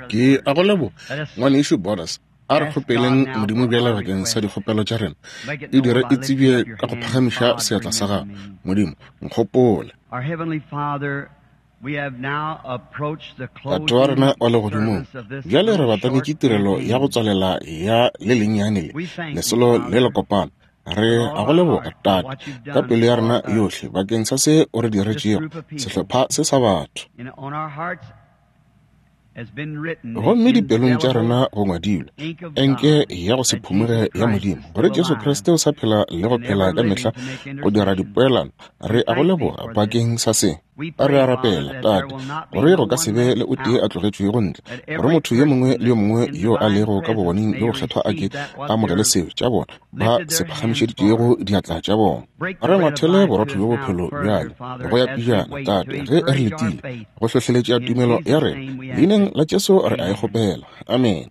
Ke a go leboga, Ngwanešu Borders. A re kgopeleng Modimo bjale bakeng sa dikgopelo tša rena. E dire e tsebje ka go phagamiša seatla sa gago. Modimo, nkgopole. Tate wa rena wa Legodimong, bjale re batametše tirelo ya go tswalela ya le lennyane le, lesolo le lekopana. Re a go leboga, Tate, ka pelo ya rena yohle, bakeng sa se o re diretšego, sehlopha se sa batho. Gomme dipelong tša rena go ngwadilwe enke ya go se phumoge ya Modimo, gore Jesu Kriste o sa phela le go phela ka mehla go dira dipoelano. Re a go leboga bakeng sa se. Re a rapela, Tate, gore go ka se be le o tee a tlogetšwego ntle, gore motho yo mongwe le yo mongwe yo a lego ka bogoneng bjo bokgethwa a ke a amogele seo tša bona ba se phagamišeditšego diatla tša bona. Re ngwathele borotho bjo bophelo bjale go ya pejana, Tate, ge re letile go hlohleletša tumelo ya rena. Leineng la Jesu re a e kgopela. Amene.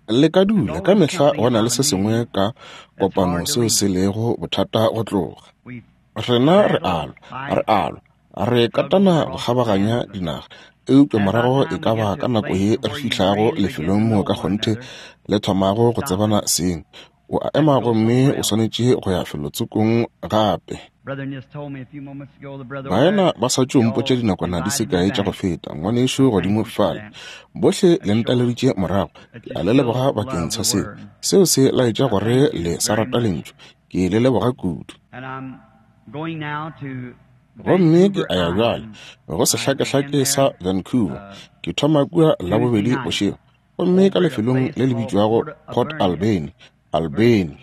Le ka dula, ka mehla go na le se sengwe ka kopano seo se lego bothata go tloga. Rena re a lwa, re a lwa, re katana go kgabaganya dinaga, eupša morago e ka ba ka nako ye re fihlago lefelong moo ka kgonthe le thomago go tsebana seng, o a ema gomme o swanetše go ya felotsokong gape. Baena ba sa tšo mpotša dinakwana di se kae tša go feta, ngwanešu godimo fale. Bohle le ntaleditše morago. Ke a le leboga bakeng sa seo. Seo se laetša gore le sa rata Lentšu. Ke le leboga kudu. Gomme ke a ya bjale go sehlakehlake sa Vancouver. Ke thoma kua Labobedi bošego. Gomme ka lefelong le le bitšwago Port Alberni, Alberni,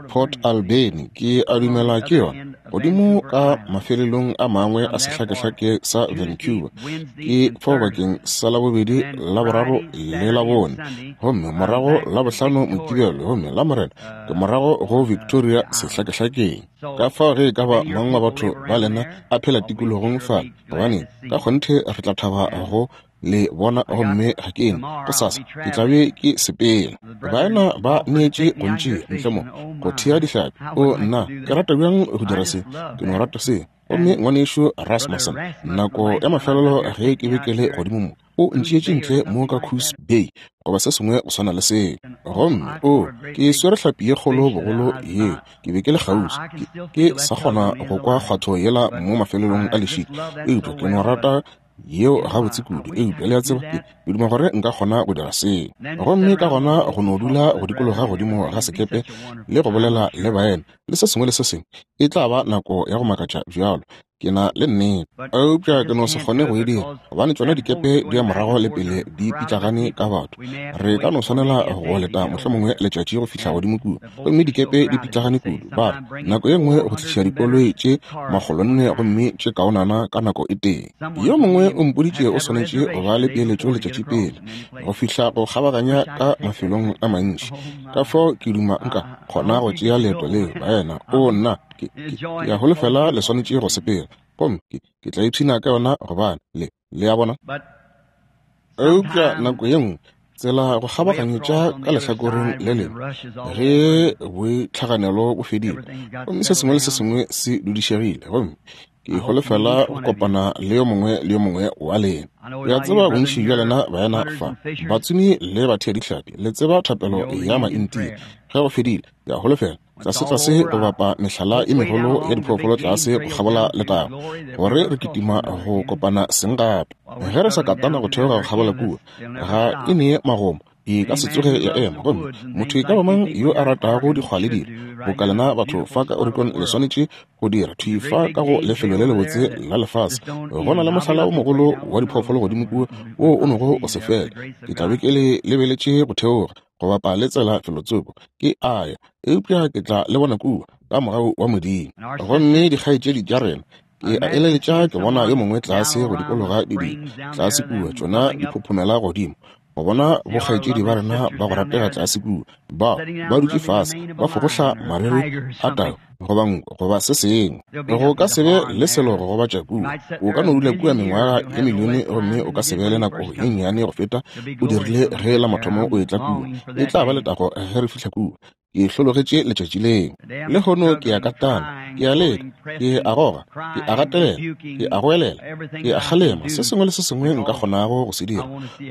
Port Alberni, ke a dumela ke yona, godimo ka mafelelong a mangwe a sehlakehlake sa Vancouver. Ke fao bakeng sa Labobedi, Laboraro le Labone, gomme morago Labohlano, Mokibelo, gomme Lamorena ke morago go Victoria sehlakehlakeng. Ka fao ge e ka ba mang wa batho ba lena a phela tikologong fa, gobaneng, ka kgonthe re tla thaba go le bona gomme ga ke ene gosasa ke tla be ke sepela. Baena ba neetše go ntšea ntle mo go thea dihlapi. O nna, ke rata bjang go dira se, ke no rata se. Gomme ngwanešu Rasmussen, nako ya mafelelo ge ke be ke le godimo mo, o ntšeetše ntle mo ka Coos Bay goba se sengwe go swana le seo. Gomme o, ke swere hlapi ye kgolo bogolo yeo, ke be ke le kgauswi, ke, ke sa kgona go kwa kgwatho yela mo mafelelong a lešika, eupša ke no rata yeo gabotse kudu. Eupša le a tseba, ke, ke duma gore nka kgona go dira seo. Gomme ka gona go no dula go dikologa godimo ga sekepe le go bolela le baena le se sengwe le se sengwe, e tla ba nako ya go makatša bjalo. Ke na le nnete, eupša ke no se kgone go e dira, gobane tšona dikepe di ya morago le pele di pitlagane ka batho. Re ka no swanela go leta mohlomongwe letšatši go fihla godimo kua, gomme dikepe di pitlagane kudu. Ba re, nako ye nngwe go tliša dikoloi tše makgolonne gomme tše kaonana ka nako e tee. Yo mongwe o mpoditše o swanetše go ba le peeletšo letšatši pele go fihla go kgabaganya ka mafelong a mantši. Ka fao ke duma nka kgona go tšea leeto leo, baena. Oo, nna, ke, ke, ke a holofela le swanetše go sepela. Gomme ke, ke tla ipshina ka yona gobane le, le a bona? Eupša nako ye nngwe tsela go kgabaganyetša ka lehlakoreng le lengwe ge boitlhaganelo bo fedile gomme se sengwe le se sengwe se dudišegile, gomme ke holofela go kopana le yo mongwe le yo mongwe wa lena. Ke a tseba bontši bja lena baena fa, batsomi le batheadihlapi, le tseba thapelo ya Maintia. Ge go fedile, ke a holofela tlasetlase go bapa mehlala e megolo ya diphoofolo tlase go kgabola letago, gore re kitima go kopana seng gape. Ge re sa katana go theoga go kgabola kua, ga e nee magomo, e ka se tsoge ya ema. Gomme motho e ka ba mang yo a ratago dikgwa le dilo, boka lena batho fa ka Oregon le swanetše go dira, thwi fa ka go lefelo le lebotse la lefase, go na le mohlala o mogolo wa diphoofolo godimo kua wo o nogo o se fele. Ke tla be ke le lebeletše go theoga go bapa le tsela felotsoko, ke a ya, eupša ke tla le bona kua ka mogau wa Modimo. Gomme dikgaetšedi tša rena, ke a eleletša ke bona yo mongwe tlase go dikologa didiba tlase kua, tšona di phophomela godimo, go bona bokgaetšedi ba rena ba go ratega tlase kua, ba ba dutše fase ba fogohla mariri a tau goba nko goba se sengwe. Go ka se be le selo go gobatša kua. O ka no dula kua mengwaga ye milione gomme o ka se be le nako ye nnyane go feta o dirile ge la mathomo o etla kua. E tla ba letago ge re fihla kua. Ke hlologetše letšatši leo. Lehono ke a katana, ke a leka, ke a goga, ke a gatelela, ke a goelela, ke a kgalema, se sengwe le se sengwe nka kgonago go se dira,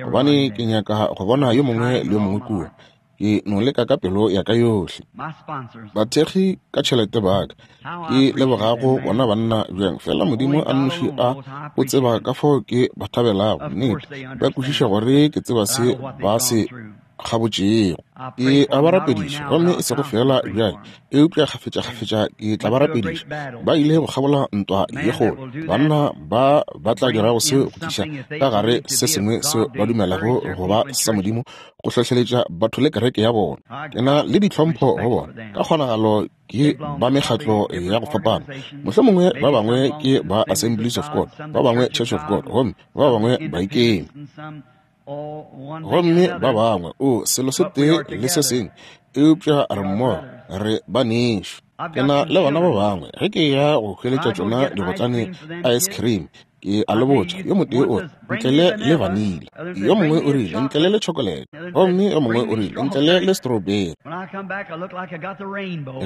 gobane ke nyaka go bona yo mongwe le yo mongwe kua. Ke no leka ka pelo ya ka yohle. Bathekgi ka tšhelete ba ka, ke lebogago bona banna bjang, fela Modimo a nnoši a o tseba ka fao ke ba thabelago. Nnete, ba kwešiša gore ke tseba se ba se kgabotšego. Ke a ba rapediša, gomme e sego feela bjale, eupša kgafetšakgafetša ke tla ba rapediša. Ba ile go kgabola ntwa ye kgolo. Banna ba ba tla dirago seo go tliša ka gare se sengwe seo ba dumelago go ba sa Modimo, go hlohleletša batho le kereke ya bona. Ke na le ditlhompho go bona. Ka kgonagalo ke ba mekgatlo ya go fapana. Mohlomongwe ba bangwe ke ba Assemblies of God, ba bangwe Church of God, gomme ba bangwe ba ikeme. Gomme ba bangwe, o selo se tee le se sengwe, eupša re mmogo, re banešu. Ke na le bana ba bangwe, ge ke ya go hweletša tšona digotlane ice cream, ke a le botša, yo motee o re, ntlele le vanilla, yo mongwe o rile, ntlele le chocolate, gomme yo mongwe o rile, ntlele le strawberry.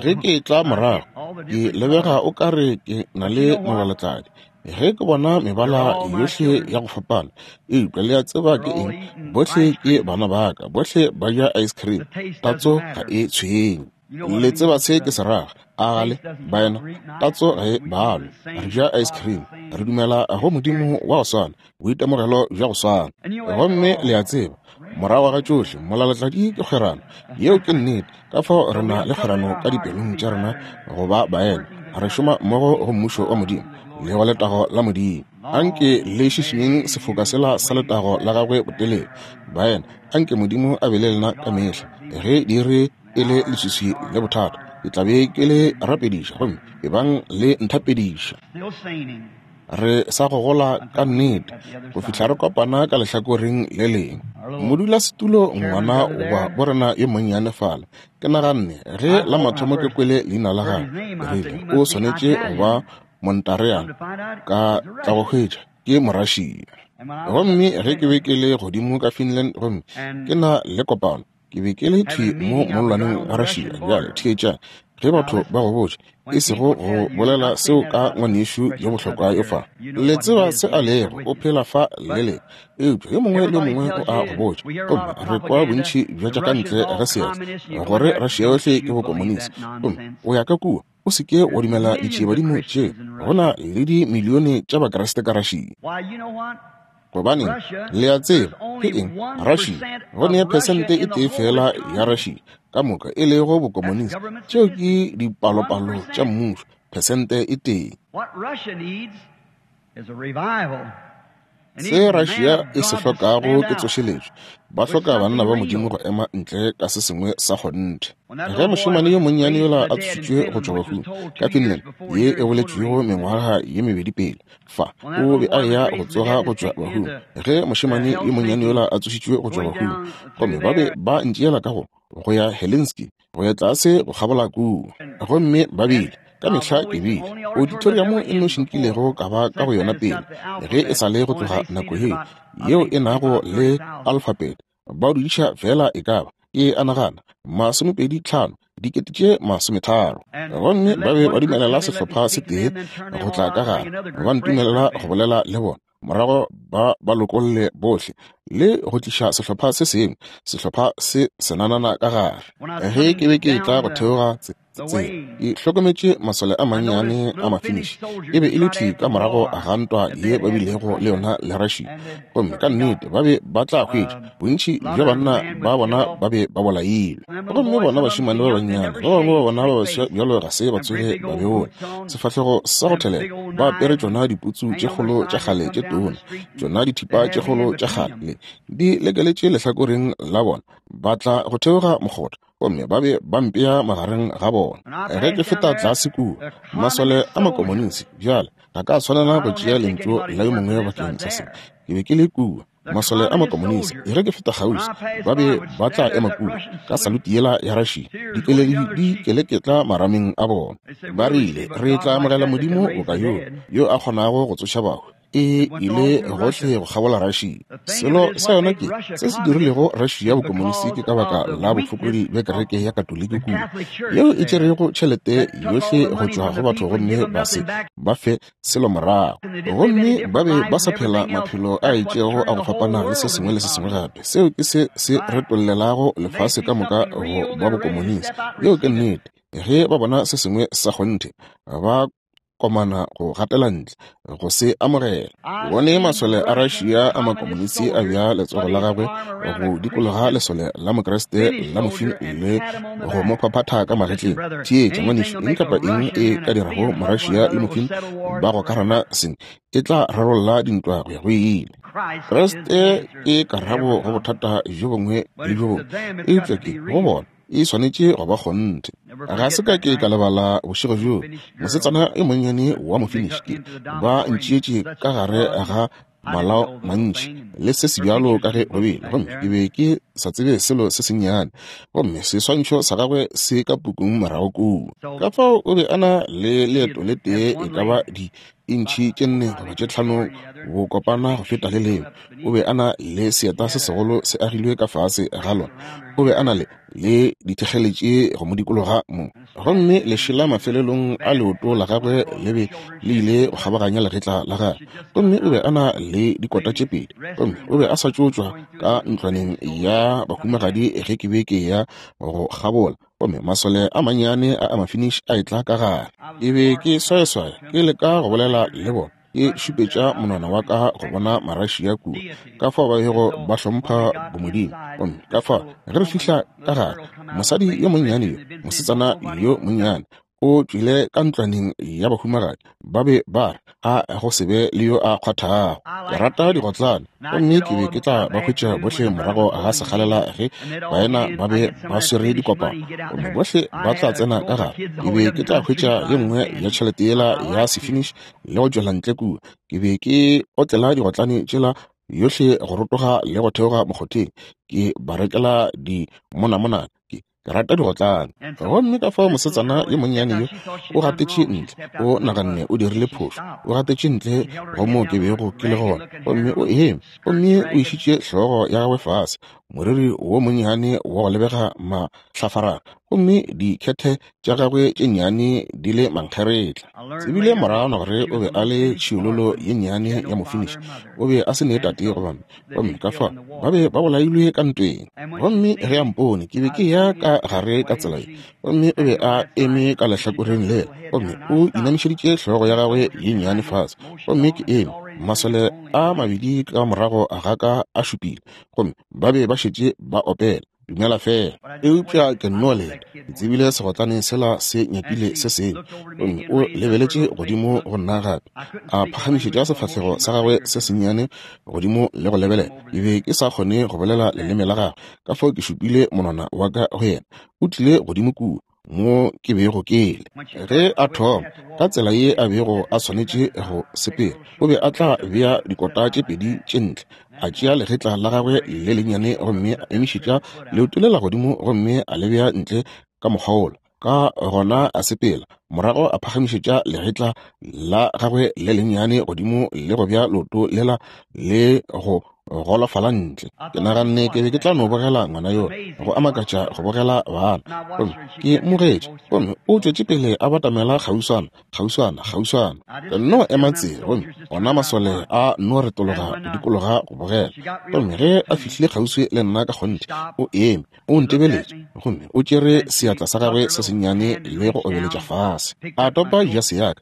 Ge ke tla morago, ke lebega o ka re ke na le molalatladi. Ge ke bona mebala yohle ya go fapana, eupša le a tseba ke eng? Bohle ke bana ba ka, bohle ba ja ice cream, tatso ga e tshwenye. Le tseba se ke se raga, a gale, baena? Tatso ga e balwe. Re ja ice cream, re dumela go Modimo wa go swana, boitemogelo bja go swana. Gomme le a tseba, morago ga tšohle, molalatladi ke kgwerano. Yeo ke nnete. Ka fao re na le kgwerano ka dipelong tša rena go ba baena, re šoma mmogo go Mmušo wa Modimo le go letago la Modimo. Anke le šišinyeng sefoka sela sa letago la gagwe botelele. Baena, anke Modimo a be le lena ka mehla. Ge diiri e le leswiswi le bothata, ke tla be ke le rapediša, gomme ebang le nthapediša. Re sa gogola ka nnete go fihla re kopana ka lehlakoreng le lengwe. Modulasetulo ngwana wa borena yo monnyane fale, ke naganne ge la mathomo ke kwele leina la gagwe, ke rile o swanetše go ba Montareana, ka tla go hwetša ke Morussia. Gomme ge ke be ke le godimo ka Finland gomme ke na le kopano, ke be ke le thwi mo mollwaneng wa Russia. Bjale theetšang, ge batho ba go botša, e sego go bolela seo ka ngwanešu yo bohlokwa yo fa. Le tseba se a lego, o phela fa le lena. Eupša yo mongwe le yo mongwe o a go botša, gomme re kwa bontši bja tša ka ntle ga seatla, gore Russia yohle ke bokomonisi. Gomme o ya ka kua, o se ke wa dumela ditšiebadimo tše. Go na le dimilione tša Bakriste ka Russia. Gobaneng, le a tseba ke eng? Russia, go ne phesente e tee fela ya Russia ka moka e lego bokomonisi. Tšeo ke dipalopalo tša mmušo, phesente e tee. Se Russia e se hlokago ke tsošeletšo. Ba hloka banna ba Modimo go ema ntle ka se sengwe sa kgonthe. Ge mošemane yo monnyane yola a tsošitšwe go tšwa bahung ka Finland, ye e boletšwego mengwaga ye mebedi pele, fa o be a eya go tsoga go tšwa bahung. Ge mošemane yo monnyane yola a tsošitšwe go tšwa bahung, gomme ba be ba ntšeela ka go ya Helsinki, go ya tlase go kgabola kua, gomme ba bile ka mehla ke bile auditorium e nnoši nkilego ka ba ka go yona pele ge e sa le go tloga nako yeo, yeo e nago le alphabet, ba dudiša feela e ka ba, ke a nagana, 25, 30,000. Gomme ba be ba dumelela sehlopha se tee go tla ka gare, ba ntumelela go bolela le bona, morago ba ba lokolle bohle le go tliša sehlopha se sengwe, sehlopha se senanana ka gare. Ge ke be ke etla go theoga tsela, ke hlokometše masole a mannyane a Mafinish. E be e le thwi ka morago ga ntwa ye ba bilego le yona le Russia, gomme ka nnete ba be ba tla hwetša bontši bja banna ba bona ba be ba bolailwe. Gomme bona bašemane ba bannyane, ba bangwe ba bona ba baswa bjalo ga se ba tsoge ba beola sefahlego sa go thelela, ba apere tšona diputsu tše kgolo tša kgale tše tona, tšona dithipa tše kgolo tša kgale di lekeletše lehlakoreng la bona, ba tla go theoga mokgotha gomme ba be ba mpea magareng ga bona. Ge ke feta tlase kua, masole a makomonisi bjale ga ka swanela go tšea lentšu la yo mongwe bakeng sa se. Ke be ke le kua, masole a makomonisi, ge ke feta kgauswi, ba be ba tla ema kua ka saluti yela ya Russia, dikeledi di keleketla marameng a bona. Ba rile, Re tla amogela Modimo boka yo, yo a kgonago go tsoša bahu. E ile gohle go kgabola Russia. Selo sa yona ke, se se dirilego Russia bokomonisi ke ka baka la bofokodi bja kereke ya Katoliki kua, yeo e tšerego tšhelete yohle go tšwa go batho gomme ba se ba fe selo morago. Gomme ba be ba sa phela maphelo a itšego a go fapana le se sengwe le se sengwe gape. Seo ke se se retollelago lefase ka moka go ba bokomonisi. Yeo ke nnete. Ge ba bona se sengwe sa kgonthe, ba komana go gatela ntle go se amogela. Ke bone masole a Russia a makomonisi a bea letsogo la gagwe go dikologa lesole la Mokriste la mofini le go mo phaphatha ka magetleng. Theetša, ngwanešu, eng kapa eng e ka dirago Morussia le mofini ba gokarana seng e tla rarolla dintwa go ya go ile. Kriste ke karabo go bothata bjo bongwe le bjo bongwe, eupša ke go bona e swanetše go ba kgonthe. Ga se ka ke ka lebala bošego bjoo mosetsana yo monnyane wa Mofinish ke ba ntšeetše ka gare ga malao mantši le se se bjalo ka ge go bile, gomme ke be ke sa tsebe selo se sennyane, gomme seswantšho sa gagwe se ka pukung morago kua. Ka fao o be a na le leeto le tee e ka ba di intšhi tše 4 goba tše 5 bokopana go feta le lengwe. O be a na le seeta se segolo se agilwe ka fase ga lona. O be a na le le dithekgeletše go mo dikologa mo. Gomme lešela mafelelong a leoto la gagwe le be le ile go kgabaganya legetla la gagwe. Gomme o be a na le dikota tše pedi. Gomme o be a sa tšo tšwa ka ntlwaneng ya bahumagadi ge ke be ke ya go kgabola. Gomme masole a mannyane a a Mafinish a etla ka gare. Ke be ke swayaswaya, ke leka go bolela le bona, ke šupetša monwana wa ka go bona Marussia kua, ka fao ba bego ba hlompha bomodimo. Gomme ka fao ge re fihla ka gare, mosadi yo monnyane yo, mosetsana yo monnyane, o tšwile ka ntlwaneng ya bahumagadi, ba be ba re, A go se be le yo a kgwathago. Ke rata digotlane, gomme ke be ke tla ba hwetša bohle morago ga sekgalela ge baena ba be ba swere dikopano, gomme bohle ba tla tsena ka gare. Ke be ke tla hwetša ye nngwe ya tšhelete yela ya Sefinish le go tšwela ntle kua. Ke be ke otlela digotlane tšela yohle go rotoga le go theoga mokgotheng, ke ba rekela di monamonana. Ke Ke rata digotlane. Gomme ka fao mosetsana yo monnyane yo o gatetše ntle, o naganne o dirile phošo, o gatetše ntle go moo ke bego ke le gona, gomme o eme, gomme o išitše hlogo ya gagwe fase, moriri wo monnyane wa go lebega mahlafarara, gomme dikhethe tša gagwe tše nnyane di le mankgeretla. Tsebile moragwana gore o be a le tšhiololo ye nnyane ya Mofinish, o be a se ne tate goba mme, gomme ka fao ba be ba bolailwe ka ntweng. Gomme ge a mpone, ke be ke ya ka gare ka tsela ye, gomme o be a eme ka lehlakoreng lela, gomme o inamišeditše hlogo ya gagwe ye nnyane fase, gomme ke eme, masole a mabedi ka morago ga ka a šupile, gomme ba be ba šetše ba opela Dumela Fela. Eupša ke nno leta, ke tsebile segotlane sela se nyakile se sengwe. Gomme o lebeletše godimo go nna gape, a phagamišetša sefahlego sa gagwe se sennyane godimo le go lebelela. Ke be ke sa kgone go bolela leleme la gagwe, ka fao ke šupile monwana wa ka go yena. O tlile godimo kua mo ke bego ke le. Ge a thoma ka tsela ye a bego a swanetše go sepela, o be a tla bea dikota tše pedi tše ntle, a tšea legetla la gagwe le lennyane gomme a emišetša leoto lela godimo gomme a le bea ntle ka mokgwa wola. Ka gona a sepela, morago a phagamišetša legetla la gagwe le lennyane godimo le go bea leoto lela le go golofala ntle. Ke naganne ke be ke tla no bogela ngwana yola, go a makatša go bogela bana. Gomme ke mmogetše, gomme o tšwetše pele a batamela kgauswana, kgauswana, kgauswana. Ke nno ema tse, gomme ona masole a nno retologa go dikologa go bogela. Gomme ge a fihlile kgauswi le nna ka kgonthe, o eme, o ntebeletše, gomme o tšere seatla sa gagwe se sennyane le go obeletša fase. A topa jase ya ka,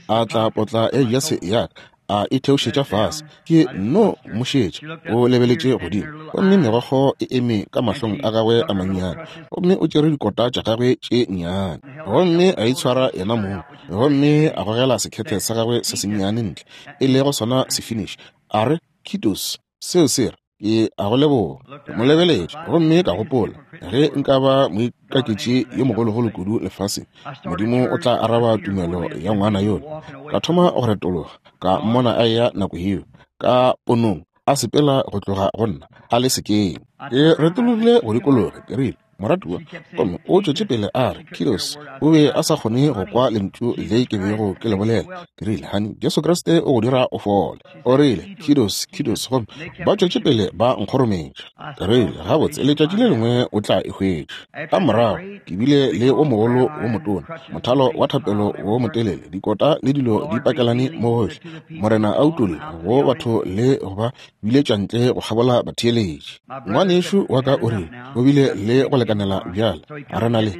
a tla potla ya jase ya ka, a e theošetša fase. Ke nno mo šetša, o lebeletše godimo, gomme megokgo e eme ka mahlong a gagwe a mannyane, gomme o tšere dikota tša gagwe tše nnyane, gomme a itshwara yena mong, gomme a gogela sekhethe sa gagwe se sennyane ntle, e lego sona Sefinish, a re, Kiitos, seo se re, Ke a go leboga. Ke mo lebeletše gomme ka gopola, ge nka ba moikaketši yo mogologolo kudu lefaseng, Modimo o tla araba tumelo ya ngwana yola. Ka thoma go retologa, ka mmona a eya nako yeo, ka ponong, a sepela go tloga go nna, a le sekeng. Ke retologile go dikologa, ke rile, Moratuwa, gomme o tšwetše pele a re, Kilos, o be a sa kgone go kwa lentšu le ke bego ke le bolela. Ke rile, Hani, Jesu Kriste o go dira o fole. O rile, Kilos, Kilos, gomme ba tšwetše pele ba nkgorometša. Ke rile, Gabotse, letšatši le lengwe o tla e hwetša. Ka morago, ke bile le o mogolo wo motona, mothalo wa thapelo wo motelele, dikota le dilo di pakelane mo gohle. Morena a utolla go batho le go ba biletša ntle go kgabola batheeletši. Ngwanešu wa ka o rile o bile le go lekanela bjale, a re na le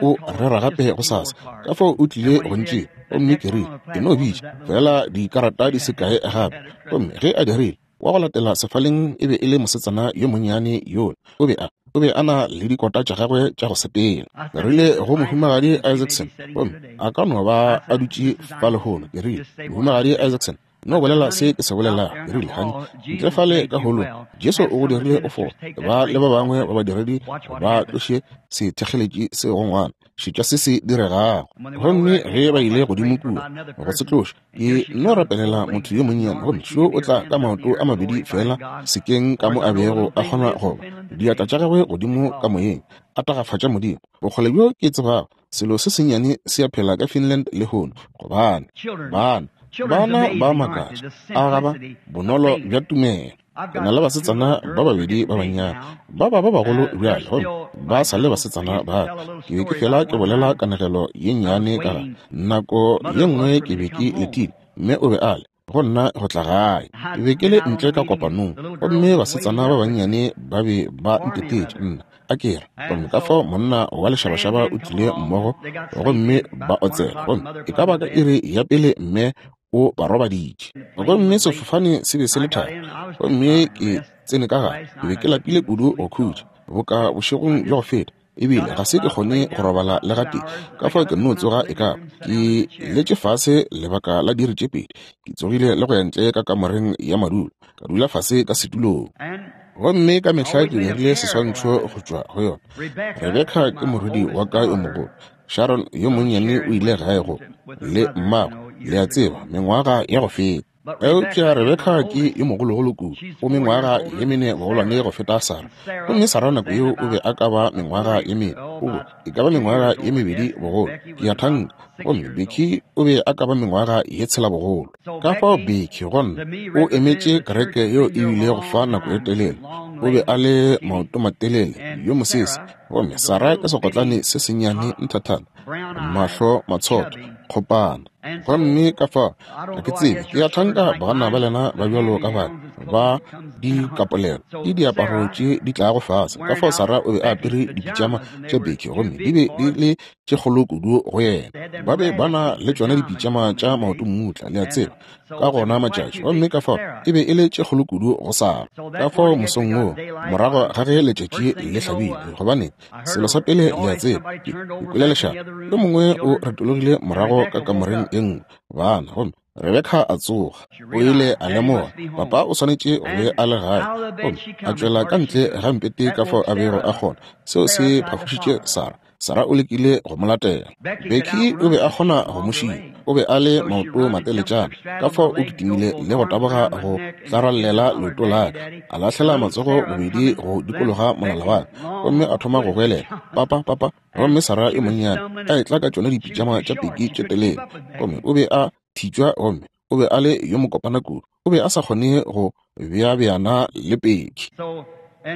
o rera gape go sasa. Ka fao o tlile go ntšea, gomme ke rile, Ke no bitša fela dikarata di se kae gape. Gomme ge a dirile, wa go latela sefaleng e be e le mosetsana yo monnyane yola. O be a o be a na le dikota tša gagwe tša go sepela. Ke rile go Mohumagadi Isaacson, gomme a ka no ba a dutše fa lehono. Ke rile, Mohumagadi Isaacson, no bolela se ke se bolelago. Ke rile, Hani, ntle fale ka holong, Jesu o go dirile o fole. Ba le ba bangwe ba badiredi ba tloše sethekgeletši se go ngwana. Šetša se se diregago. Gomme ge ba ile godimo kua go se tloša, ke nno rapelela motho yo monnyane, gomme šo o tla ka maoto a mabedi feela sekeng ka mo a bego a kgona go ba, diatla tša gagwe godimo ka moyeng, a tagafatša Modimo. Bokgole bjo ke tsebago, selo se sennyane se a phela ka Finland lehono, gobane bana, bana ba makatša, a ga ba bonolo bja tumelo. Ke na le basetsana ba babedi ba bannyane, ba ba ba bagolo bjale, gomme ba sa le basetsana ba ka. Ke be ke fela ke bolela kanegelo ye nnyane ka ga nako ye nngwe ke be ke letile, mme o be a le go nna go tla gae. Ke be ke le ntle ka kopanong, gomme basetsana ba bannyane ba be ba ntetetše nna, a ke re. Gomme ka fao monna wa lešabašaba o tlile mmogo, gomme ba otsela, gomme e ka ba ka iri ya pele mme o ba robaditše. Gomme sefofane se be se le thari, gomme ke tsene ka gare. Ke be ke lapile kudu go khutša, boka bošegong bja go feta, ebile ga se ke kgone go robala le gatee. Ka fao ke nno tsoga e ka ba ke letše fase lebaka la diiri tše pedi. Ke tsogile le go ya ntle ka kamoreng ya madulo, ka dula fase ka setulong. Gomme ka mehla ke dirile seswantšho go tšwa go yona. Rebeka ke morwedi wa ka yo mogolo. Sharon yo monnyane o ile gae go le mmagwe, le a tseba, mengwaga ya go feta. Eupša Rebeka ke yo mogologolo kudu, o mengwaga ye mene bogolwane go feta Sarah. Gomme Sarah nako yeo o be a ka ba mengwaga ye mene, o bo e ka ba mengwaga ye mebedi bogolo, ke a thanka. Gomme Becky o be a ka ba mengwaga ye tshela bogolo. Ka fao Becky go nna o emetše kereke yeo e bilego fa nako e telele. O be a le maotomatelele, yo mosese. Gomme Sarah ke segotlane se sennyane nthathana, mahlo matshotho, kgopana. Gomme ka fao, ga ke tsebe, ke a thanka banna ba lena ba bjalo ka bana ba dikapolelo le diaparo tše di tlago fase. Ka fao Sarah o be a apere dipitšama tša Becky, gomme di be di le tše kgolo kudu go yena. Ba be ba na le tšona dipitšama tša maoto-mmutla, le a tseba, ka gona matšatši, gomme ka fao e be e le tše kgolo kudu go Sara. Ka fao mosong woo, morago ga ge letšatši le hlabile, gobane selo sa pele le a tseba, ke kwele lešata, yo mongwe o retologile morago ka kamoreng e nngwe, bana, gomme Rebeka a tsoga. O ile a lemoga papa o swanetše go be a le gae, gomme a tšwela ka ntle ga mpete ka fao a bego a kgona. Seo se phafošitše Sara. Sara o lekile go mo latela. Becky o be a kgona go mo šia. O be a le maoto mateletšana, ka fao o kitimile le go taboga go tlarallela leoto la ka, a lahlela matsogo bobedi go dikologa molala wa ka, gomme a thoma go goelela, Papa, papa! Gomme Sara yo monnyane a etla ka tšona dipitšama tša Becky tše telele, gomme o be a thitšwa gomme o be a le yo mokopana kudu, o be a sa kgone go beabeana le Becky.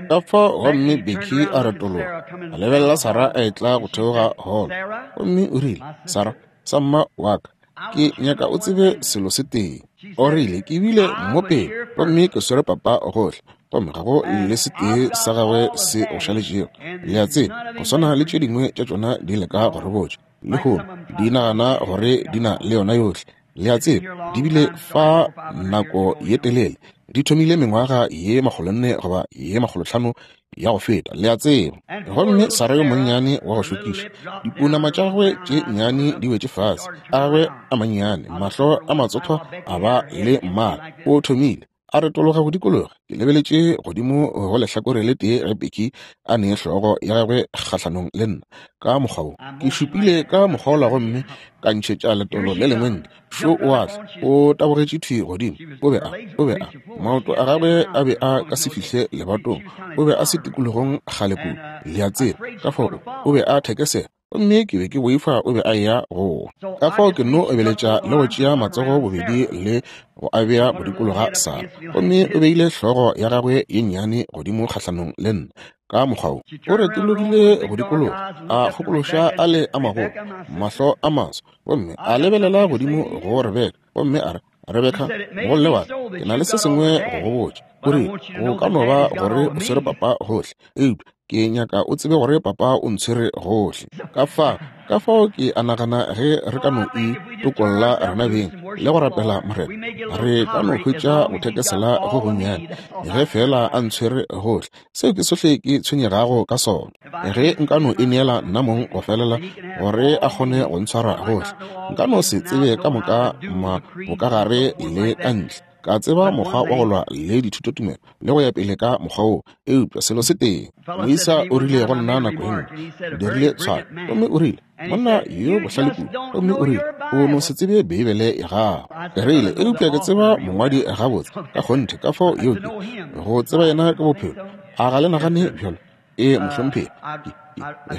Ka fao gomme Becky a retologa, a lebelela Sarah a etla go theoga holo, gomme o rile, Sarah, samma wa ka, ke nyaka o tsebe selo se tee. O rile, ke bile mo pele, gomme ke swere papa gohle, gomme ga go le se tee sa gagwe se go šaletšego. Le a tseba, go swana le tše dingwe tša tšona di leka go re botša lehono, di nagana gore di na le yona yohle. Le a tseba, di bile fa nako ye telele, di thomile mengwaga ye makgolonne goba ye makgolotlhano ya go feta, le a tseba. Gomme Sara yo monnyane wa go šokiša, dipounama tša gagwe tše nnyane di wetše fase, a gagwe a mannyane, mahlo a matsothwa a ba le mmala, o thomile. A retologa go dikologa. Ke lebeletše godimo go lehlakore le tee ge Becky a ne hlogo ya gagwe kgahlanong le nna, ka mokgwa wo. Ke šupile ka mokgwa wola gomme ka ntšhetša letolo le lengwe ntle. Šo o a tla, o tabogetše thwi godimo. O be a, o be a, maoto a gagwe a be a ka se fihle lebatong. O be a se tikologong kgale kudu, le a tseba. Ka fao o be a thekesela. Gomme ke be ke boifa o be a eya go wa. Ka fao ke nno obeletša le go tšea matsogo bobedi le go a bea go dikologa Sarah. Gomme o beile hlogo ya gagwe ye nnyane godimo kgahlanong le nna, ka mokgwa wo. O retologile go dikologa, a kgokološa a le a magolo, mahlo a maso, gomme a lebelela godimo go Rebeka, gomme a re, Rebeka, mogolle wa ka, ke na le se sengwe go go botša. O rile, Go ka no ba gore o swere papa gohle, eupša ke nyaka o tsebe gore papa o ntshwere gohle. Ka fa, ka fao ke a nagana ge re ka no itokolla rena beng le go rapela Morena, re ka no hwetša go thekesela go gonnyane, ge feela a ntshwere gohle. Seo ke sohle ke tshwenyegago ka sona. Ge nka no ineela nna mong go felela gore a kgone go ntshwara gohle, nka no se tsebe ka moka ma bokagare le ka ntle. Ka tseba mokgwa wa go lwa le dithutotumelo le go ya pele ka mokgwa woo, eupša selo se tee, moisa o rile go nna nako ye nngwe, o dirile tshwaro, gomme o rile, monna yo bohlale kudu, gomme o rile, o no se tsebe Beibele ya gago. Ke rile, eupša ke tseba mongwadi gabotse, ka kgonthe, ka fao yeo ke, go tseba yena ke bophelo. A ga le nagane bjalo? Ee, mohlomphegi.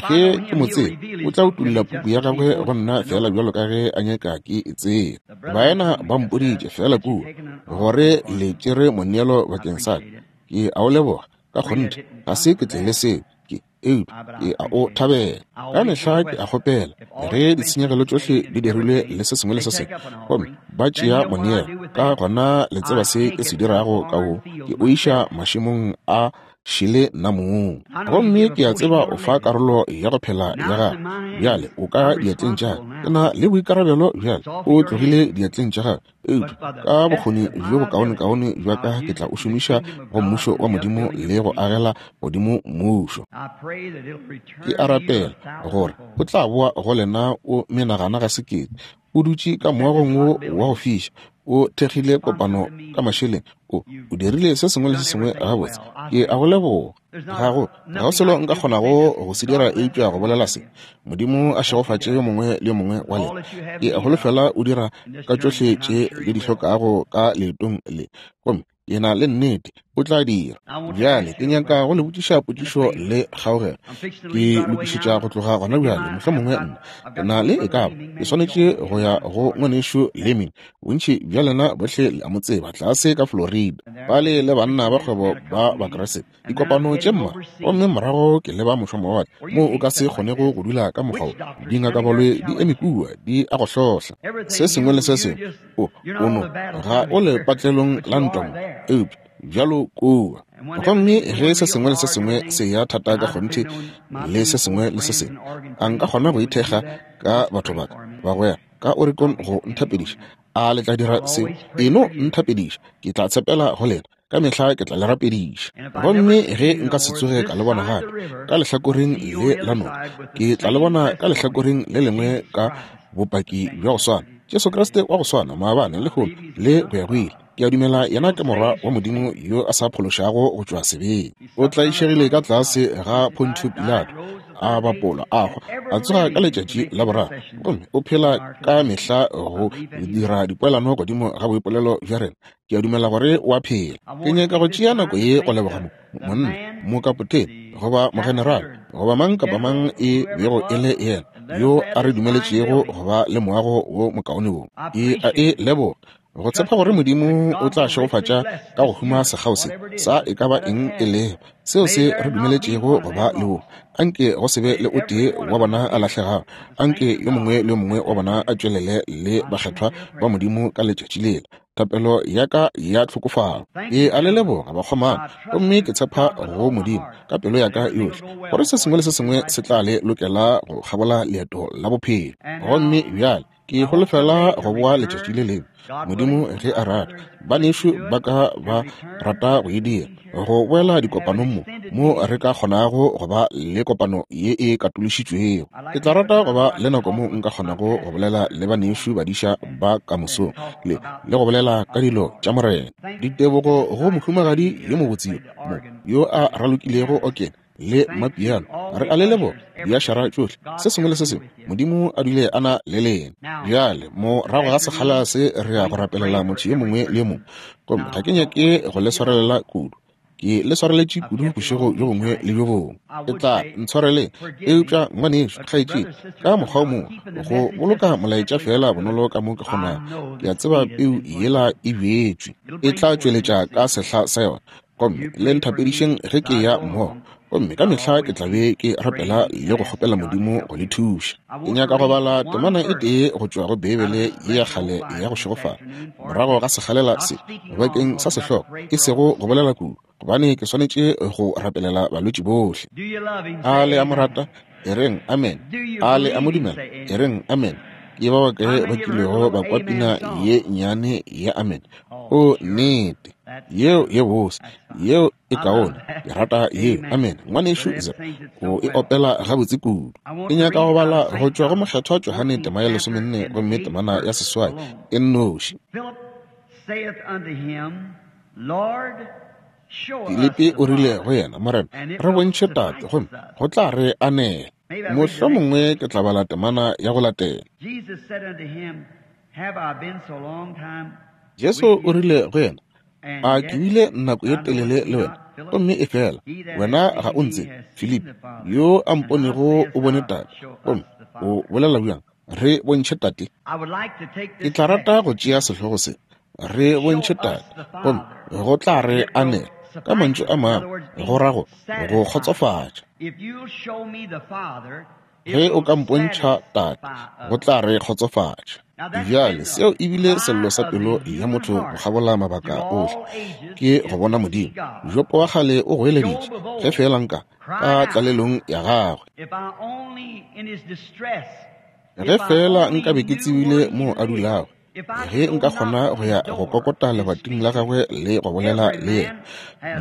Ge ke mo tseba, o tla utolla puku ya gagwe go nna feela bjalo ka ge a nyaka ke e tseba. Baena ba mpoditše feela kua gore le tšere moneelo bakeng sa ka. Ke a o leboga, ka kgonthe. Ga se ke tlele seo, ke, eupša ke a o thabela. Ka mehla ke a kgopela ge ditshenyegelo tšohle di dirilwe le se sengwe le se sengwe, gomme ba tšea moneelo, ka gona le tseba se ke se dirago ka wo, ke o iša mašemong a šele nna mong. Gomme ke a tseba o fa karolo ya go phela ya gago. Bjale o ka diatleng tša ka. Ke na le boikarabelo bjale. O tlogile diatleng tša gago. Eupša ka bokgoni bjo bokaonekaone bja ka ke tla o šomiša go Mmušo wa Modimo le go agela godimo Mmušo. Ke a rapela gore o tla boa go lena o menagana ga sekete, o dutše ka moagong wo wa go fiša, o thekgile kopano ka mašeleng, o, o dirile se sengwe le se sengwe gabotse. Ke a go leboga. Ga go, ga go selo nka kgonago go se dira eupša go bolela se. Modimo a šegofatše yo mongwe le yo mongwe wa lena. Ke holofela o dira ka tšohle tše le di hlokago ka leetong le. Gomme ke na le nnete o tla dira. Bjale ke nyaka go le botšiša potšišo le kgaogelo. Ke lokišetša go tloga gona bjale, mohlomongwe nna ke na le e ka ba ke swanetše go ya go ngwanešu Leming. Bontši bja lena bohle le a mo tseba, tlase ka Florida, bale le banna ba kgwebo ba Bakriste, dikopano tše mma, gomme morago ke leba mošomowatle moo o ka se kgonego go dula ka mokgwa wo. Dingakabaloi di eme kua, di a go hlohla, se sengwe le se sengwe. O, o no, ga o le patlelong la ntwa mo, eupša bjalo kua. Gomme ge se sengwe le se sengwe se ya thata ka kgonthe le se sengwe le se sengwe, a nka kgona go ithekga ka batho ba ka, bagwera ka Oregon go nthapediša? A le tla dira seo? E no nthapediša, ke tla tshepela go lena. Ka mehla ke tla le rapediša. Gomme ge nka se tsoge ka le bona gape ka lehlakoreng le la noka, ke tla le bona ka lehlakoreng le lengwe ka bopaki bja go swana. Jesu Kriste wa go swana maabane, lehono, le go ya go ile. Ke a dumela yena ke Morwa wa Modimo yo a sa phološago go tšwa sebeng. O tlaišegile ka tlase ga Pontio Pilato, a bapolwa, a hwa, a tsoga ka letšatši la boraro, gomme o phela ka mehla go dira dipoelano godimo ga boipolelo bja rena. Ke a dumela gore o a phela. Ke nyaka go tšea nako ye go leboga mo, monna, mokapotene, goba mogenerale, goba mang kapa mang e bego e le yena, yo a re dumeletšego go ba le moago wo mokaone wo. Ke a e leboga. Go tshepa gore Modimo o tla šegofatša ka go huma sekgao se sa e ka ba eng e lego seo se re dumeletšego go ba le wo. Anke go se be le o tee wa bona a lahlegago. Anke yo mongwe le yo mongwe wa bona a tšwelele le bakgethwa ba Modimo ka letšatši lela. Thapelo ya ka ya tlhokofalo. Ke a le leboga, bakgomana, gomme ke tshepa go Modimo ka pelo ya ka yohle gore se sengwe le se sengwe se tla le lokela go kgabola leeto la bophelo. Gomme bjale. Ke holofela go boa letšatši le lengwe, Modimo ge a rata. Banešu ba ka ba rata go e dira, go boela dikopanong mo, mo re ka kgonago go ba le kopano ye e katološitšwego. Ke tla rata go ba le nako mo nka kgonago go bolela le banešu badiša ba ka mosong, le, le go bolela ka dilo tša Morena. Ditebogo go mohumagadi yo mobotse yo mo, yo a ralokilego okene le mapiano. Re a le leboga, diašara tšohle, se sengwe le se sengwe. Modimo a dule a na le lena. Bjale, morago ga sekgala se re ya go rapelela motho yo mongwe le yo mongwe. Gomme ga ke nyake go le swarelela kudu. Ke le swareletše kudu bošego bjo bongwe le bjo bongwe. E tla ntshwareleng. Eupša, ngwanešu, kgaetšedi, ka mokgwa o mongwe, go boloka molaetša feela bonolo ka mo ke kgonago. Ke a tseba peu yela e bjetšwe. E tla tšweletša ka sehla sa yona. Gomme le nthapedišeng ge ke ya mmogo, gomme ka mehla ke tla be ke rapela le go kgopela Modimo go le thuša. Ke nyaka go bala temana e tee go tšwa go Beibele ye ya kgale ya go šegofala, morago ga sekgalela se, bakeng sa sehlogo, e sego go bolela kudu, gobane ke swanetše go rapelela balwetši bohle. A le a mo rata? E reng, Amen. A le a mo dumela? E reng, Amen. Ke ba bakae ba kilego ba kwa pina ye nnyane ya Amen? O, nnete. Yeo ye bose. Yeo e kaone. Ke rata yeo. Amen. Ngwanešu Zeb, o e opela gabotse kudu. Ke nyaka go bala go tšwa go Mokgethwa Johane tema ya 14 gomme temana ya 8 e nnoši. Filipi o rile go yena, Morena, re bontšhe Tate, gomme go tla re anela. Mohlomongwe ke tla bala temana ya go latela. Jesu o rile go yena, A ke bile nako ye telele le wena, gomme efela wena ga o ntsebe? Filipi, yo a mponego o bone Tate, gomme o bolela bjang, Re bontšhe Tate? Ke tla rata go tšea sehlogo se, Re bontšhe Tate, gomme go tla re anela. Ka mantšu a mangwe, go ra go, go kgotsofatša. Ge o ka mpontšha Tate, go tla re kgotsofatša. Bjale, seo e bile sello sa pelo ya motho go kgabola mabaka ohle, ke go bona Modimo. Jopo wa kgale o goeleditše, ge feela nka, ka tlalelong ya gagwe. Ge feela nka be ke tsebile moo a dulago, ge nka kgona go ya go kokota lebating la gagwe le go bolela le yena.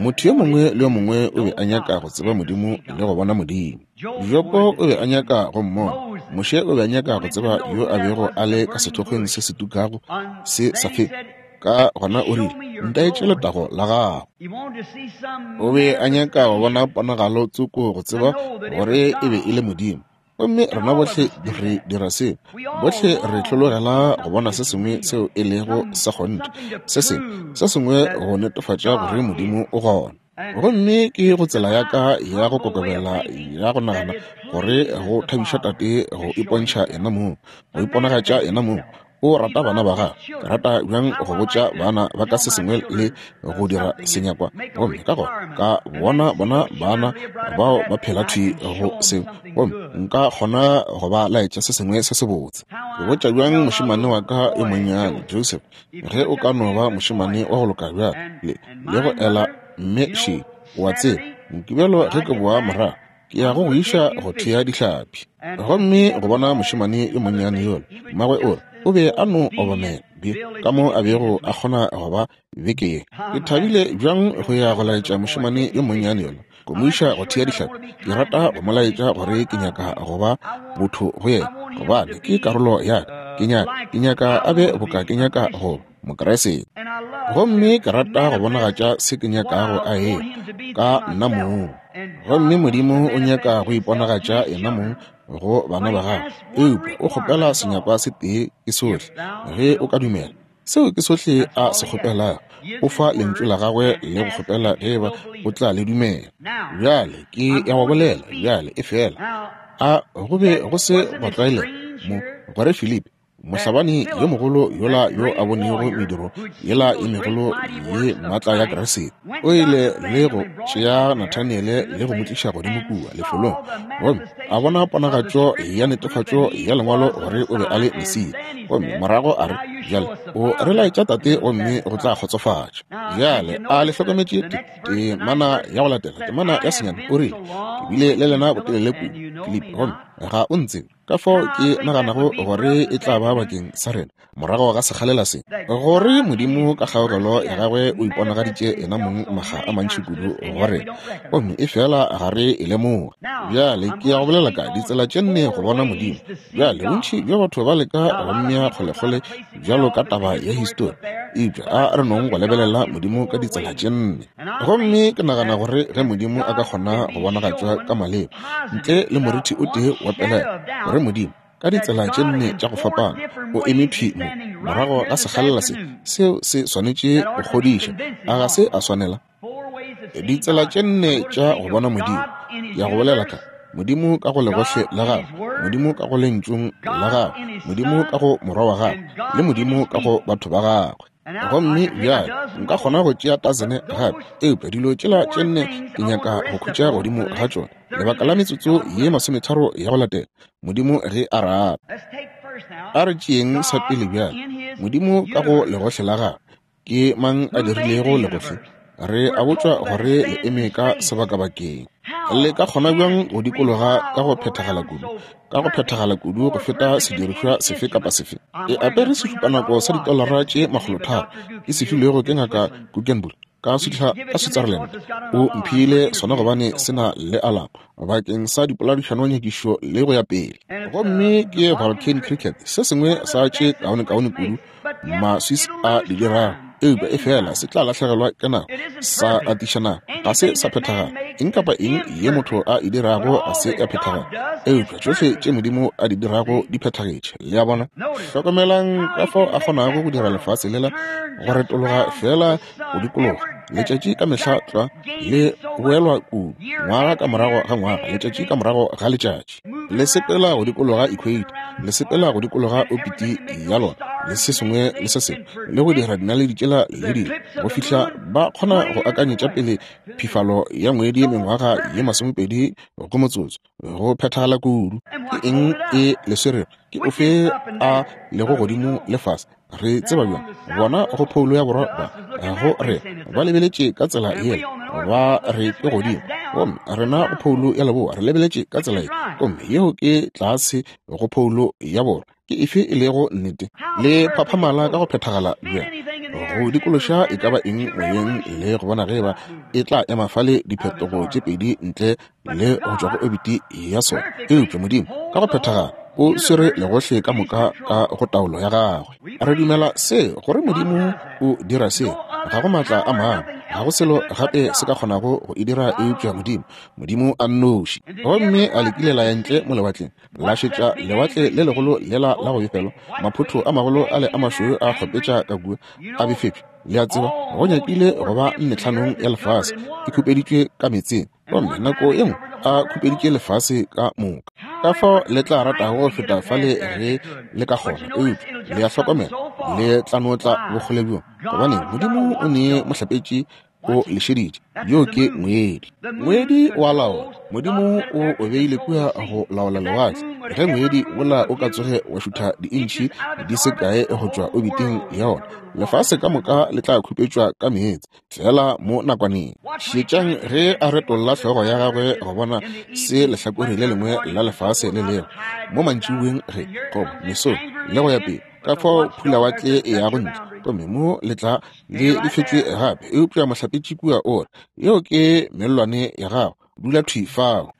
Motho yo mongwe le yo mongwe o be a nyaka go tseba Modimo le go bona Modimo. Jopo o be a nyaka go mmona. Moshe o be a nyaka go tseba yo a bego a le ka sethokgweng se se tukago se sa fele. Ka gona o rile, Ntaetše letago la gago. O be a nyaka go bona ponagalo tsoko go tseba gore e be e le Modimo. Gomme rena bohle re dira seo. Bohle re hlologela go bona se sengwe seo e lego sa kgonthe, se sengwe, se sengwe go netefatša gore Modimo o gona. Gomme ke go tsela ya ka ya go kokobela ya go nagana gore go thabiša Tate go ipontšha yena mong, go iponagatša yena mong. O rata bana ba gagwe. Ke rata bjang go botša bana ba ka se sengwe le go dira senyakwa, gomme ka gona ka bona bona bana bao ba phela thwi go seo, gomme nka kgona go ba laetša se sengwe se sebotse. Ke botša bjang mošemane wa ka yo monnyane, Joseph, ge o ka no ba mošemane wa go loka bjalo, le, le go ela mme še, o a tseba, Mokibelo ge ke boa morago, ke ya go go iša go thea dihlapi. Gomme go bona mošemane yo monnyane yola, mmagwe o re, o be a no obamela bje ka mo a bego a kgona go ba beke ye. Ke thabile bjang go ya go laetša mošemane yo monnyane yola, go mo iša go thea dihlapi. Ke rata go mo laetša gore ke nyaka go ba botho go yena, gobane ke karolo ya ka. Ke nyaka, ke nyaka a be boka ke nyaka go ba. Mokriste. Gomme ke rata go bonagatša se ke nyakago a e ka nna mong. Gomme Modimo o nyaka go iponagatša yena mong go bana ba gagwe, eupša o kgopela senyakwa se tee, ke sohle, ge o ka dumela. Seo ke sohle a se kgopelago. O fa lentšu la gagwe le go kgopela ge eba o tla le dumela. Bjale ke ya go bolela bjale, efela a go be go se go tlwaelega mo gore Filipi Mohlabani yo mogolo yola yo a bonego mediro yela ye megolo ye maatla ya Kriste, o ile le go tšea Nathaniele le go mo tliša godimo kua lefelong, gomme a bona ponagatšo ya netefatšo ya Lengwalo gore o be a le Mesia. Gomme morago a re, Bjale o re laetša Tate gomme go tla kgotsofatša. Bjale a le hlokometše temana ya go latela, temana ya senyane, o rile, Ke bile le lena botelele kudu, Filipi, gomme. Ga o ntsebe. Ka fao ke naganago gore e tla ba bakeng sa rena, morago ga sekgalela se, gore Modimo ka kgaogelo ya gagwe o iponagaditše yena mong makga a mantši kudu go rena, gomme efela ga re e lemoge. Bjale ke ya go bolela ka ditsela tše nne go bona Modimo. Bjale bontši bja batho ba leka go mmea kgolekgole bjalo ka taba ya histori, eupša a re nong go lebelela Modimo ka ditsela tše nne. Gomme ke nagana gore ge Modimo a ka kgona go bonagatšwa ka maleba, ntle le morithi o tee wa pelaelo, gore Modimo, ka ditsela tše nne tša go fapana, o eme thwi mo, morago ga sekgalela se, seo se swanetše go kgodiša, a ga se a swanela? Ditsela tše nne tša go bona Modimo, ke ya go bolela ka, Modimo ka go legohle la gagwe, Modimo ka go Lentšung la gagwe, Modimo ka go Morwa wa gagwe, le Modimo ka go batho ba gagwe. Gomme bjale nka kgona go tšea tasene gape, eupša dilo tšela tše nne ke nyaka go khutša godimo ga tšona lebaka la metsotso ye masometharo ya go latela, Modimo ge a rata. A re tšeeng sa pele bjale, Modimo ka go legohle la gagwe. Ke mang a dirilego legohle? Re a botšwa gore le eme ka sebakabakeng. Le ka kgona bjang go dikologa ka go phethagala kudu, ka go phethagala kudu go feta sedirišwa sefe kapa sefe? E apere sešupanako sa ditolara tše makgolotharo ke se filwego ke Ngaka Guggenbuhl ka ka Switzerland. O mphile sona gobane se na le alamo bakeng sa dipoladišanonyakišo le go ya pele. Gomme ke Vulcan Cricket, se sengwe sa tše kaonekaone kudu ma-Swiss a di dirago, eupša efela se tla lahlegelwa ke nako, sa atiša nako, ga se sa phethagala. Eng kapa eng ye motho a e dirago ga se ya phethagala, eupša tšohle tše Modimo a di dirago di phethagetše. Le a bona? Hlokomelang ka fao a kgonago go dira lefase lela go retologa feela go dikologa letšatši ka mehla tlwa le boelwa kudu, ngwaga ka morago ga ngwaga, letšatši ka morago ga letšatši. Le sepela go dikologa equator, le sepela go dikologa opiti ya lona, le se sengwe le se sengwe, le go dira dinaledi tšela le dilo, go fihla ba kgona go akanyetša pele phifalo ya ngwedi mengwaga ye masomepedi go motsotso, go phethagala kudu. Ke eng e le swerego? Ke ofe a lego godimo le fase? Re tseba bjang? Bona go phoulo ya borwa ba go re ba lebeletše ka tsela yela, ba re ke godimo, gomme rena go phoulo ya leboa re lebeletše ka tsela ye, gomme yeo ke tlase go phoulo ya borwa. Ke efe e lego nnete? Le phaphamala ka go phethagala bjang go dikološa e ka ba eng moyeng le go bona ge eba e tla ema fale diphetogo tše pedi ntle le go tšwa go obiti ya sona. Eupša Modimo ka go phethagala o swere legohle ka moka ka go taolo ya gagwe. Re dumela se, gore Modimo o dira se. Ga go maatla a mangwe, ga go selo gape se ka kgonago go e dira eupša Modimo, Modimo a nnoši. Gomme a le kile la ya ntle mo lewatleng, la šetša lewatle le legolo lela la go befelwa, maphotho a magolo ale a mašweu a kgopetša ka kua, a befetšwe. Le a tseba, go nyakile go ba nnetlhanong ya lefase e khupeditšwe ka meetseng. Gomme nako ye nngwe a khupeditše lefase ka moka. Ka fao le tla ratago go feta fale ge le ka kgona, eupša le a hlokomela, le tla no tla bokgole bjo, gobane Modimo o ne mohlapetši o le šeditše. Yo ke ngwedi. Ngwedi o a laola. Modimo o o beile kua go laola lewatle. Ge ngwedi wola o ka tsoge wa šutha diintšhi di se kae go tšwa obiting ya ona, lefase ka moka le tla khupetšwa ka meetse. Feela mo nakwaneng. Šetšang ge a retolla hlogo ya gagwe go bona se lehlakore le lengwe la lefase le lego, mo mantšiboeng ge, goba mesong, le go ya pele, ka fao phulawatle e yago ntle, gomme mo le tla le befetšwe gape. Eupša mohlapetši kua o re, Yeo ke mellwane ya gago, dula thwi fao.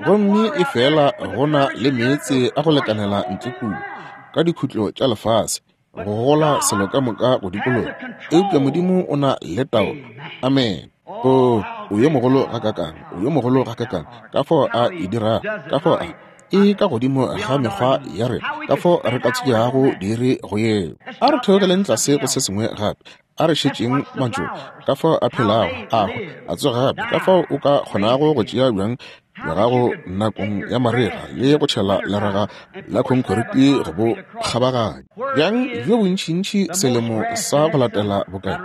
Gomme efela go na le meetse a go lekanela ntle kua, ka dikhutlo tša lefase, go gola selo ka moka go dikologa. Eupša Modimo o na le taolo. Amen. O, o yo mogolo gakakang, o yo mogolo gakakang, ka fao a e dirago, ka fao a e ka godimo ga mekgwa ya rena, ka fao re ka tsogeago diiri go yeo. A re theogeleng tlase go se sengwe gape. A re šetšeng mantšu, ka fao a phelago, a hwa, a tsoga gape, ka fao o ka kgonago go tšea bjang bja gago nakong ya marega le go tšhela leraga la khonkhoriti go bo kgabaganya. Bjang bjo bontšintši selemo sa go latela bokae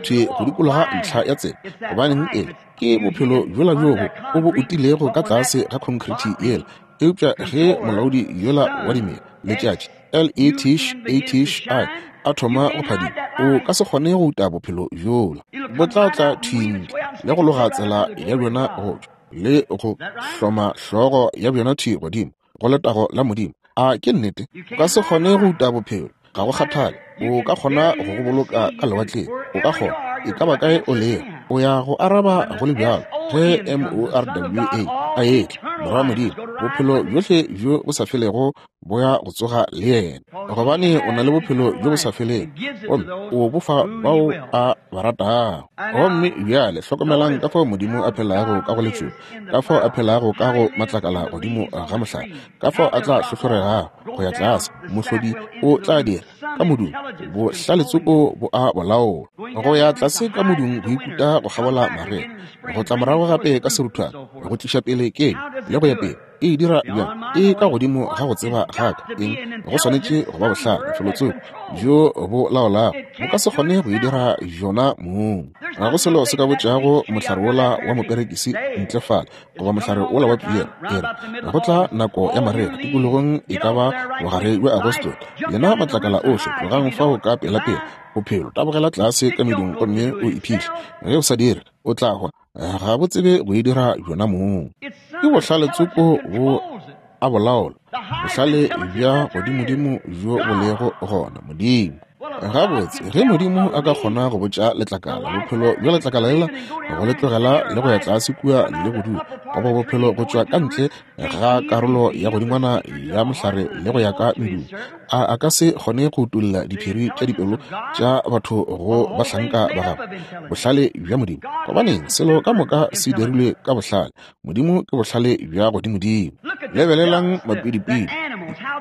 thwi go dikologa ntlha ya tsela. Gobaneng, e ke bophelo bjola bjoo o bo utilego ka tlase ga khonkhoriti yela. Eupša ge molaodi yola wa dimela, letšatši, L-E-T-H-A-T-H-I, a thoma go phadima, o ka se kgone go uta bophelo bjola. Bo tla tla thwi ntle le go loga tsela ya bjona go tšwa, le go hloma hlogo ya bjona thwi godimo. go letago la Modimo. A ke nnete? O ka se kgone go uta bophelo, ga go kgathale. O ka kgona go go boloka ka lewatleng, o ka kgona, e ka ba kae o lego, o ya go araba go le bjalo. Ge M-O-R-W-A a etla, Morwa wa Modimo, bophelo bjohle bjo bo sa felego bo ya go tsoga le yena, gobane o na le bophelo bjo bo sa felego, gomme o bo fa bao a ba ratago. Gomme bjale hlokomelang ka fao Modimo a phelago ka go letšoba, ka fao a phelago ka go matlakala godimo ga mohlare, ka fao a tla hlohloregago go ya tlase. Mohlodi o tla dira ka modung, bohlaletsoko bo a bolaola, go ya tlase ka modung go ikuta go kgabola marega, go tla morago gape ka seruthwana, go tliša pele kenyo le go ya pele. E e dira bjang? E ka godimo ga go tseba ga ka. Eng? Go swanetše go ba bohlale, felotsoko bjo bo laolago. Bo ka se kgone go e dira bjona mong. Ga go selo se ka botšago mohlare wola wa moperekisi ntle fale, goba mohlare wola wa piere, e re, Go tla nako ya marega, tikologong e ka ba bogare bja Agosto. Lena matlakala ohle, tlogang fao ka pelapela. Bophelo, tabogela tlase ka medung gomme o iphihle. Ge o sa dire, o tla hwa. Ga bo tsebe go e dira bjona mong. Ke bohlale tsoko bo a bolaola, bohlale bja godimodimo bjo bo lego gona, Modimo. Gabotse, ge Modimo a ka kgona go botša letlakala bophelo bja letlakala lela, go le tlogela le go ya tlase kua le go dula, goba bophelo go tšwa ka ntle ga karolo ya godingwana ya mohlare le go ya ka medung, a a ka se kgone go utolla diphiri tša dipelo tša batho go bahlanka ba gagwe? Bohlale bja Modimo! Gobaneng, selo ka moka se dirilwe ka bohlale. Modimo ke bohlale bja godimodimo. Lebelelang mapidipidi,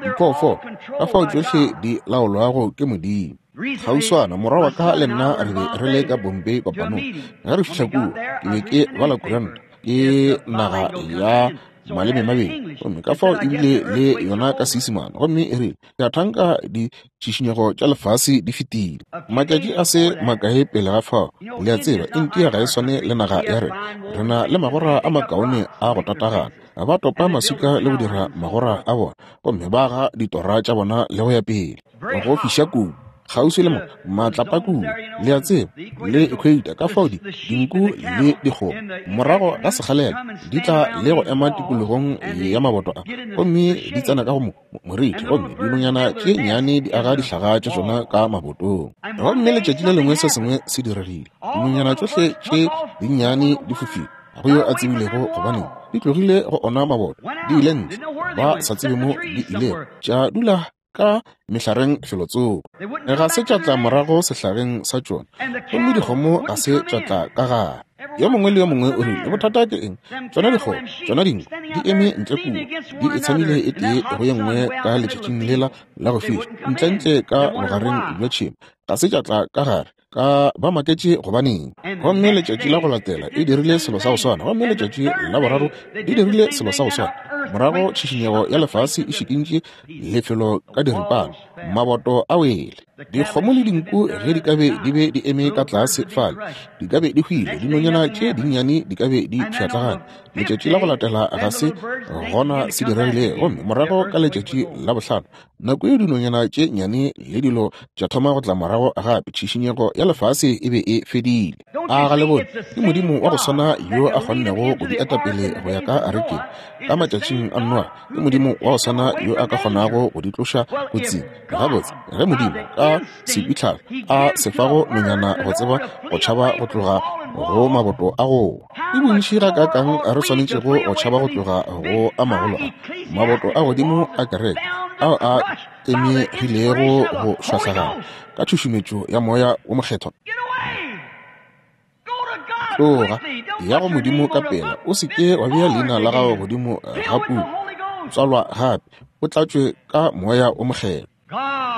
diphoofolo, ka fao tšohle di laolwago ke Modimo. Kgauswana, morwa wa ka le nna re be re le ka Bombay kopanong. Ge re fihla kua, ke be ke bala kuranta, ke naga ya malememabedi, gomme ka fao ebile le yona ka Seisemane, gomme e rile, Ke a thanka ditšišinyego tša lefase di fetile. Matšatši a se makae pele ga fao, le a tseba, India ga e swane le naga ya rena. Re na le magora a makaone a go tatagana. Ba topa maswika le go dira magora a bona, gomme ba aga ditora tša bona le go ya pele. Go fiša kudu kgauswi le mo matlapa kudu, le a tseba, le equator, ka fao di dinku le dikgomo morago ga sekgalela di tla le go ema tikologong ya maboto a, gomme di tsena ka go moriti, gomme dinonyana tše nnyane di aga dihlaga tša tšona ka mabotong. Gomme letšatši le lengwe se sengwe se diregile, dinonyana tšohle tše dinnyane di fofile, ga go yo a tsebilego gobaneng di tlogile go ona maboto, di ile ntle, ba sa tsebe mo di ilego, tša dula ka mehlareng felotsoko, ga se tša tla morago sehlageng sa tšona, gomme dikgomo ga se tša tla ka gare. Yo mongwe le yo mongwe o rile, Bothata ke eng? Tšona dikgomo, tšona dinku, di eme ntle kua, di itshamile e tee go ye nngwe ka letšatšing lela la go fiša, ntlentle ka bogareng bja tšhemo, ga se tša tla ka gare. Ka ba maketše gobaneng. Gomme letšatši la go latela e dirile selo sa go swana, gomme letšatši la boraro e dirile selo sa go swana. Morago tšhišinyego ya lefase e šikintše lefelo ka diripana, maboto a wele. Dikgomo le dinku ge di ka be di be di eme ka tlase fale, di ka be di hwile, dinonyana tše dinnyane di ka be di pšhatlagane. Letšatši la go latela ga se gona se diregile, gomme morago ka letšatši la bohlano Nako yeo dinonyana tše nnyane le dilo tša thoma go tla morago gape, tšhišinyego ya lefase e be e fedile. A ga le bone? Ke Modimo wa go swana yo a kgonnego go di eta pele go ya ka arekeng ka matšatšing a Noa. Ke Modimo wa go swana yo a ka kgonago go di tloša kotsing. Gabotse, ge Modimo ka sekwitlhalo a se fago nonyana go tseba go tšhaba go tloga go maboto a go wa, ke bontši gakaakang re swanetšego go tšhaba go tloga go a magolo a maboto a godimo a kereke ao a tlemegilego go šwahlagana ka tšhušumetšo ya Moya wo Mokgethwa. Tloga, ya go Modimo ka pela, o se ke wa bea leina la gago godimo ga puku. Tswalwa gape, o tlatšwe ka Moya wo Mokgethwa.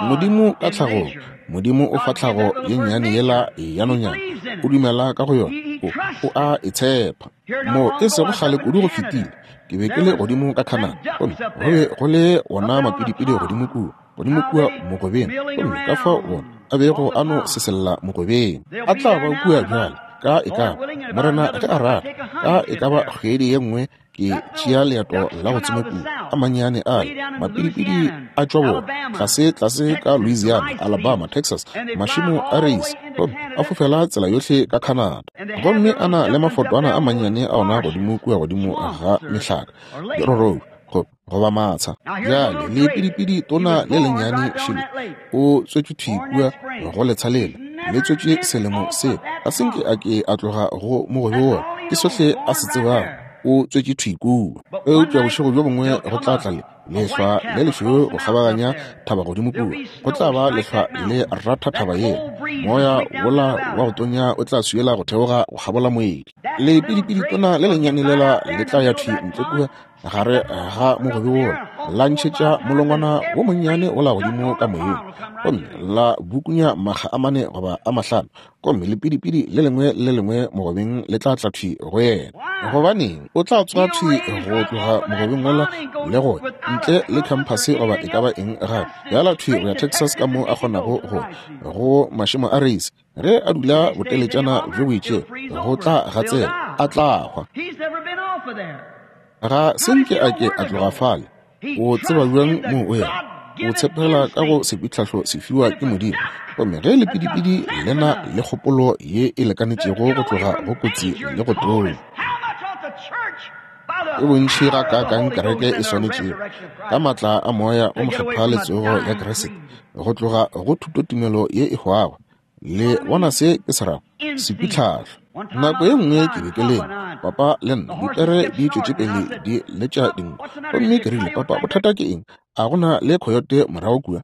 Modimo ka tlhagong, Modimo o fa tlhago ye nnyane yela ya nonyana, o dumela ka go yona, o, o a e tshepa. Mo e sego kgale kudu go fetile, ke be ke le godimo ka Canada, gomme go be go le wona mapidipidi godimo kua, godimo kua mogobeng, gomme ka fao wona a bego a no sesella mogobeng. A tla ba kua bjale, ka e ka ba, Morena ge a rata, ka e ka ba kgwedi ye nngwe ke tšea leeto la go tsoma kua. A mannyane ale mapidipidi a tšwa borwa, tlase tlase ka Louisiana, Alabama, Texas, mašemo a reise, gomme a fofela tsela yohle ka Canada. Gomme a na le mafotwana a mannyane a ona godimo kua godimo ga mehlaka, dirorobi. Goba matsha. Bjale, lepidipidi tona le lennyane šele, o tswetšwe thwi kua go letsha lela, le tswetšwe selemo seo. Ga se nke a ke a tloga go mogobe wola. Ke sohle a se tsebago, o tswetšwe thwi kua. Eupša bošego bjo bongwe go tla tla le, lehlwa le lešweu go kgabaganya thaba godimo kua. Go tla ba lehlwa le ratha thaba yela. Moya wola wa go tonya o tla swiela go theoga go kgabola moedi. Lepidipidi tona le lennyane lela le tla ya thwi ntle kua gare ga mogobe wola, la ntšhetša molongwana wo monnyane wola godimo ka moyeng, gomme la bukunya makga a mane goba a mahlano, gomme lepidipidi le lengwe le lengwe mogobeng le tla tla thwi go yena. Gobaneng, o tla tsoga thwi go tloga mogobeng wola le go ntle le khamphase goba e ka ba eng gape, bjala thwi go ya Texas ka mo a kgonago go go mašemo a reise. Ge a dula boteletšana bjo bo itšego, go tla gatsela, a tla hwa. Ga se nke a ke a tloga fale. O tseba bjang moo o yago? O tshepela ka go sepitlhahlo se fiwa ke Modimo. Gomme ge lepidipidi le na le kgopolo ye e lekanetšego go tloga go kotsi le go tonya, e bontši gakaakang kereke e swanetšego, ka maatla a Moya o Mokgethwa le tsogo ya Kriste, go tloga go thutotumelo ye e hwago. Le bona se ke se rago? Sepitlhahlo. Nako ye nngwe ke be ke lema, papa le nna, dipere di tšwetše pele di letša dinko. Gomme ke rile, Papa, bothata ke eng? A go na le khoyote morago kua?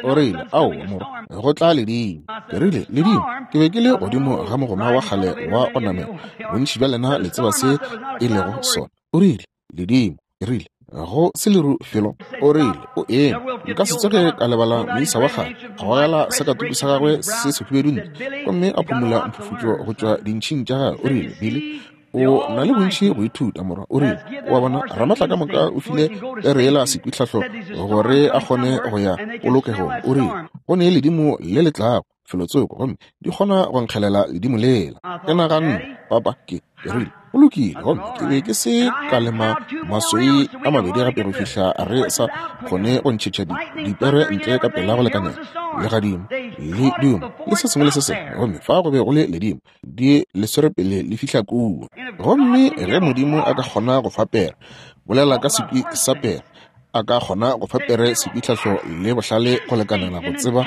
O rile, Aowa, morwa, go tla ledimo. Ke rile, Ledimo? Ke be ke le godimo ga mogoma wa kgale wa go namela. Bontši bja lena le tseba se e lego sona. O rile, Ledimo. Ke rile, Go se leru felo. O rile, O eme. Nka se tsoge ka lebala moisa wa kgale a gogela sakatuku sa gagwe se sehubedu ntle gomme a phumula mphufutšo go tšwa dintšhing tša gagwe. O rile, Billy, o na le bontši go ithuta, morwa. O rile, O a bona, Ramatla ka moka o file pere yela sekwitlhahlo gore a kgone go ya polokegong. O rile, Go ne ledimo le le tlago felotsoko, gomme di kgona go nkgelela ledimo lela. Ke naganne, Papa, ke rile, go lokile. Gomme ke be ke se ka lema maswei a mabedi gape go fihla re sa kgone go ntšhetša dipere ntle ka pela go lekanela legadimo le duma le se sengwe le se sengwe. Gomme fa go be go le ledimo di le swere pele le fihla kua. Gomme ge Modimo a ka kgona go fa pere, bolela ka sekwi sa pere, a ka kgona go fa pere sepitlhahlo le bohlale go lekanela go tseba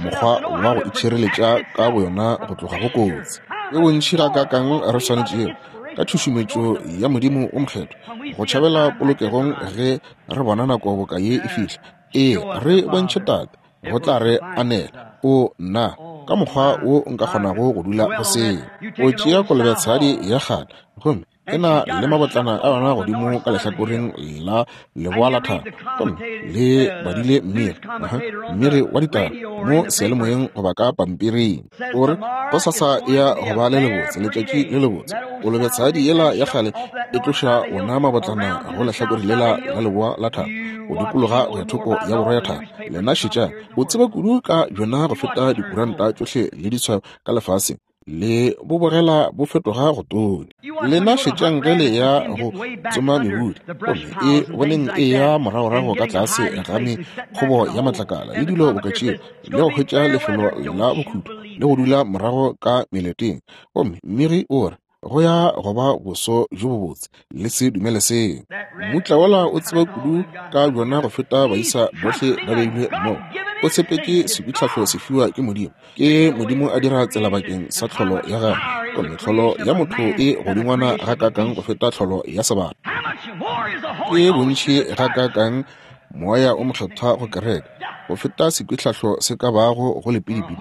mokgwa wa go itšhireletša ka boyona go tloga go kotsi. Ke bontši gakaakang re swanetšego, ka tšhušumetšo ya Modimo o Mokgethwa, go tšhabela polokegong ge re bona nako boka ye e fihla. Ee, re bontšhe Tate, go tla re anela. O nna, ka mokgwa wo nka kgonago go dula go seo. O tšea kolobetshadi ya kgale, gomme e na le mabotlana a yona godimo ka lehlakoreng la leboa la thaba, gomme le badile mmiri, mmiri wa ditaba mo seyalemoyeng goba ka pampiring. O re gosasa ya go ba le lebotse, letšatši le lebotse. Kolobetshadi yela ya kgale e tloša wona mabotlana go lehlakore lela la leboa la thaba, go dikologa go ya thoko ya borwa ya thaba. Lena šetšang, o tseba kudu ka bjona go feta dikuranta tšohle le ditshwayo ka lefaseng. Le bo bogela bo fetoga go tonya. Lena šetšang ge le ya go tsoma mebudi, gomme e boneng e ya moragorago ka tlase ga mekgobo ya matlakala le dilo boka tšeo, le go hwetša lefelo la bokhutlo le go dula morago ka meleteng. Gomme mmegi o re, Go ya go ba boso bjo bobotse. Le se dumele seo. Mmutla wola o tseba kudu ka bjona go feta baisa bohle ba beilwe mmogo. O tshepetše sepitlhahlo se fiwa ke Modimo. Ke Modimo a dira tsela bakeng sa tlholo ya gagwe. Gomme tlholo ya motho e godingwana gakaakang go feta tlholo ya sebata. Ke bontši gakaakang Moya o Mokgethwa go kereke go feta sekwitlhahlo se ka bago go lepidipidi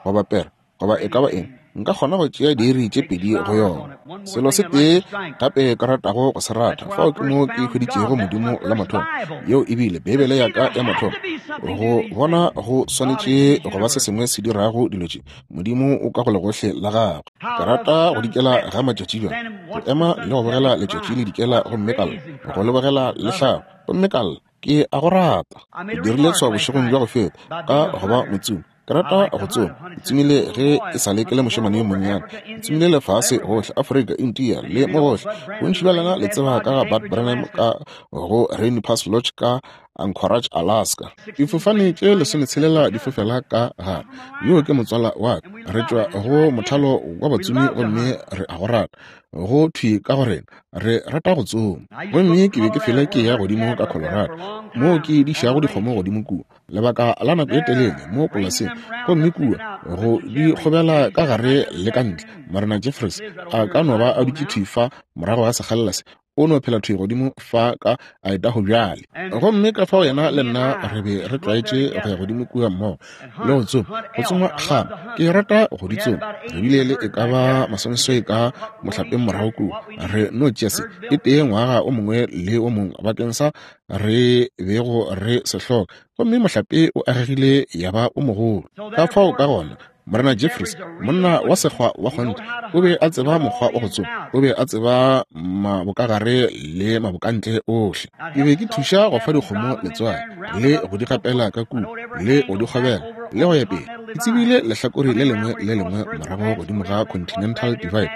goba pere goba e ka ba eng. Nka kgona go tšea diiri tše pedi go yona. Selo se tee gape ka ratago go se rata, fao ke mo ke hweditšego Modimo la mathomo. Yeo e bile Beibele ya ka ya mathomo. Go bona go swanetše go ba se sengwe se dirago dilo tše. Modimo o ka go legohle la gagwe. Ke rata go dikela ga matšatši bjang, go ema le go bogela letšatši le dikela gomme ka lla, go le bogela le hlaba gomme ka lla. Ke a go rata. Ke dirile tshwao bošegong bja go feta ka go ba motsomi. Ke rata go tsoma. Ke tsomile ge e sa le ke le mošemane yo monnyane. Ke tsomile lefase gohle, Afrika, India, le mo gohle. Bontši bja lena le tseba ka ga Bud Branham ka go Rainy Pass Lodge ka Anchorage, Alaska. Difofane tše 16 di fofela ka gare. Yo ke motswala wa ka. Re tšwa go mothalo wa batsomi gomme re a go rata. Go thwi ka go rena, re rata go tsoma. Gomme ke be ke fela ke ya godimo ka Colorado, moo ke dišago dikgomo godimo kua, lebaka la nako e telele mo polaseng, gomme kua go di kgobela ka gare le ka ntle. Morena Jeffries a ka no ba a dutše thwi fa morago ga sekgalela se, o no phela thwi godimo fa ka Idaho bjale. Gomme ka fao yena le nna re be re tlwaetše go ya godimo kua mmogo le go tsoma, go tsoma kgama. Ke rata go di tsoma. Re bile le e ka ba masomeswai ka mohlapeng morago kua. Re no tšea se e tee ngwaga o mongwe le o mongwe bakeng sa re bego re se hloka, gomme mohlape o agegile ya ba o mogolo. Ka fao ka gona Morena Jeffries, monna wa sekgwa wa kgonthe, o be a tseba mokgwa wa go tsoma. O be a tseba mabokagare le mabokantle ohle. Ke be ke thuša go fa dikgomo letswai, le go di gapela ka kua, le go di kgobela, le go ya pele. Ke tsebile lehlakore le lengwe le lengwe morago godimo ga Continental Divide,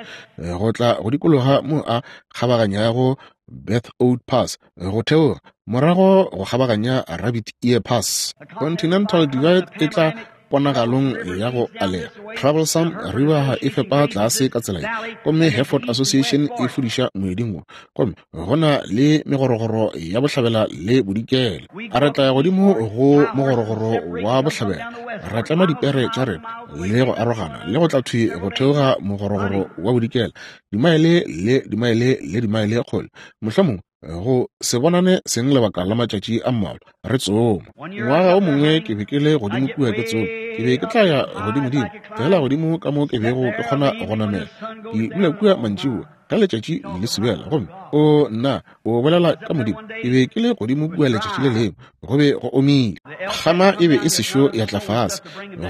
go tla go dikologa mo a kgabaganyago Beth Old Pass, go theoga morago go kgabaganya Rabbit Ear Pass. Continental Divide e tla ponagalong ya go alega. Troublesome River e fepa tlase ka tsela ye, gomme Hereford Association e fudiša moeding wo, gomme go na le megorogoro ya bohlabela le bodikela. A re tla ya godimo go mogorogoro wa bohlabela, ra tlema dipere tša rena le go arogana le go tla thwi go theoga mogorogoro wa bodikela, dimaele le dimaele le dimaele kgole, mohlomongwe go se bonane seng lebaka la matšatši a mmalwa, re tsoma. Ngwaga o mongwe ke be ke le godimo kua ke tsoma, ke be ke tla ya godimodimo, feela godimo ka mo ke bego ke kgona go namela. Ke dula kua mantšiboa ge letšatši le subela, gomme o nna o bolela ka Modimo. Ke be ke le godimo kua letšatši le lengwe, go be go omile, kgama e be e sešo ya tla fase,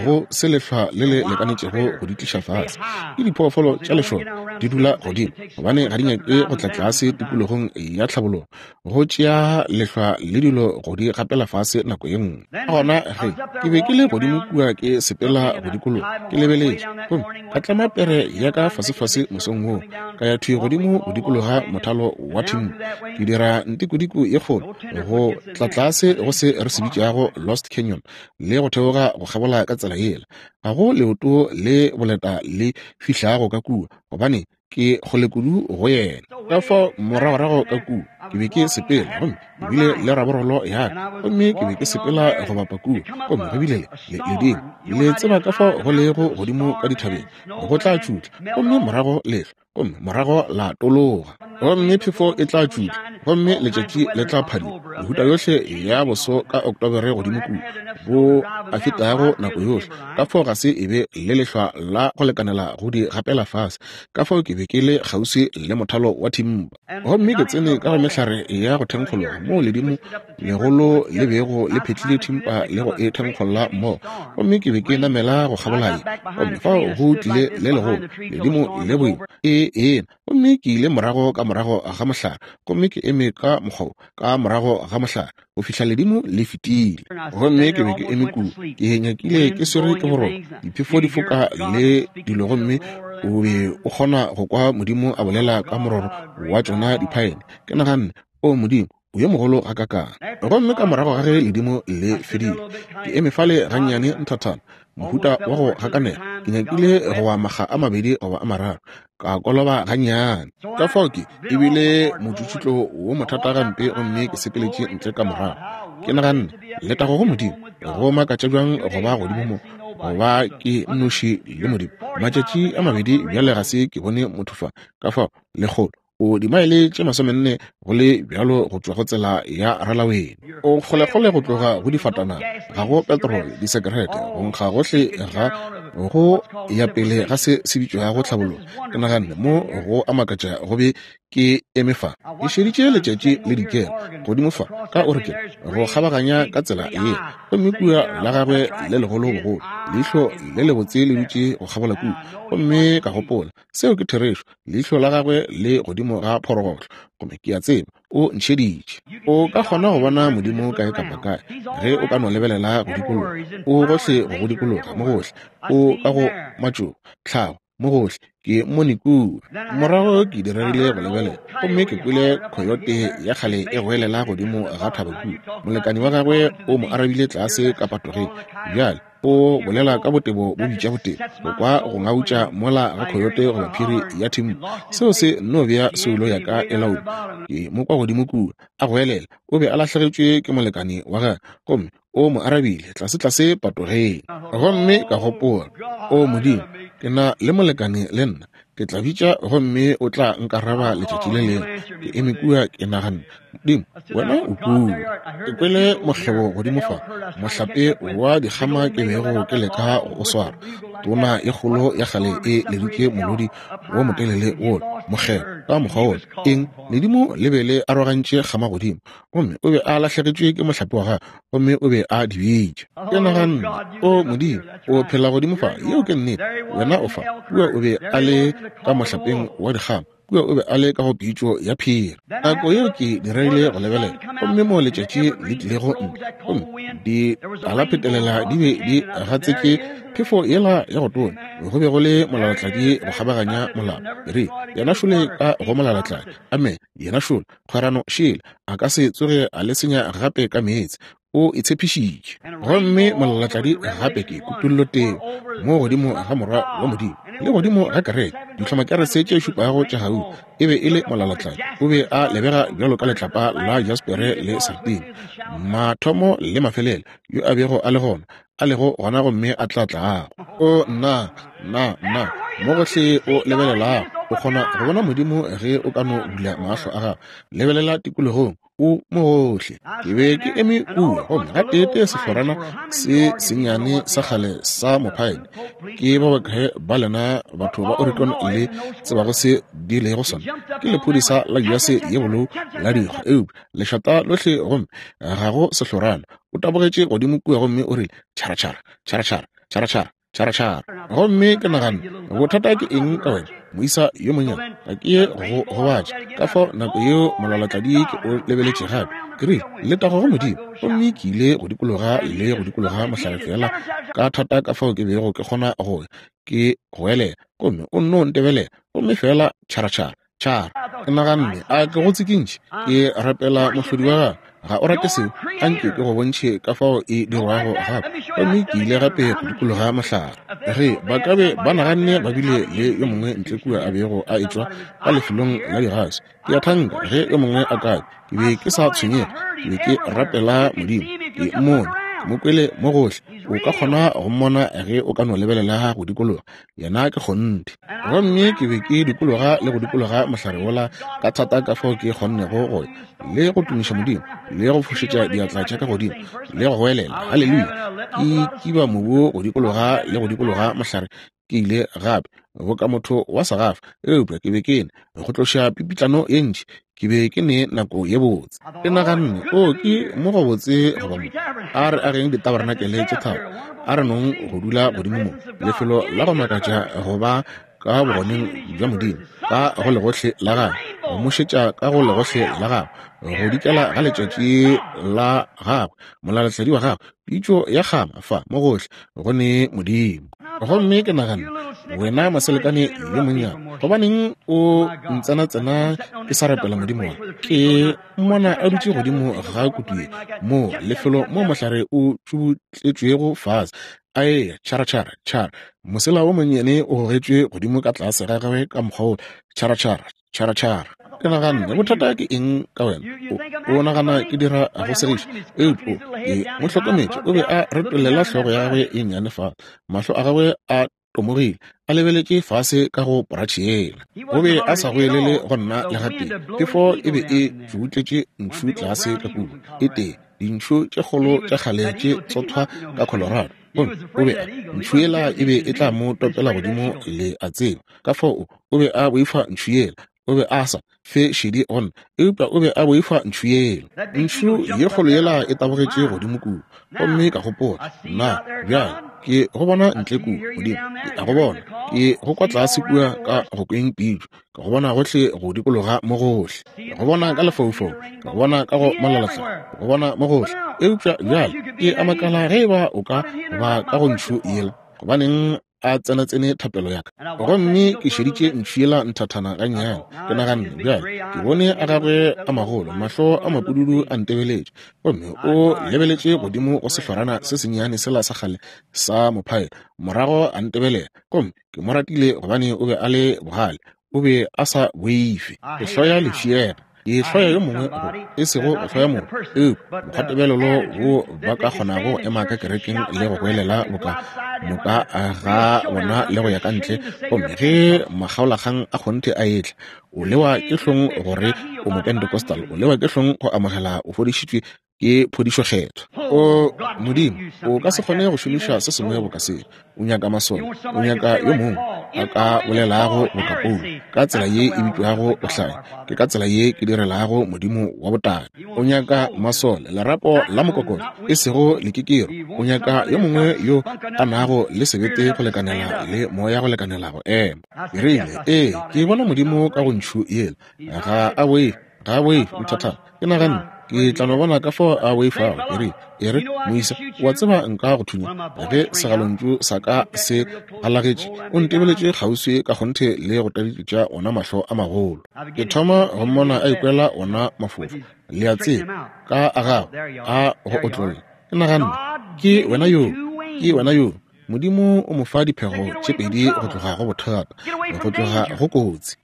go se lehlwa le le lekanetšego go di tliša fase. Ke diphoofolo tša lešoka, di dula godimo gobane ga di nyake go tla tlase tikologong ya tlhabologo, go tšea lehlwa le dilo go di gapela fase nako ye nngwe. Ka gona ge ke be ke le godimo kua ke sepela go dikologa ke lebeletše, gomme ka tlema pere ya ka fasefase mosong woo, ka ya thwi godimo go dikologa mothalo wa thimpu, ke dira ntikodiko ye kgolo go tla tlase go se re se bitšago Lost Canyon le go theoga go kgabola ka tsela yela. Ga go leoto le boleta le fihlago ka kua, gobane ke kgole kudu go yena. Ka fao moragorago ka kua ke be ke sepela, gomme ke bile le raborolo ya ka, gomme ke be ke sepela go bapa kua, gomme go bile le ledimo. Le tseba ka fao go lego godimo ka dithabeng, go tla tšutla, gomme morago lehlwa, gomme morago la tologa, gomme phefo e tla tšutla, gomme letšatši le tla phadima. Mehuta yohle ya boso ka Oktobere godimo kua, bo a fetago nako yohle. Ka fao ga se e be le lehlwa la go lekanela go di gapela fase. Ka fao ke be ke le kgauswi le mothalo wa thimpa, gomme ke tsene ka go mehlare ya go thenkgologa moo ledimo legolo le bego le phetlile thimpa le go e thenkgolla mmogo, gomme ke be ke namela go kgabola ye, gomme fao go tlile le legolo ledimo le boima e ena, gomme ke ile morago ka morago ga mohlare, gomme ke eme ka mokgwa wo ka morago ga mohlare go fihla ledimo le fetile. Gomme ke be ke eme kua, ke nyakile ke swere ke boroko, diphefo di foka le dilo, gomme o be o kgona go kwa Modimo a bolela ka mororo wa tšona diphaene. Ke naganne, O Modimo, o yo mogolo gakakang. Gomme ka morago ga ge ledimo le fedile, ke eme fale gannyane nthathana, mohuta wa go gakanega, ke nyakile go wa makga a mabedi goba a mararo, ka koloba gannyane. Ka fao ke e bile motšutšutlo wo mothata gampe, gomme ke sepeletše ntle ka morago. Ke naganne, Letago go Modimo, go makatša bjang go ba godimo mo, go ba ke nnoši le Modimo. Matšatši a mabedi bjale ga se ke bone motho fa, ka fao lekgolo o dimaele tše masomenne go le bjalo go tšwa go tsela ya ralawene. O kgolekgole go tloga go difatanaga, ga go petrole, disekerete, go nkga gohle ga go ya pele ga se se bitšwago tlhabologo. Ke naganne mo go a makatša go be ke eme fa, ke šeditše letšatši le dikela godimo fa ka Oregon go kgabaganya ka tsela ye, gomme kua la gagwe le legolo bogolo, leihlo le lebotse le dutše go kgabola kua, gomme ka gopola, Seo ke therešo. Leihlo la gagwe le godimo ga phorogohlo, gomme ke a tseba o ntšheditše. O ka kgona go bona Modimo kae kapa kae ge o ka no lebelela go dikologa. O gohle go go dikologa, mo gohle. O ka go matšoba, tlhago, mo gohle. Ke mmone kua. Morago ke diregile go lebelela, gomme ke kwele khoyote ya kgale e goelela godimo ga thaba kua. Molekani wa gagwe o mo arabile tlase ka patogeng. Bjale. O bolela ka botebo bo bitša botebo, go kwa go ngautša mola ga khoyote goba phiri ya thimpu. Seo se nno bea soulo ya ka e lauma. Ke mo kwa godimo kua, a goelela. O be a lahlegetšwe ke molekane wa gagwe, gomme o mo arabile tlasetlase patogeng. Gomme ka gopola, O Modimo, ke na le molekane le nna. Ke tla bitša gomme o tla nkaraba letšatši le lengwe. Ke eme kua ke naganne, Modimo, wena o kua. Ke kwele mokgebo godimo fa, mohlape wa dikgama ke bego ke leka go o swara. Tona e kgolo ya kgale e leditše molodi wo motelele wola, mokgebo ka mokgwa wola. Eng? Ledimo le be le arogantše kgama godimo, gomme o be a lahlegetšwe ke mohlape wa gagwe, gomme o be a di bitša. Ke naganne, O Modimo, o phela godimo fa. Yeo ke nnete. Wena o fa. Kua o be a le ka mohlapeng wa dikgama. Kua o be a le ka go pitšo ya phiri. Nako yeo ke diregile go lebelela, gomme moo letšatši le tlilego ntle, gomme ditalaphetelela di be di gatsetše phefo yela ya go tonya. Go be go le molalatladi go kgabaganya molala. Re, yena šole ka go molalatladi. Amene. Yena šole. Kgwerano šele. A ka se tsoge a le senya gape ka meetse. O e tshepišitše. Gomme molalatladi gape ke kutulloteng mo godimo ga Morwa wa Modimo le godimo ga kereke, dihlomakerese tše šupago tša gauta. E be e le molalatladi. O be a lebega bjalo ka letlapa la jaspere le sartine, mathomo le mafelelo, yo a bego a le gona, a lego gona gomme a tla tlago. O nna, nna, nna, mo gohle o lebelelago, o kgona go bona Modimo ge o ka no bula mahlo a gago. Lebelela tikologong, o mo gohle. Ke be ke eme kua, gomme gateetee sehlorana se sennyane sa kgale sa mophaene, ke ba bakae ba lena batho ba Oregon le tsebago se di lego sona, ke lephodisa la jase ye bolou la dikgwa, eupša lešata lohle gomme ga go sehlorana. O tabogetše godimo kua gomme o rile, Tšhara, tšhara, tšhara, tšhara, tšhara, tšhara, tšhara, tšhara. Gomme ke naganne, Bothata ke eng ka wena, moisa yo monnyane? Ga ke ye go gobatša. Ka fao nako yeo molalatladi ke o lebeletše gape. Ke rile, Letago go Modimo. Gomme ke ile go dikologa le go dikologa mohlare feela ka thata ka fao ke bego ke kgona go ya, ke goelela. Gomme o nno ntebelela, gomme feela tšhara, tšhara, Tšhara. Ke naganne, a ke go tsikintšhe? Ke rapela Mohlodi wa gago. Ga o rate seo? Anke ke go bontšhe ka fao e dirwago gape. Gomme ke ile gape go dikologa mohlare. Ge ba ka be ba naganne ba bile le yo mongwe ntle kua a bego a etšwa ka lefelong la digaso, ke a thanka ge yo mongwe a ka Ke be ke sa tshwenyege, ke be ke rapela Modimo. Ke mmone, ke mo kwele mo gohle. O ka kgona go mmona ge o ka no lebelela go dikologa. Yena ke kgonthe. Gomme ke be ke dikologa le go dikologa mohlare wola ka thata ka fao ke kgonnego go ya, le go tumiša Modimo, le go fošetša diatla tša ka godimo, le go goelela, Haleluya! Ke kiba mobu go dikologa le go dikologa mohlare. Ke ile gape boka motho wa segafa, eupša ke be ke ne go tloša pipitlano ye ntši. Ke be ke ne nako ye botse. Ke naganne, O, ke mo gobotse go ba mo. A re ageng ditabarenakele tše tharo. A re nong go dula godimo mo, lefelo la go makatša go ba ka bogoneng bja Modimo, ka go legohle la gagwe, go mo šetša ka go legohle la gagwe, go dikela ga letšatši la gagwe, molalatladi wa gagwe, pitšo ya kgama fa mo gohle go ne Modimo. Gomme ke naganne, Wena maselekane yo monnyane, gobaneng o ntsenatsena ke sa rapela Modimo wa? Ke mmona a dutše godimo ga kutu ye, moo lefelo mo mohlare o tšubutletšwego fase, a eya tšhara tšhara tšhara, mosela wo monnyane o gogetšwe godimo ka tlase ga gagwe ka mokgwa wo, tšhara tšhara tšhara tšhara. Ke naganne, bothata ke eng ka wena? O, o nagana ke dira go segiša? Eupša o, ke mo hlokometše, o be a retollela hlogo ya gagwe e nnyane fase, mahlo a gagwe a tomogile, a lebeletše fase ka go poratšhe yela. O be a sa goelele go nna le gatee. Phefo e be e tšubutletše ntšhu tlase ka kua, e tee, dintšhu tše kgolo tša kgale tše tsothwa ka Colorado. Gomme o be a, ntšhu yela e be e tla mo topela godimo, le a tseba. Ka fao o, o be a boifa ntšhu yela. O be a sa fe šedi go nna, eupša o be a boifa ntšhu yela. Ntšhu ye kgolo yela e tabogetše godimo kua. Gomme ka gopola, Nna, bjale, ke go bona ntle kua, Modimo. Ke a go bona. Ke go kwa tlase kua ka go kweng pitšo. Ke go bona gohle go dikologa mo gohle. Ke go bona ka lefaufaung. Ke go bona ka go molalatladi. Ke go bona mo gohle. Eupša bjale ke a makala ge eba o ka ba ka go ntšhu yela. Gobaneng? a tsenatsene thapelo ya ka. Gomme ke šeditše ntšhu yela nthathana gannyane. Ke naganne, Bjale, ke bone a gagwe a magolo, mahlo a mapududu a ntebeletše. Gomme o lebeletše godimo go sehlorana se sennyane sela sa kgale sa mophaela, morago a ntebelela. Gomme ke mo ratile gobane o be a le bogale. O be a sa boife. Ke hloya lefšega. Ke hloya yo mongwe go, e sego go hloya motho, eupša mokgwatebelelo wo ba ka kgonago go ema ka kerekeng le go goelela boka moka ga bona le go ya ka ntle, gomme ge makgaolakgang a kgonthe a etla, o lewa ke hlong gore o Mopentecostal, o lewa ke hlong go amogela o fodišitšwe ke phodišo kgethwa. O Modimo, o ka se kgone go šomiša se sengwe boka se. O nyaka masole, o nyaka yo mongwe a ka bolelago boka Paulo, ka tsela ye e bitšwago bohlanya, ke ka tsela ye ke direlago Modimo wa botate. O nyaka masole, lerapo la mokokotlo, e sego lekekero. O nyaka yo mongwe yo a nago le sebete go lekanela le moya go lekanela go ema. Ke rile, Ee, ke bona Modimo ka go ntšhu yela. Ga a boife, ga a boife, nthathana. Ke naganne, Ke tla no bona ka fao a boifago. Ke rile, E re, moisa, o a tseba nka go thunya ge segalontšu sa ka se galagetše. O ntebeletše kgauswi ka kgonthe le go taditša ona mahlo a magolo. Ke thoma go mmona a ikwela ona mafofa, le a tseba, ka a gagwe a go otlolla. Ke naganne, Ke wena yoo, ke wena yoo. Modimo o mo fa diphego tše pedi go tloga go bothata, go tloga go kotsi.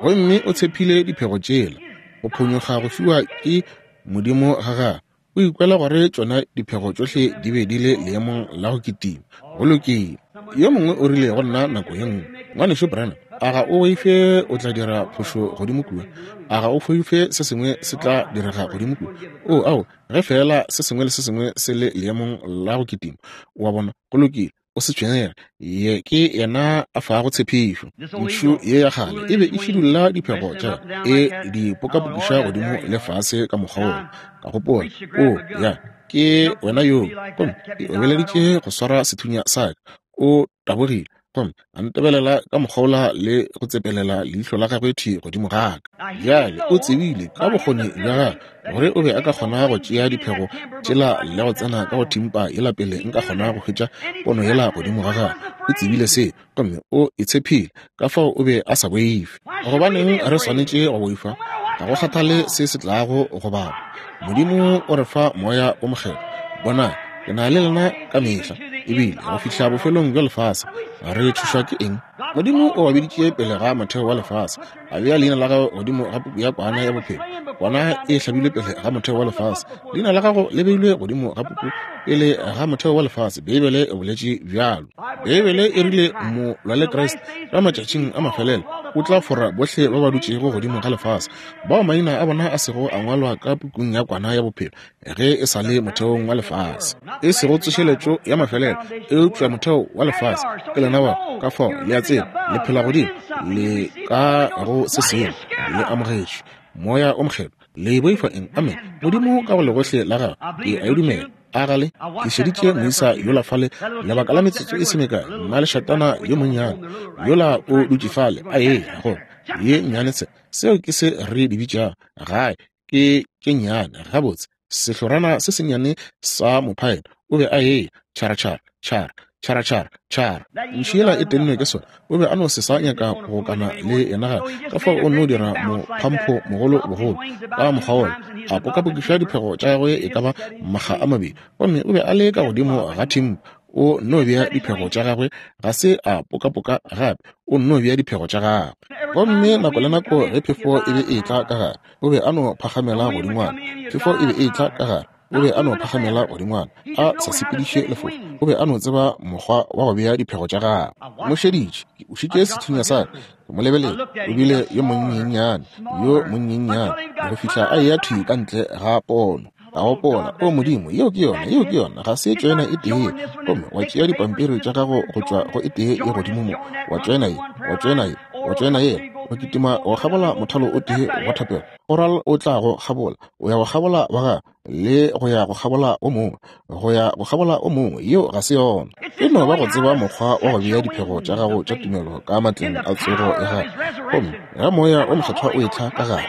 Gomme o tshepile diphego tšela go phonyokga go fiwa ke Modimo ga gagwe. O ikwela gore tšona diphego tšohle di be di le leemong la go kitima. Go lokile. Yo mongwe o rile go nna nako ye nngwe, Ngwanešu Branham, a ga o boife o tla dira phošo godimo kua? A ga o boife se sengwe se tla direga godimo kua? Oo, ao, ge feela se sengwe le se sengwe se le leemong la go kitima. O a bona? Go lokile. O se tshwenyege, ye ke yena a fago tshepišo. Ntšhu ye ya kgale e be e šidulla diphego tša e di pokapokiša godimo le fase ka mokgwa woo. Ka gopola, O ya, ke wena yoo. Gomme ke obeleditše go swara sethunya sa ka. O tabogile gomme a ntebelela ka mokgwa le go tsepelela leihlo la gagwe thwi godimo ga ka. Bjale o tsebile ka bokgoni bja gagwe gore o be a ka kgona go tšea diphego tšela le go tsena ka go thimpa yela pele nka kgona go hwetša pono yela godimo ga gagwe. O tsebile se gomme o e tshephile, ka fao o be a sa boife. Gobaneng re swanetše go boifa? Ga go kgathale se se tlago go baba, Modimo o re fa Moya wo Mokgethwa. Bonang, ke na le lena ka mehla, ebile go fihla bofelong bja lefase. Re tšhošwa ke eng? Modimo o ba biditše pele ga motheo wa lefase, a bea leina la gagwe godimo ga puku ya Kwana ya Bophelo. Kwana e hlabilwe pele ga motheo wa lefase. Leina la gago le beilwe godimo ga puku pele ga motheo wa lefase. Beibele e boletše bjalo. Beibele e rile molwalekriste ka matšatšing a mafelelo o tla fora bohle ba ba dutšego godimo ga lefase, bao maina a bona a sego a ngwalwa ka pukung ya Kwana ya Bophelo ge e sa le motheong wa lefase, e sego tsošeletšo ya mafelelo, eupša motheo wa lefase. Ke lena bao, ka fao le a tseba le phela godimo, le ka go se sengwe, le amogetšwe Moya o Mokgethwa. Le boifa eng? Amene. Modimo ka go legohle la gagwe, ke a e dumela. A ga le? Ke šeditše moisa yola fale lebaka la metsotso e se mekae, mmalešatana yo monnyane yola o dutše fale a eya go ye nnyane se. Seo ke se re di bitšago gae, ke tše nnyane gabotse, sehlorana se sennyane sa mophaela. O be a eya tšhara tšhara tšhara tšhara tšhara tšhara. Ntšhu yela e tennwe ke sona. O be a no se sa nyaka go kana le yena gape, ka fao o nno dira mophampho mogolo bogolo ka mokgwa wola, a pokapokiša diphego tša gagwe e ka ba makga a mabedi, gomme o be a le ka godimo ga thimpa. O nno bea diphego tša gagwe, ga se a pokapoka gape, o nno bea diphego tša gagwe. Gomme nako le nako ge phefo e be e etla ka gare, o be a no phagamela godingwana. Phefo e be e etla ka gare, o be a no phagamela godingwana, a sa sepediše lefofa. O be a no tseba mokgwa wa go bea diphego tša gagwe. Mo šeditše, ke ušitše sethunya sa ka, ke mo lebeletše. O bile yo monnyennyane, yo monnyennyane, go fihla a eya thwi ka ntle ga pono. Ka gopola, O Modimo, yeo ke yona, yeo ke yona, ga se tšoena e tee. Gomme wa tšea dipampiri tša gago go tšwa go e tee ye godimo mo, wa tšoena ye, wa tšoena ye, wa tšoena yela, wa kitima go kgabola mothalo o tee wa thapelo, oral o tla go kgabola, o ya go kgabola wa gagwe, le go ya go kgabola o mongwe, go ya go kgabola o mongwe. Yeo ga se yona. E no ba go tseba mokgwa wa go bea diphego tša gago tša tumelo ka matleng a tsogo ya gagwe. Gomme ge Moya wo Mokgethwa o etla ka gare,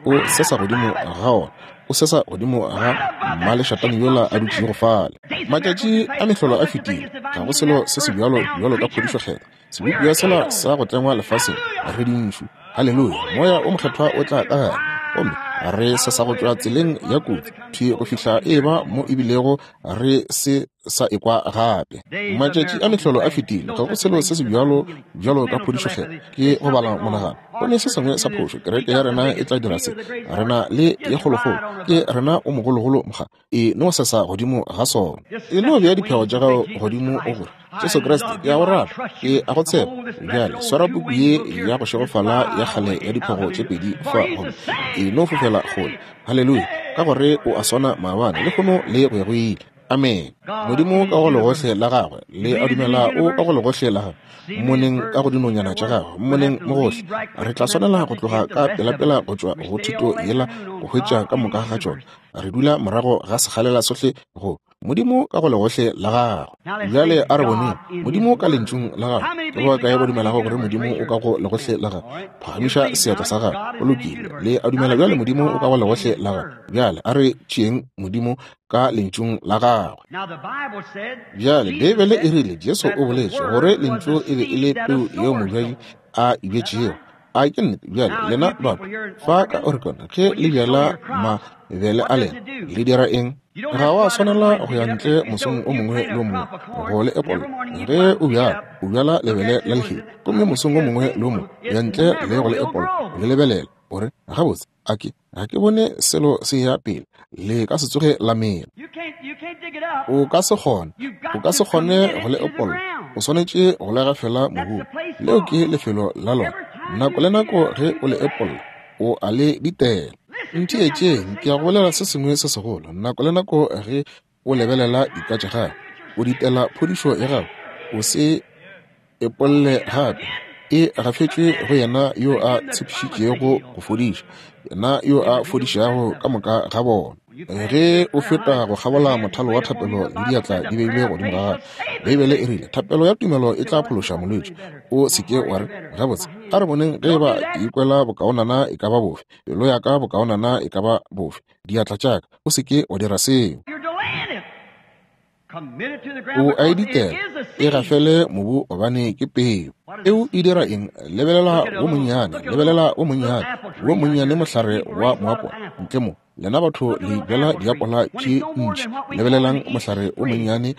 O sesa godimo ga ona. O sesa godimo ga mmalešatane yola a dutšego fale. Matšatši a mehlolo a fetile. Ga go selo se sebjalo bjalo ka phodišo Kgethwa. Sebopiwa sela sa go tlengwa lefaseng, re dintšhu. Haleluya! Moya o Mokgethwa o tla ka gare, gomme re sesa go tšwa tseleng ya kotsi thwi go fihla e eba mo ebilego re se sa ekwa gape. Matšatši a mehlolo a fetile. Ga go selo se sebjalo bjalo ka phodišo Kgethwa. Ke go bala monagano. Go ne se sengwe sa phošo. Kereke ya rena e tla dira se. Re na le ye kgolokgolo. Ke rena o mogologolo mokga. E no sesa godimo ga sona. E no bea diphego tša gago godimo o gore, Jesu Kriste, ke a go rata. Ke a go tshepa. Bjale swara puku ye ya go šegofala ya kgale ya diphego tše pedi fa gomme e no fofela kgole. Haleluya! Ka gore o a swana maabane, lehono le go ya go ile. Amene. Modimo ka go legohle la gagwe, le a dumela o ka go legohle la gagwe, mmoneng ka go dinonyana tša gagwe, mmoneng mo gohle. Re tla swanela go tloga ka pelapela go tšwa go thuto yela go hwetša ka moka ga tšona. Re dula morago ga sekgalela sohle go Modimo ka go legohle la gagwe. Bjale a re boneng Modimo ka Lentšung la gagwe. Ke ba kae ba dumelago gore Modimo o ka go legohle la gagwe? Phagamiša seatla sa gago. Go lokile. Le a dumela bjale Modimo o ka go legohle la gagwe. Bjale a re tšeeng Modimo ka Lentšung la gagwe. Bjale Beibele e rile, Jesu o boletše gore Lentšu e be e le peu yeo mobjadi a e bjetšego. A ke nnete? Bjale lena batho fa ka Oregon, ge le bjala mabele a lena, le dira eng? Ga wa swanela go ya ntle mosong o mongwe le o mongwe go le epolla. Ge o bjala, o bjala lebele la lehea, gomme mosong o mongwe le o mongwe o ya ntle le go le epolla, o le lebelela, o re, Gabotse, a ke, ga ke bone selo se ya pele. Le ka se tsoge la mela. O ka se kgone, o ka se kgone go le epolla. O swanetše go le gafela mobung. Leo ke lefelo la lona. Nako le nako ge o le epolla, o a le ditela. Ntheetšeng, ke ya go bolela se sengwe se segolo. Nako le nako ge o lebelela dika tša gago, o ditela phodišo ya gago, o se epolle gape. E gafetšwe go yena yo a tshepišitšego go fodiša, yena yo a fodišago ka moka ga bona. Ge o feta go kgabola mothalo wa thapelo le diatla di beilwe godimo ga gago, Beibele e rile, Thapelo ya tumelo e tla phološa molwetši. O se ke wa re, Gabotse, a re boneng ge e ba ke ikwela bokaonana e ka ba bofe, pelo ya ka bokaonana e ka ba bofe, diatla tša ka. O se ke wa dira seo. O a e ditela, e gafele mobu gobane ke peu. Peu e dira eng? Lebelela wo monnyane, lebelela wo monnyane, wo monnyane mohlare wa moapola ntle mo. Lena batho le bjala diapola tše ntši. Lebelelang mohlare wo monnyane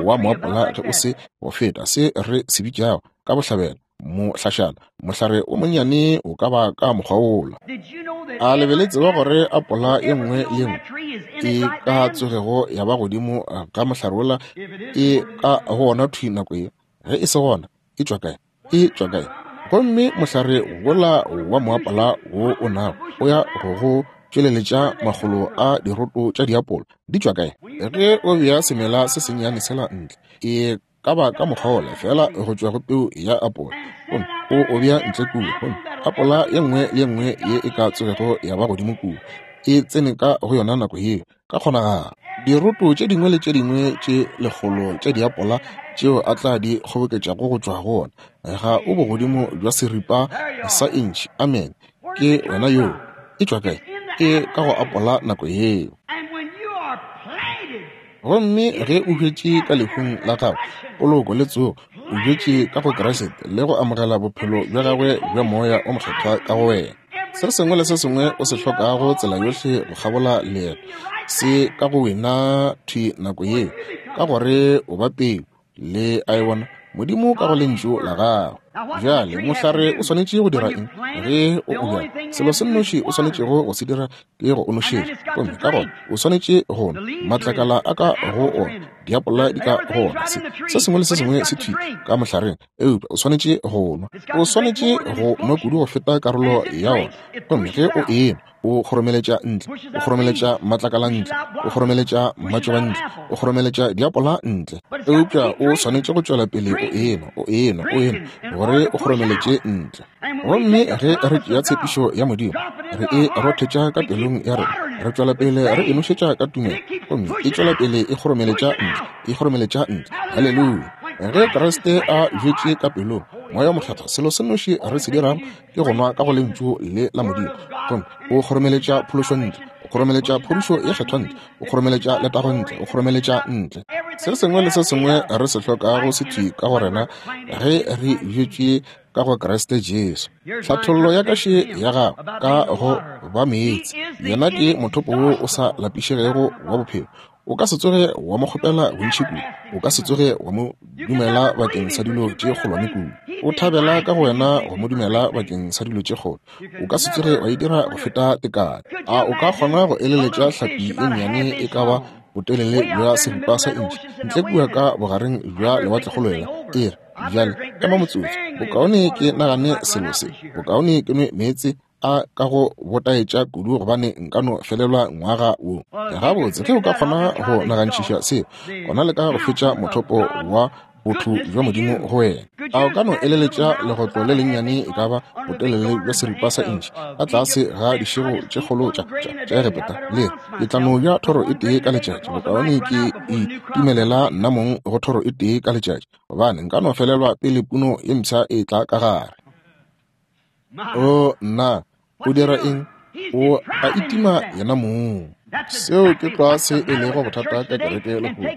wa moapola ge o se go feta se re se bitšago ka bohlabela mohlašana. Mohlare wo monnyane o ka ba ka mokgwa wola. A le be le tseba gore apola ye nngwe le ye nngwe e ka tsogego ya ba godimo ga mohlare wola e ka go wona thwi nako ye? Ge e se gona, e tšwa kae? E tšwa kae? Gomme mohlare wola wa moapola wo o nago o ya go go tšweleletša makgolo a diroto tša diapola. Di tšwa kae? Ge o bea semela se sennyane sela ntle, e ka ba ka mokgwa wola feela go tšwa go peu ya apola, gomme o o bea ntle kua, gomme apola ye nngwe le ye nngwe ye e ka tsogego ya ba godimo kua e tsene ka go yona nako yeo. Ka kgonagalo diroto tše dingwe le tše dingwe tše lekgolo tša diapola tšeo a tla di kgoboketšago go tšwa go ona ga o bogodimo bja seripa sa intšhi. Amene. Ke wena yoo. E tšwa kae? E ka go apola nako yeo. Gomme ge o hwetše ka lehung la gago, poloko le tsogo, o hwetše ka go Kriste le go amogela bophelo bja gagwe bja Moya o Mokgethwa ka go wena. Se sengwe le se sengwe o se hlokago tsela yohle go kgabola leeto se ka go wena thwi nako yeo, ka gore o ba peu. Le a e bona? Modimo ka go Lentšu la Gagwe. Bjale, mohlare o swanetše go dira eng ge o o bjala? Selo se nnoši o swanetšego go se dira ke go o nošetša, gomme ka gona o swanetše go nwa. Matlakala a ka go ona, diapola di ka go ona, se, se sengwe le se sengwe se thwi ka mohlareng, eupša o swanetše go nwa. O swanetše go nwa kudu go feta karolo ya ona, gomme ge o enwa, o kgoromeletša ntle, o kgoromeletša matlakala ntle, o kgoromeletša matšoba ntle, o kgoromeletša diapola ntle. Eupša o swanetše go tšwela pele o enwa, o enwa, o enwa, gore o kgoromeletše ntle. Gomme ge re tšea tshepišo ya Modimo, re e rothetša ka pelong ya rena, re tšwela pele re e nošetša ka tumelo, gomme e tšwela pele e kgoromeletša ntle, e kgoromeletša ntle. Haleluya! Ge Kriste a bjetše ka pelong, Moya wo Mokgethwa, selo se nnoši re se dirago ke go nwa ka go Lentšu le la Modimo, gomme o kgoromeletša phološo ntle, o kgoromeletša phodišo ye Kgethwa ntle, o kgoromeletša letago ntle, o kgoromeletša ntle se sengwe le se sengwe re se hlokago se thwi ka go rena ge re bjetšwe ka go Kriste Jesu. Tlhathollo ya ka še ya gago ka go ba meetse. Yena ke mothopo wo o sa lapišegego wa bophelo. O ka se tsoge wa mo kgopela bontši kudu. O ka se tsoge wa mo dumela bakeng sa dilo tše kgolwane kudu. O thabela ka go wena go mo dumela bakeng sa dilo tše kgolo. O ka se tsoge wa e dira go feta tekano. A o ka kgona go eleletša hlapi e nnyane e ka ba botelele bja seripa sa intšhi ntle kua ka bogareng bja lewatlekgolo yela e re, Bjale ema motsotso, bokaone ke nagane selo se, bokaone ke nwe meetse a ka go botaetša kudu gobane nka no felelwa ngwaga wo. Gabotse, ge o ka kgona go nagantšhiša seo, gona le ka go fetša mothopo wa botho bja Modimo go wena. A o ka no eleletša legotlo le lennyane e ka ba botelele bja seripa sa intšhi ka tlase ga dišego tše kgolo tša tša Egepeta? Le re, Ke tla no ja thoro e tee ka letšatši, bokaone ke itumelela nna mong go thoro e tee ka letšatši, gobane nka no felelwa pele puno ye mpsha e tla ka gare. O nna, o dira eng? O a itima yena mong. Seo ke tlwa se e lego bothata ka kereke lehono,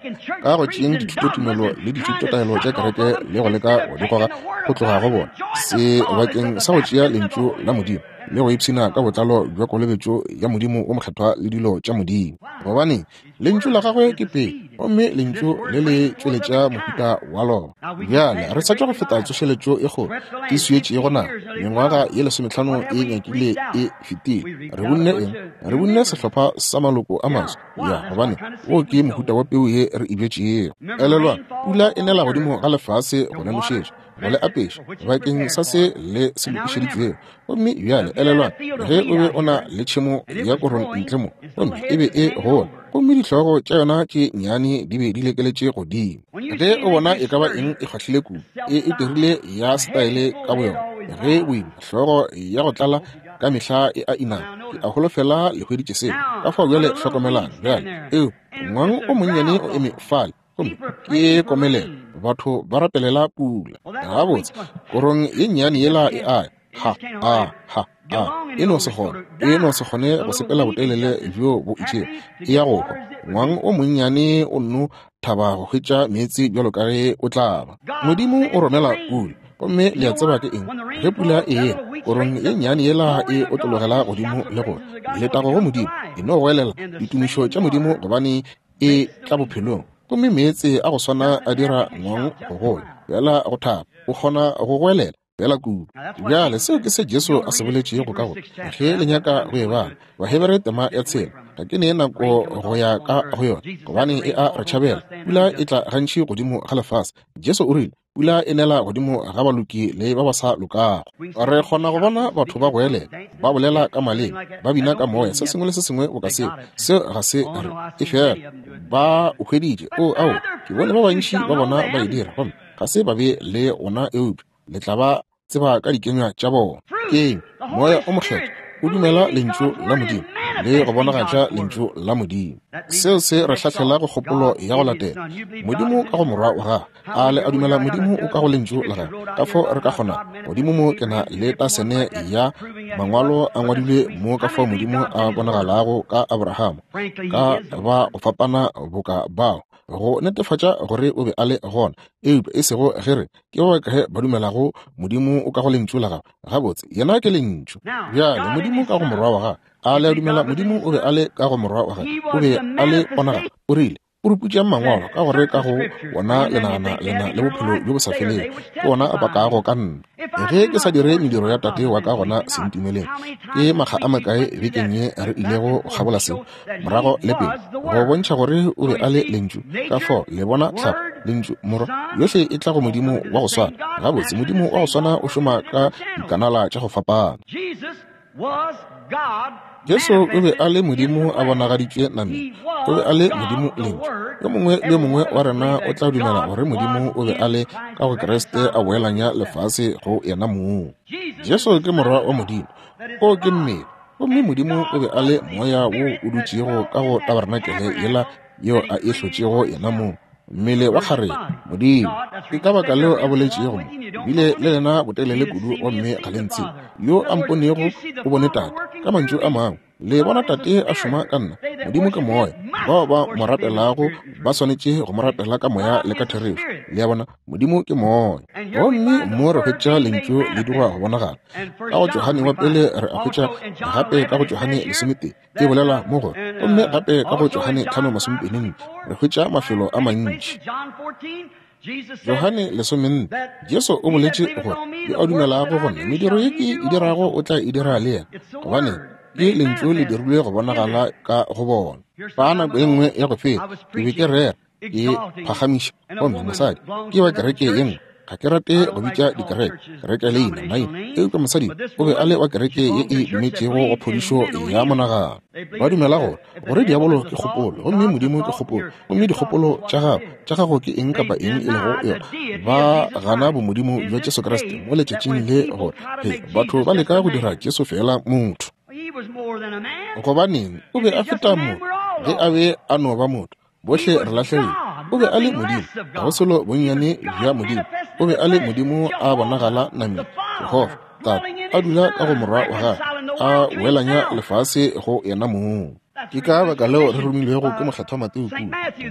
ka go tšeeng dithutotumelo le dithutotaelo tša kereke le go leka go di goga go tloga go bona, sebakeng sa go tšea Lentšu la Modimo le go ipshina ka botlalo bja kolobetšo ya Modimo wo Mokgethwa le dilo tša Modimo. Gobaneng? Lentšu la gagwe ke peu, gomme Lentšu le le tšweletša mohuta wa lona. Bjale, re sa tšwa go feta tsošeletšo e kgolo e swietšego naga, mengwaga ye lesometlhano e nyakile e fetile. Re bunne eng? Re bunne sehlopha sa maloko a maswa. Ya, gobane wo ke mohuta wa peu ye re e bjetšego. Elelwang, pula e nela godimo ga lefase go le nošetša, go le apeša, bakeng sa se le se lokišeditšwego. Gomme bjale elelwang, ge o be o na le tšhemo ya korong ntle mo, gomme e be e gola, gomme dihlogo tša yona tše nnyane di be di lekeletše godimo. Ge o bona e ka ba eng e kgwahlile kudu, e e dirile ya setaele ka boyona, ge boima, hlogo ya go tlala ka mehla e a inama. Ke a holofela le hweditše seo. Ka fao bjale hlokomelang bjale, eo ngwang o monnyane o eme fale, gomme ke komelelo, batho ba rapelela pula. Gabotse, korong ye nnyane yela e a ha a ha a e no se kgone, e no se kgone go sepela botelele bjo bo itšego, e ya go hwa. Ngwang o monnyane o nno thaba go hwetša meetse bjalo ka ge o tla ba. Modimo o romela pula, gomme le a tseba ke eng? Ge pula e ena, korong ye nnyane yela e otlologela godimo le go letago go Modimo, e no goelela ditumišo tša Modimo gobane e tla bophelong. Gomme meetse a go swana a dira ngwang go gola, bjala go thaba, o kgona go goelela bjala kudu. Bjale seo ke se Jesu a se boletšego ka go, ge le nyaka go e bala, Bahebere tema ya tshela. Ga ke ne nako go ya ka go yona, gobane e a re tšhabela. Pula e tla gantši godimo ga lefase. Jesu o rile, Pula e nela godimo ga baloki le ba ba sa lokago. Re kgona go bona batho ba goelela, ba bolela ka maleme, ba bina ka moya, se sengwe le se sengwe boka seo. Seo ga se re e fela ba o hweditše. O, ao, ke bone ba bantši ba bona ba e dira, gomme ga se ba be le ona, eupša le tla ba tseba ka dikenywa tša bona. Ke'ng? Moya o Mokgethwa o dumela Lentšu la Modimo le go bonagatša Lentšu la Modimo. Seo se re hlahlela go kgopolo ya go latela. Modimo ka go Morwa wa Gagwe. A le a dumela Modimo o ka go Lentšu la Gagwe? Ka fao re ka kgona godimo mo ke na le tasene ya mangwalo a ngwadilwe mo ka fao Modimo a bonagalago ka Abrahama, ka ba go fapana boka bao, go netefatša gore o be a le gona, eupša e sego ge re ke ba bakae ba dumelago Modimo o ka go Lentšu la Gagwe? Gabotse, Yena ke Lentšu. Bjale, Modimo ka go Morwa wa Gagwe. A le a dumela Modimo o be a le ka go Morwa wa Gagwe? O be a le ponagalo. O rile, Puruputšang Mangwalo, ka gore ka go wona le nagana le na le bophelo bjo bo sa felego. Ke wona a pakago ka nna. Ge ke sa dire mediro ya Tate wa ka, gona se ntumeleng. Ke makga a makae bekeng ye re ilego go kgabola seo, morago le pele, go bontšha gore o be a le Lentšu. Ka fao le bona tlhago, Lentšu, Morwa, yohle e tla go Modimo wa go swana. Gabotse, Modimo wa go swana o šoma ka dikanala tša go fapana. Jesu o be a le Modimo a bonagaditšwe nameng. O be a le Modimo Lentšu. Yo mongwe le yo mongwe wa rena o tla dumela gore Modimo o be a le ka go Kriste a boelanya lefase go yena mong. Jesu ke Morwa wa Modimo. O ke mmele. Gomme Modimo o be a le Moya wo o dutšego ka go tabarenakele yela yeo a e hlotšego yena mong. Mmele wa kgarebe, Modimo. Ke ka baka leo a boletšego mo, bile le lena botelele kudu gomme ga le ntsebe. Yo a mponego o bone Tate. Ka mantšu a mangwe, le bona Tate a šoma ka nna. Modimo ke Moya. Bao ba mo rapelago ba swanetše go mo rapela ka moya le ka therešo. Le a bona, Modimo ke Moya. Gomme mo re hwetša Lentšu le dirwa go bonagala. Ka go Johane wa pele re a hwetša gape ka go Johane 11 e bolela mo gore, gomme gape ka go Johane 5:24 re hwetša mafelo a mantši. Johane 14, Jesu o boletše gore, yo a dumelago go nna, mediro ye ke e dirago o tla e dira le yena, gobane ke Lentšu le dirilwe go bonagala ka go bona. Fa nako e nngwe ya go feta ke be ke rera, ke phagamiša, gomme mosadi ke wa kereke ye nngwe. Ga ke rate go bitša dikereke kereke leina maina, eupša mosadi o be a le wa kereke ye e dumetšego go phodišo ya monagano. Ba dumela gore gore diabolo ke kgopolo gomme Modimo ke kgopolo, gomme dikgopolo tša gago tša gago ke eng kapa eng e lego yona. Ba gana bomodimo bja Jesu Kriste mo letšatšing le gore he batho ba leka go dira Jesu fela motho. Gobaneng, o be a feta motho ge a be a no ba motho. Bohle re lahlegile. O be a le Modimo, ga go selo bonnyane bja Modimo. O be a le Modimo a bonagala nameng, Jehofa, Tate, a dula ka go Morwa wa gagwe, a welanya lefase go yena mong. Ke ka baka leo re romilwego ke Mokgethwa Mateo kua,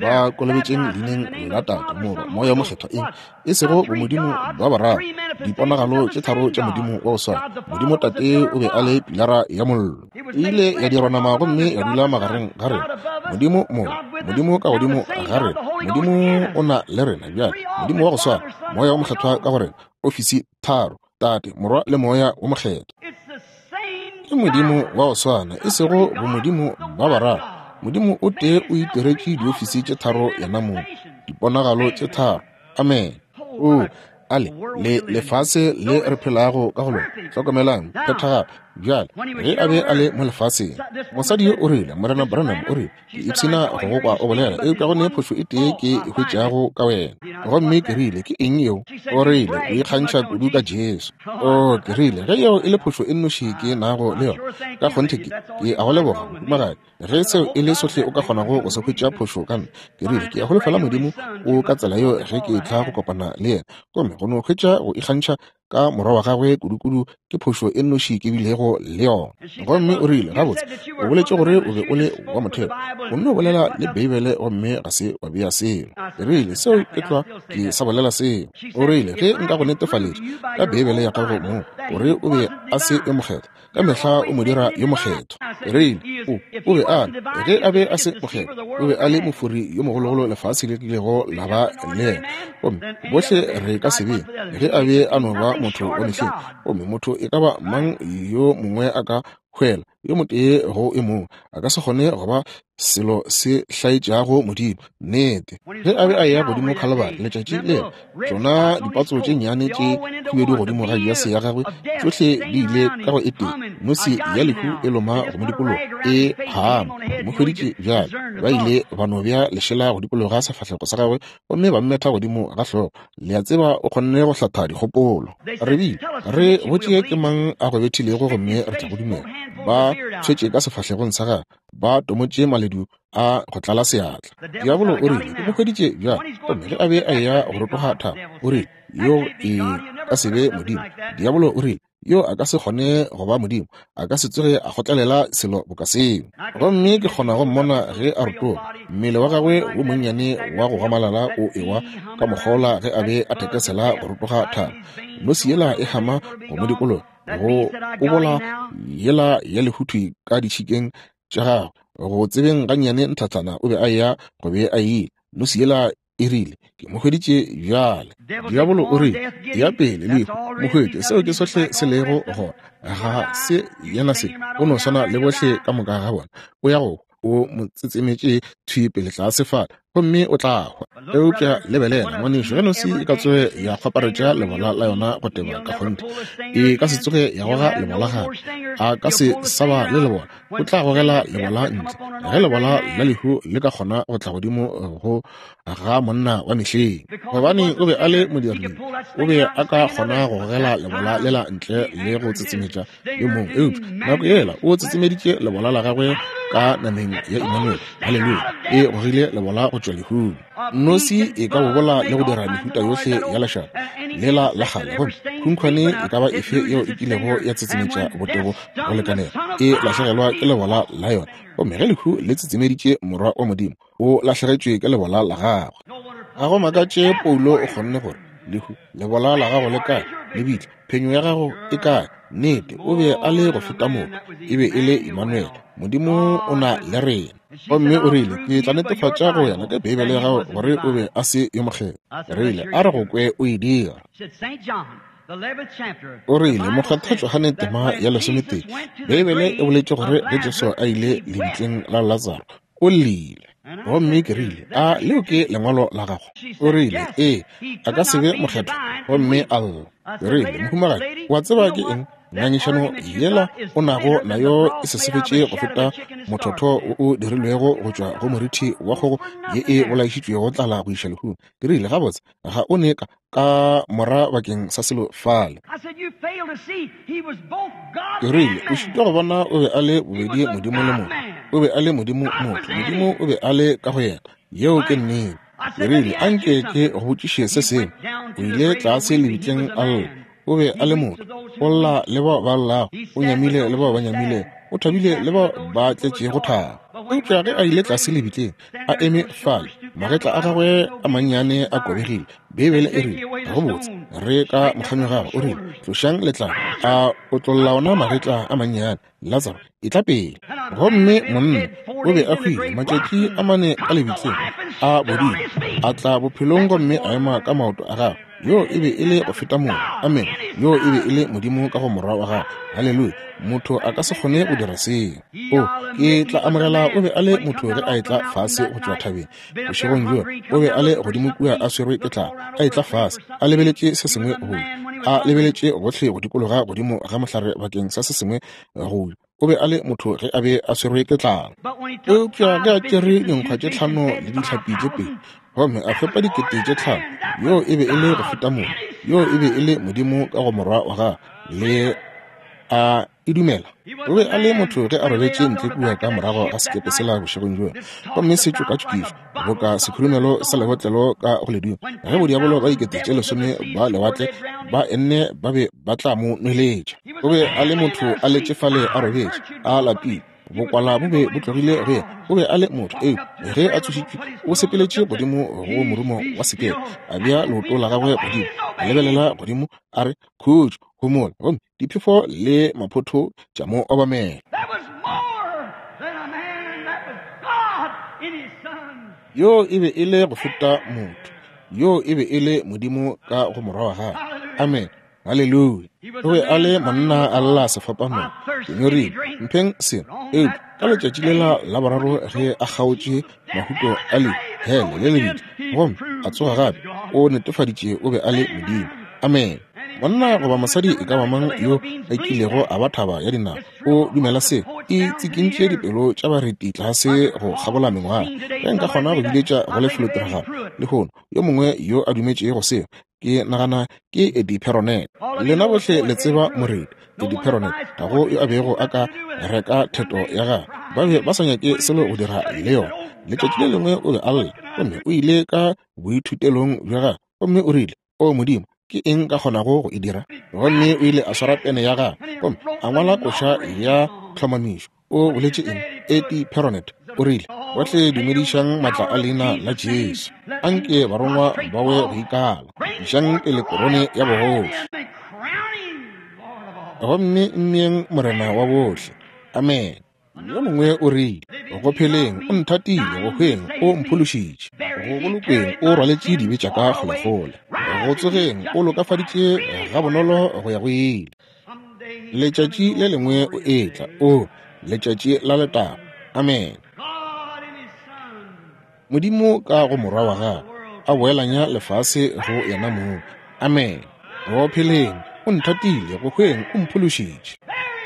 ba kolobetšeng leineng la Tate, Morwa, Moya wo Mokgethwa, eng? E sego bomodimo ba bararo, diponagalo tše tharo tša Modimo wa go swana. Modimo Tate o be a le pilara ya mollo, e ile ya dirwa nama gomme ya dula magareng ga rena. Modimo Morwa, Modimo ka godimo ga rena, Modimo o na le rena bjale, Modimo wa go swana, Moya wo Mokgethwa ka go rena, ofisi tharo, Tate, Morwa le Moya wo Mokgethwa. Ke Modimo wa go swana, e sego bomodimo ba bararo. Modimo o tee o itiretše diofisi tše tharo yena mong, diponagalo tše tharo. Amen. O ale le lefase le re phelago ka go lona. Hlokomelang phethagalo bjale ge a be a le mo lefaseng. Mosadi yo o rile, Morena Branham o rile, ke ipshina go go kwa o bolela, eupša go ne phošo e tee ke e hwetšago ka wena. Gomme ke rile, ke eng yeo? O rile, o ikgantšha kudu ka Jesu. O, ke rile, ge yeo e le phošo e nnoši ke nago le yona, ka kgonthe ke, ke a go leboga, mohumagadi. Ge seo e le sohle o ka kgonago go se hwetša phošo ka nna, ke rile, ke a holofela Modimo o ka tsela yeo ge ke etla go kopana le yena. Gomme go no hwetša go ikgantšha ka morwa wa gagwe kudukudu ke phošo e nnoši ke bilego le yona. Gomme o rile, gabotse, o boletše gore o be o le wa motheo, o nno bolela le Beibele gomme ga se wa bea selo. Ke rile, seo ke tlwa, ke sa bolela seo. O rile, ge nka go netefaletša ka Beibele ya gago moo gore o be a se yo mokgethwa, ka mehla o mo dira yo mokgethwa. Ke rile, o, o be a le, ge a be a se mokgethwa, o be a le mofori yo mogologolo lefase le kilego la ba le yena. Gomme bohle re ka se be, ge a be a no ba motho wa mehleng. Gomme motho e ka ba mang yo mongwe a ka hwela yo motee go e mongwe, a ka se kgone go ba selo se hlaetšago Modimo. Nnete. Ge a be a eya godimo Khalibari letšatši lela, tšona dipatso tše nnyane tše khubedu godimo ga jase ya gagwe, tšohle di ile ka go e tee. Nosi ya lehu e loma go mo dikologa, e hama. Mo hweditše bjale. Ba ile ba no bea lešela go dikologa sefahlego sa gagwe gomme ba mmetha godimo ga hlogo. Le a tseba, o kgonne go hlatha dikgopolo. Re bile re botše ke mang a go bethilego gomme re tla go dumela. Ba tshwetše ka sefahlegong sa gagwe, ba tomotše maledu a go tlala seatla. Diabolo o rile, ke mo hweditše bjale. Gomme ge a be a eya go rotoga thaba, o rile, yo e ka se be Modimo. Diabolo o rile, yo a ka se kgone go ba Modimo, a ka se tsoge a kgotlelela selo boka seo. Gomme ke kgona go mmona ge a rotoga, mmele wa gagwe wo monnyane wa go gamalala o ewa ka mokgola ge a be a thekesela go rotoga thaba. Nosi yela e hama go mo dikologa, go kobola yela ya lehuthwi ka ditšhikeng tša gagwe. Go tsebeng gannyane nthathana o be a eya go be a ile. Nosi yela e rile, ke mo hweditše bjale. Diabolo o rile, ya pele lehu, mo hwetše. Seo ke sohle se lego gona. Ga se yena se, o no swana le bohle ka moka ga bona. O ya go, o mo tsetsemetše thwi pele tlase fale, gomme o tla hwa. Eupša lebelela, ngwanešu, ge nosi e ka tsoge ya kgwaparetša lebola la yona go teba ka kgonthe, e ka se tsoge ya goga lebola gape. A ka se sa ba le lebola. O tla gogela lebola ntle. Ge lebola la lehu le ka kgona go tla godimo go ga monna wa mehleng, gobane o be a le modiring, o be a ka kgona go gogela lebola lela ntle le go tsetsemetša yo mongwe. Eupša nako yela o tsetsemeditše lebola la gagwe ka nameng ya Emmanuel. Haleluya! E gogile lebola go tšwa tšwa lehung. Nosi e ka bobola le go dira mehuta yohle ya lešata lela la kgale, gomme khunkhwane e ka ba efe yeo e kilego ya tsetsemetša botebo go lekanela e lahlegelwa ke lebola la yona. Gomme ge lehu le tsetsemeditše Morwa wa Modimo, o lahlegetšwe ke lebola la gagwe. Ga go makatše Paulo o kgonne gore, Lehu, lebola la gago le kae? Lebitla, phenyo ya gago e kae? Nnete, o be a le go feta motho. E be e le Emmanuel, Modimo o na le rena. Gomme o rile, Ke tla netefatša go wena ka Beibele ya gago gore o be a se yo mokgethwa. Rile, A re go kwe o e dira. O rile, Mokgethwa Johane tema ya lesometee, Beibele e boletše gore ge Jesu a ile lebitleng la Latsaro, o llile. Gomme ke rile, A leo ke lengwalo la gago? O rile, Ee, a ka se be mokgethwa gomme a lla. Ke rile, Mohumagadi, wa tseba ke eng? Ngangišano yela o nago nayo e sesefetše go feta mothotho wo o dirilwego go tšwa go morithi wa kgogo ye e bolaišitšwego tlala go iša lehung. Ke rile, Gabotse, ga o ne ka, ka mora bakeng sa selo fale. Ke rile, O šitwa go bona o be a le bobedi Modimo le motho. O be a le Modimo motho. Modimo o be a le ka go yena. Yeo ke nnete. Ke rile, A nke ke go botšiše se sengwe. O ile tlase lebitleng a lla. O be a le motho. O lla le bao ba llago. O nyamile le bao ba nyamilego. O thabile le bao ba tletšego thabo. Eupša ge a ile tlase lebitleng, a eme fale, magetla a gagwe a mannyane a kobegile. Beibele e rile, Gabotse, re ka mokganyo gagwe, o rile, tlošang letlalo. A otlolla ona magetla a mannyane. Latsaro, etla pele. Gomme monna o be a hwile matšatši a mane ka lebitleng, a bodile, a tla bophelong gomme a ema ka maoto a gagwe. Yoo e be e le go feta motho. Amene. Yoo e be e le Modimo ka go Morwa wa gagwe. Haleluya. Motho a ka se kgone go dira seo. O, ke tla amogela o be a le motho ge a etla fase go tšwa thabeng. Bošegong bjo, o be a le godimo kua a swerwe ke tlala, a etla fase, a lebeletše se sengwe go ja, a lebeletše gohle go dikologa godimo ga mohlare bakeng sa se sengwe go ja. O be a le motho ge a be a swerwe ke tlala. Eupša ge a tšere dinkgwa tše tlhano le dihlapi tše pedi gomme a fepa dikete tše tlhano, yoo e be e le go feta motho. Yoo e be e le Modimo ka go Morwa wa gagwe. Le a e dumela? O be a le motho ge a robetše ntle kua ka morago ga sekepe sela bošegong bjola, gomme se tšokatšokišwa boka sekhurumelo sa lebotlelo ka go ledimo, ge bodiabolo ba dikete tše lesome ba lewatle ba enne ba be ba tla mo nweletša. O be a le motho a letše fale a robetše, a lapile, bokwala bo be bo tlogile go yena. O be a le motho, eupša ge a tsošitšwe, o sepeletše godimo go morumo wa sekepe, a bea leoto la gagwe godimo, a lebelela godimo, a re, Khutšo, homola. Gomme diphefo le maphotho tša mo obamela. Yoo e be e le go feta motho. Yoo e be e le Modimo ka go Morwa wa gagwe. Amen. Haleluya. O be a le monna a lla sefapanong. Ke nyorilwe. Mpheng seno. Eupša ka letšatši lela la boraro ge a kgaotše mahuto a le hele le lebitla gomme a tsoga gape, o netefaditše o be a le Modimo. Amen. Monna goba mosadi e ka ba mang yo a kilego a ba thaba ya dinao o dumela seo. E tsikintše dipelo tša bareti tlase go kgabola mengwaga. Ge nka kgona go biletša go lefelotiragalo lehono yo mongwe yo a dumetšego seo, ke nagana ke Eddie Perronet. Lena bohle le tseba moreti Eddie Perronet. Ga go yo a bego a ka reka theto ya gagwe. Ba be ba sa nyake selo go dira le yona. Letšatši le lengwe o be a lla, gomme o ile ka boithutelong bja gagwe, gomme o rile, O Modimo, ke eng ka kgonago go e dira? Gomme o ile a swara pene ya gagwe gomme a ngwala koša ya tlhomamišo. O boletše eng? Eddie Perronet o rile, Bohle dumedišang matla a leina la Jesu. Anke barongwa ba we go ikala. Išang pele korone ya bogoši. Gomme mmeeng Morena wa bohle. Amen. Yo mongwe o rile, Go pheleng o nthatile, go hweng o mphološitše, go bolokweng o rwaletše dibe tša ka kgolekgole, go tsogeng o lokafaditše gabonolo go ya go ile. Letšatši le lengwe o etla, o letšatši la letago. Amen. Modimo ka go Morwa wa gagwe a boelanya lefase go yena mong. Amen. Go pheleng o nthatile, go hweng o mphološitše,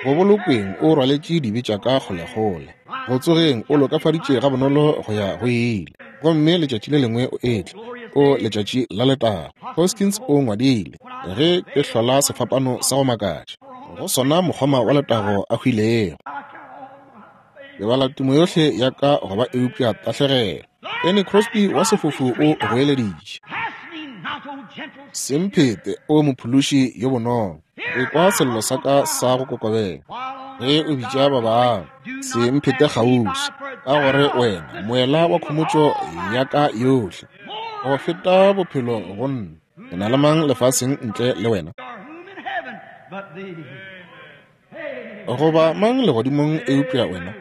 go bolokweng o rwaletše dibe tša ka kgolekgole, go tsogeng o lokafaditše gabonolo go ya go ile. Gomme letšatši le lengwe o etla, o letšatši la letago. Hoskins o ngwadile, Ge ke hlola sefapano sa go makatša, go sona mokgoma wa letago a hwilego. Ke bala tumo yohle ya ka go ba eupša tahlegelo. Fanny Crosby wa sefofu o goeleditše. Se mphete, O Mophološi yo bonolo. Ekwa sello sa ka sa go kokobela ge o bitša ba bangwe. Se mphete kgauswi, ka gore wena moela wa khomotšo ya ka yohle. Go feta bophelo go nna. Ke na le mang lefaseng ntle le wena? Goba mang legodimong eupša wena?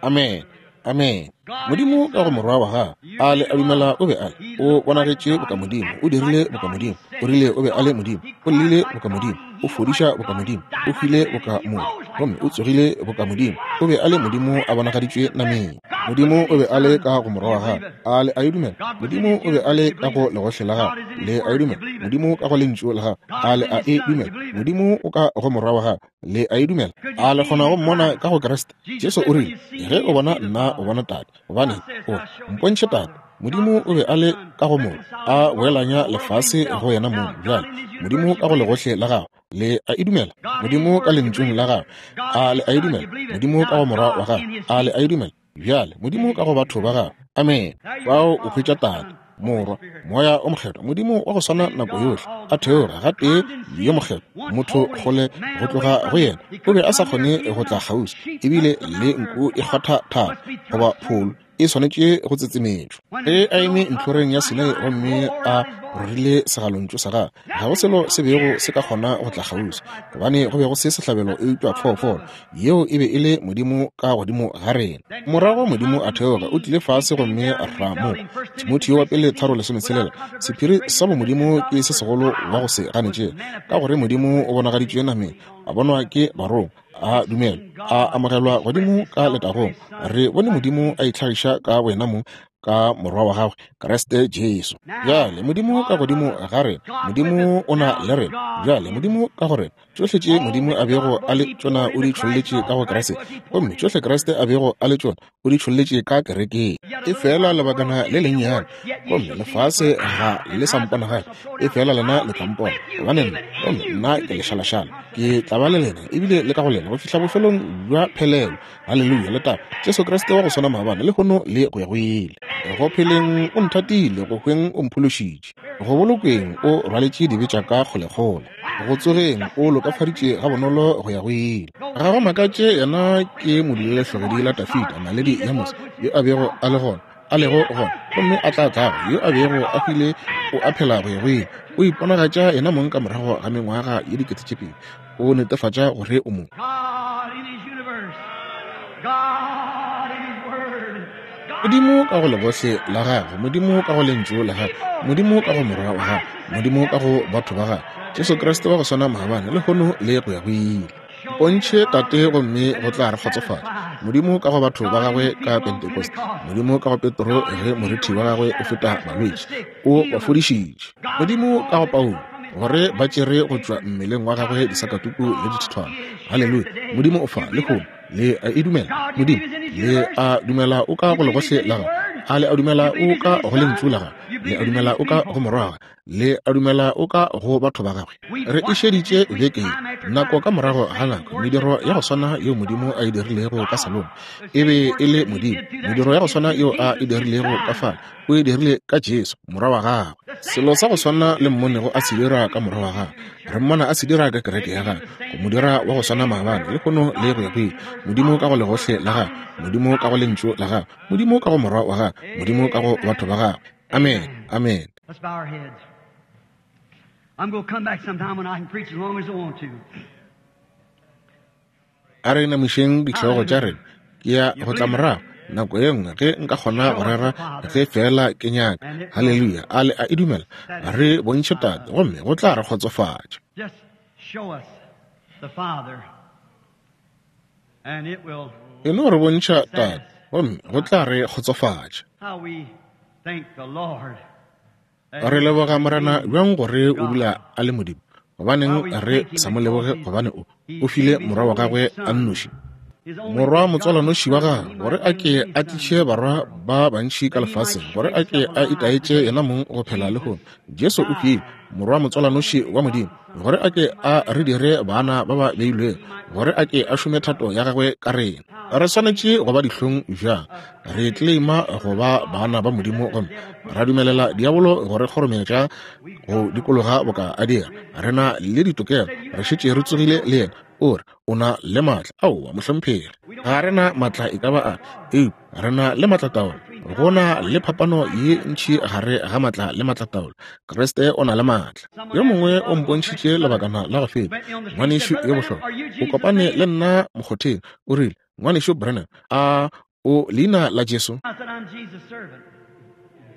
Amen. Amen. Modimo ka go Morwa wa Gagwe, a le a dumela o be a le, o bonagetše boka Modimo, o dirile boka Modimo, o rile o be a le Modimo, o llile boka Modimo, o fodiša boka Modimo, o hwile boka motho, gomme o tsogile boka Modimo. O be a le Modimo a bonagaditšwe nameng. Modimo o be a le ka go Morwa wa Gagwe, a le a e dumela? Modimo o be a le ka go legohle la Gagwe, le a e dumela? Modimo ka go Lentšu la Gagwe, a le a e dumela? Modimo o ka go Morwa wa Gagwe, le a e dumela? A le kgona go mmona ka go Kriste? Jesu o rile, Ge o bona nna, o bona Tate. Gobane o mpontšhe Tate. Modimo o be a le ka go Morwa, a boelanya lefase go yena mong. Bjale, Modimo ka go legohle la Gagwe, le a e dumela? Modimo ka Lentšung la Gagwe, a le a e dumela? Modimo ka go Morwa wa Gagwe, a le a e dumela? Bjale, Modimo ka go batho ba Gagwe. Amene. Fao o hwetša Tate, Morwa, Moya o Mokgethwa, Modimo wa go swana nako yohle, a theoga gatee yo Mokgethwa, motho kgole go tloga go yena, o be a sa kgone go tla kgauswi, ebile le nku e kgwatha thaba goba pholo e swanetše go tsetsemetšwa. Ge a eme ntlhoreng ya Sinai gomme a rorile segalontšu sa gagwe, ga go selo se bego se ka kgona go tla kgauswi, gobane go be go se sehlabelo eupša phoofolo. Yeo e be e le Modimo ka godimo ga rena. Morago Modimo a theoga, o tlile fase gomme ra mo. Timotheo wa pele 3:16, sephiri sa bomodimo ke se segolo wa go se ganetšege, ka gore Modimo o bonagaditšwe nameng, a bonwa ke barongwa, a dumelwa, a amogelwa godimo ka letagong. Re bone Modimo a itlhagiša ka boyena mong ka Morwa wa gagwe, Kriste Jesu. Bjale Modimo ka godimo ga rena, Modimo o na le rena. Bjale Modimo ka go rena, Tšohle tše Modimo a bego a le tšona o di tšholletše ka go Kriste, gomme tšohle Kriste a bego a le tšona o di tšholletše ka kerekeng. Efela lebakana le lennyane, gomme lefase ga le sa mpona gape, efela lena le tla mpona, gobane nna, gomme nna ke lešalašala, ke tla ba le lena, ebile le ka go lena, go fihla bofelong bja phelelo. Haleluya, letago! Jesu Kriste wa go swana maabane, lehono le go ya go ile. Go pheleng o nthatile, go hweng o mphološitše, go bolokweng o rwaletše dibe tša ka kgolekgole, go tsogeng o lokafaditše gabonolo go ya go ile. Ga go makatše yena ke modulelehlogedi la Dafida, naledi ya mose, yo a bego a le gona, a lego gona, gomme a tla tlago, yo a bego a hwile o a phela go ya go ile. O iponagatša yena mong ka morago ga mengwaga ye 2000, o netefatša gore o mo. Modimo ka go legohle la gagwe, Modimo ka go Lentšu la gagwe, Modimo ka go Morwa wa gagwe, Modimo ka go batho ba gagwe, Jesu Kriste wa go swana maabane, lehono le go ya go ile. Mpontšhe Tate gomme go tla re kgotsofatša. Modimo ka go batho ba gagwe ka Pentekoste, Modimo ka go Petro ge morithi wa gagwe o feta balwetši, o ba fodišitše. Modimo ka go Paulo, gore ba tšere go tšwa mmeleng wa gagwe disakatuku le dithithwana. Haleluya! Modimo o fa lehono. Le a e dumela? Modimo, le a dumela o ka go legohle la gagwe? A le a dumela o ka go lentšu la gagwe? Le a dumela o ka go morwa wa gagwe? Le a dumela o ka go batho ba gagwe? Re e šeditše beke ye, nako ka morago ga nako, mediro ya go swana yeo Modimo a e dirilego ka Salomo, e be e le Modimo. Mediro ya go swana yeo a e dirilego ka fale, o e dirile ka Jesu, Morwa wa gagwe. Selo sa go swana le mmonego a se dira ka Morwa wa gagwe, re mmona a se dira ka kereke ya gagwe, go mo dira wa go swana maabane, lehono le go ya go ile. Modimo ka go legohle la gagwe, Modimo ka go Lentšu la gagwe, Modimo ka go Morwa wa gagwe, Modimo ka go batho ba gagwe. Amen. Amen. Let's bow our heads. I'm going to come back sometime when I can preach as long as I want to. A re inamišeng dihlogo tša rena. Ke ya go tla morago nako ye nngwe ge nka kgona go rera ge feela ke nyaka. Haleluya. A le a e dumela? Re bontšhe Tate gomme go tla re kgotsofatša. Just show us the Father and it will E no re bontšha Tate gomme go tla re kgotsofatša. How we thank the Lord. Re leboga Morena bjang gore o dula a le Modimo. Gobaneng re sa mo leboge gobane o, o file Morwa wa gagwe a nnoši? Morwa motswalanoši wa gagwe, gore a ke a tliše barwa ba bantši ka lefaseng, gore a ke a itaetše yena mong go phela lehono. Jesu o hwile, Morwa motswalanoši wa Modimo, gore a ke a re dire bana ba ba beilwego, gore a ke a šome thato ya gagwe ka rena. Re swanetše go ba dihlong bjang? Re tleleima go ba bana ba Modimo gomme ra dumelela diabolo go re kgorometša go dikologa boka a dira. Re na le ditokelo, re šetše re tsogile le yena. O re, O na le maatla. Aowa, mohlomphegi. Ga re na maatla e ka ba a, eupša re na le maatlataolo. Go na le phapano ye ntši gare ga maatla le maatlataolo. Kriste o na le maatla. Yo mongwe o mpontšhitše lebakana la go feta, ngwanešu yo bohlokwa, o kopane le nna mokgotheng, o rile, Ngwanešu Branham, a o leina la Jesu?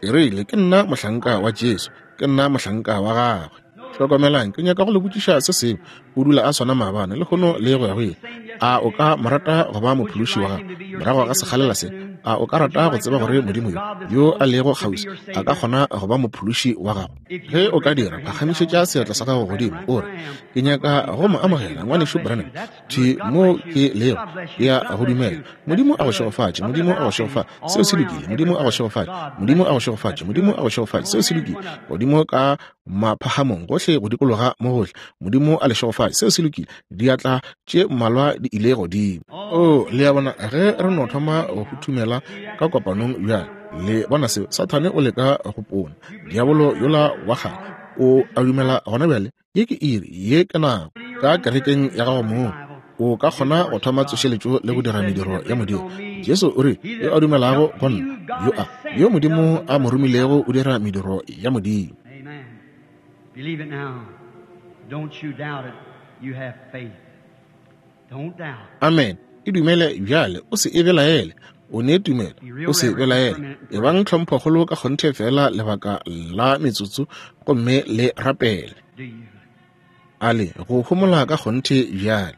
Ke rile, Ke nna mohlanka wa Jesu. Ke nna mohlanka wa gagwe. Hlokomelang, ke nyaka go le botšiša se sengwe. O dula a swana maabane, lehono le go ya go ile. A o ka mo rata go ba mophološi wa gago? Morago ga sekgalela se, a o ka rata go tseba gore Modimo yo, yo a lego kgauswi, a ka kgona go ba mophološi wa gago? Ge o ka dira, phagamišetša seatla sa gago godimo, o re, Ke nyaka go mo amogela, Ngwanešu Branham. Thwi mo ke lego, ke a go dumela. Modimo a go šegofatše. Modimo a go šegofatše. Seo se lokile. Modimo a go šegofatše. Modimo a go šegofatše. Modimo a go šegofatše. Seo se lokile. Godimo ka maphagamong, gohle go dikologa mo gohle. Modimo a le šegofatše. Seo se lokile. Diatla tše mmalwa di ile godimo. Oo, le a bona, ge re no thoma go huthumela ka kopanong bjale, le bona seo? Sathane o leka go pona. Diabolo yola wa kgale o a dumela gona bjale. Ye ke iri, ye ke nako. Ka kerekeng ya gago mong, o ka kgona go thoma tsošeletšo le go dira mediro ya Modimo. Jesu o rile, Yo a dumelago go nna, yo a, yo Modimo a mo romilego o dira mediro ya Modimo. Amen. E dumele bjale, o se e belaele. O ne tumelo, o se belaele. Ebang tlhomphokgolo ka kgonthe feela lebaka la metsotso gomme le rapele. A le go homola ka kgonthe bjale.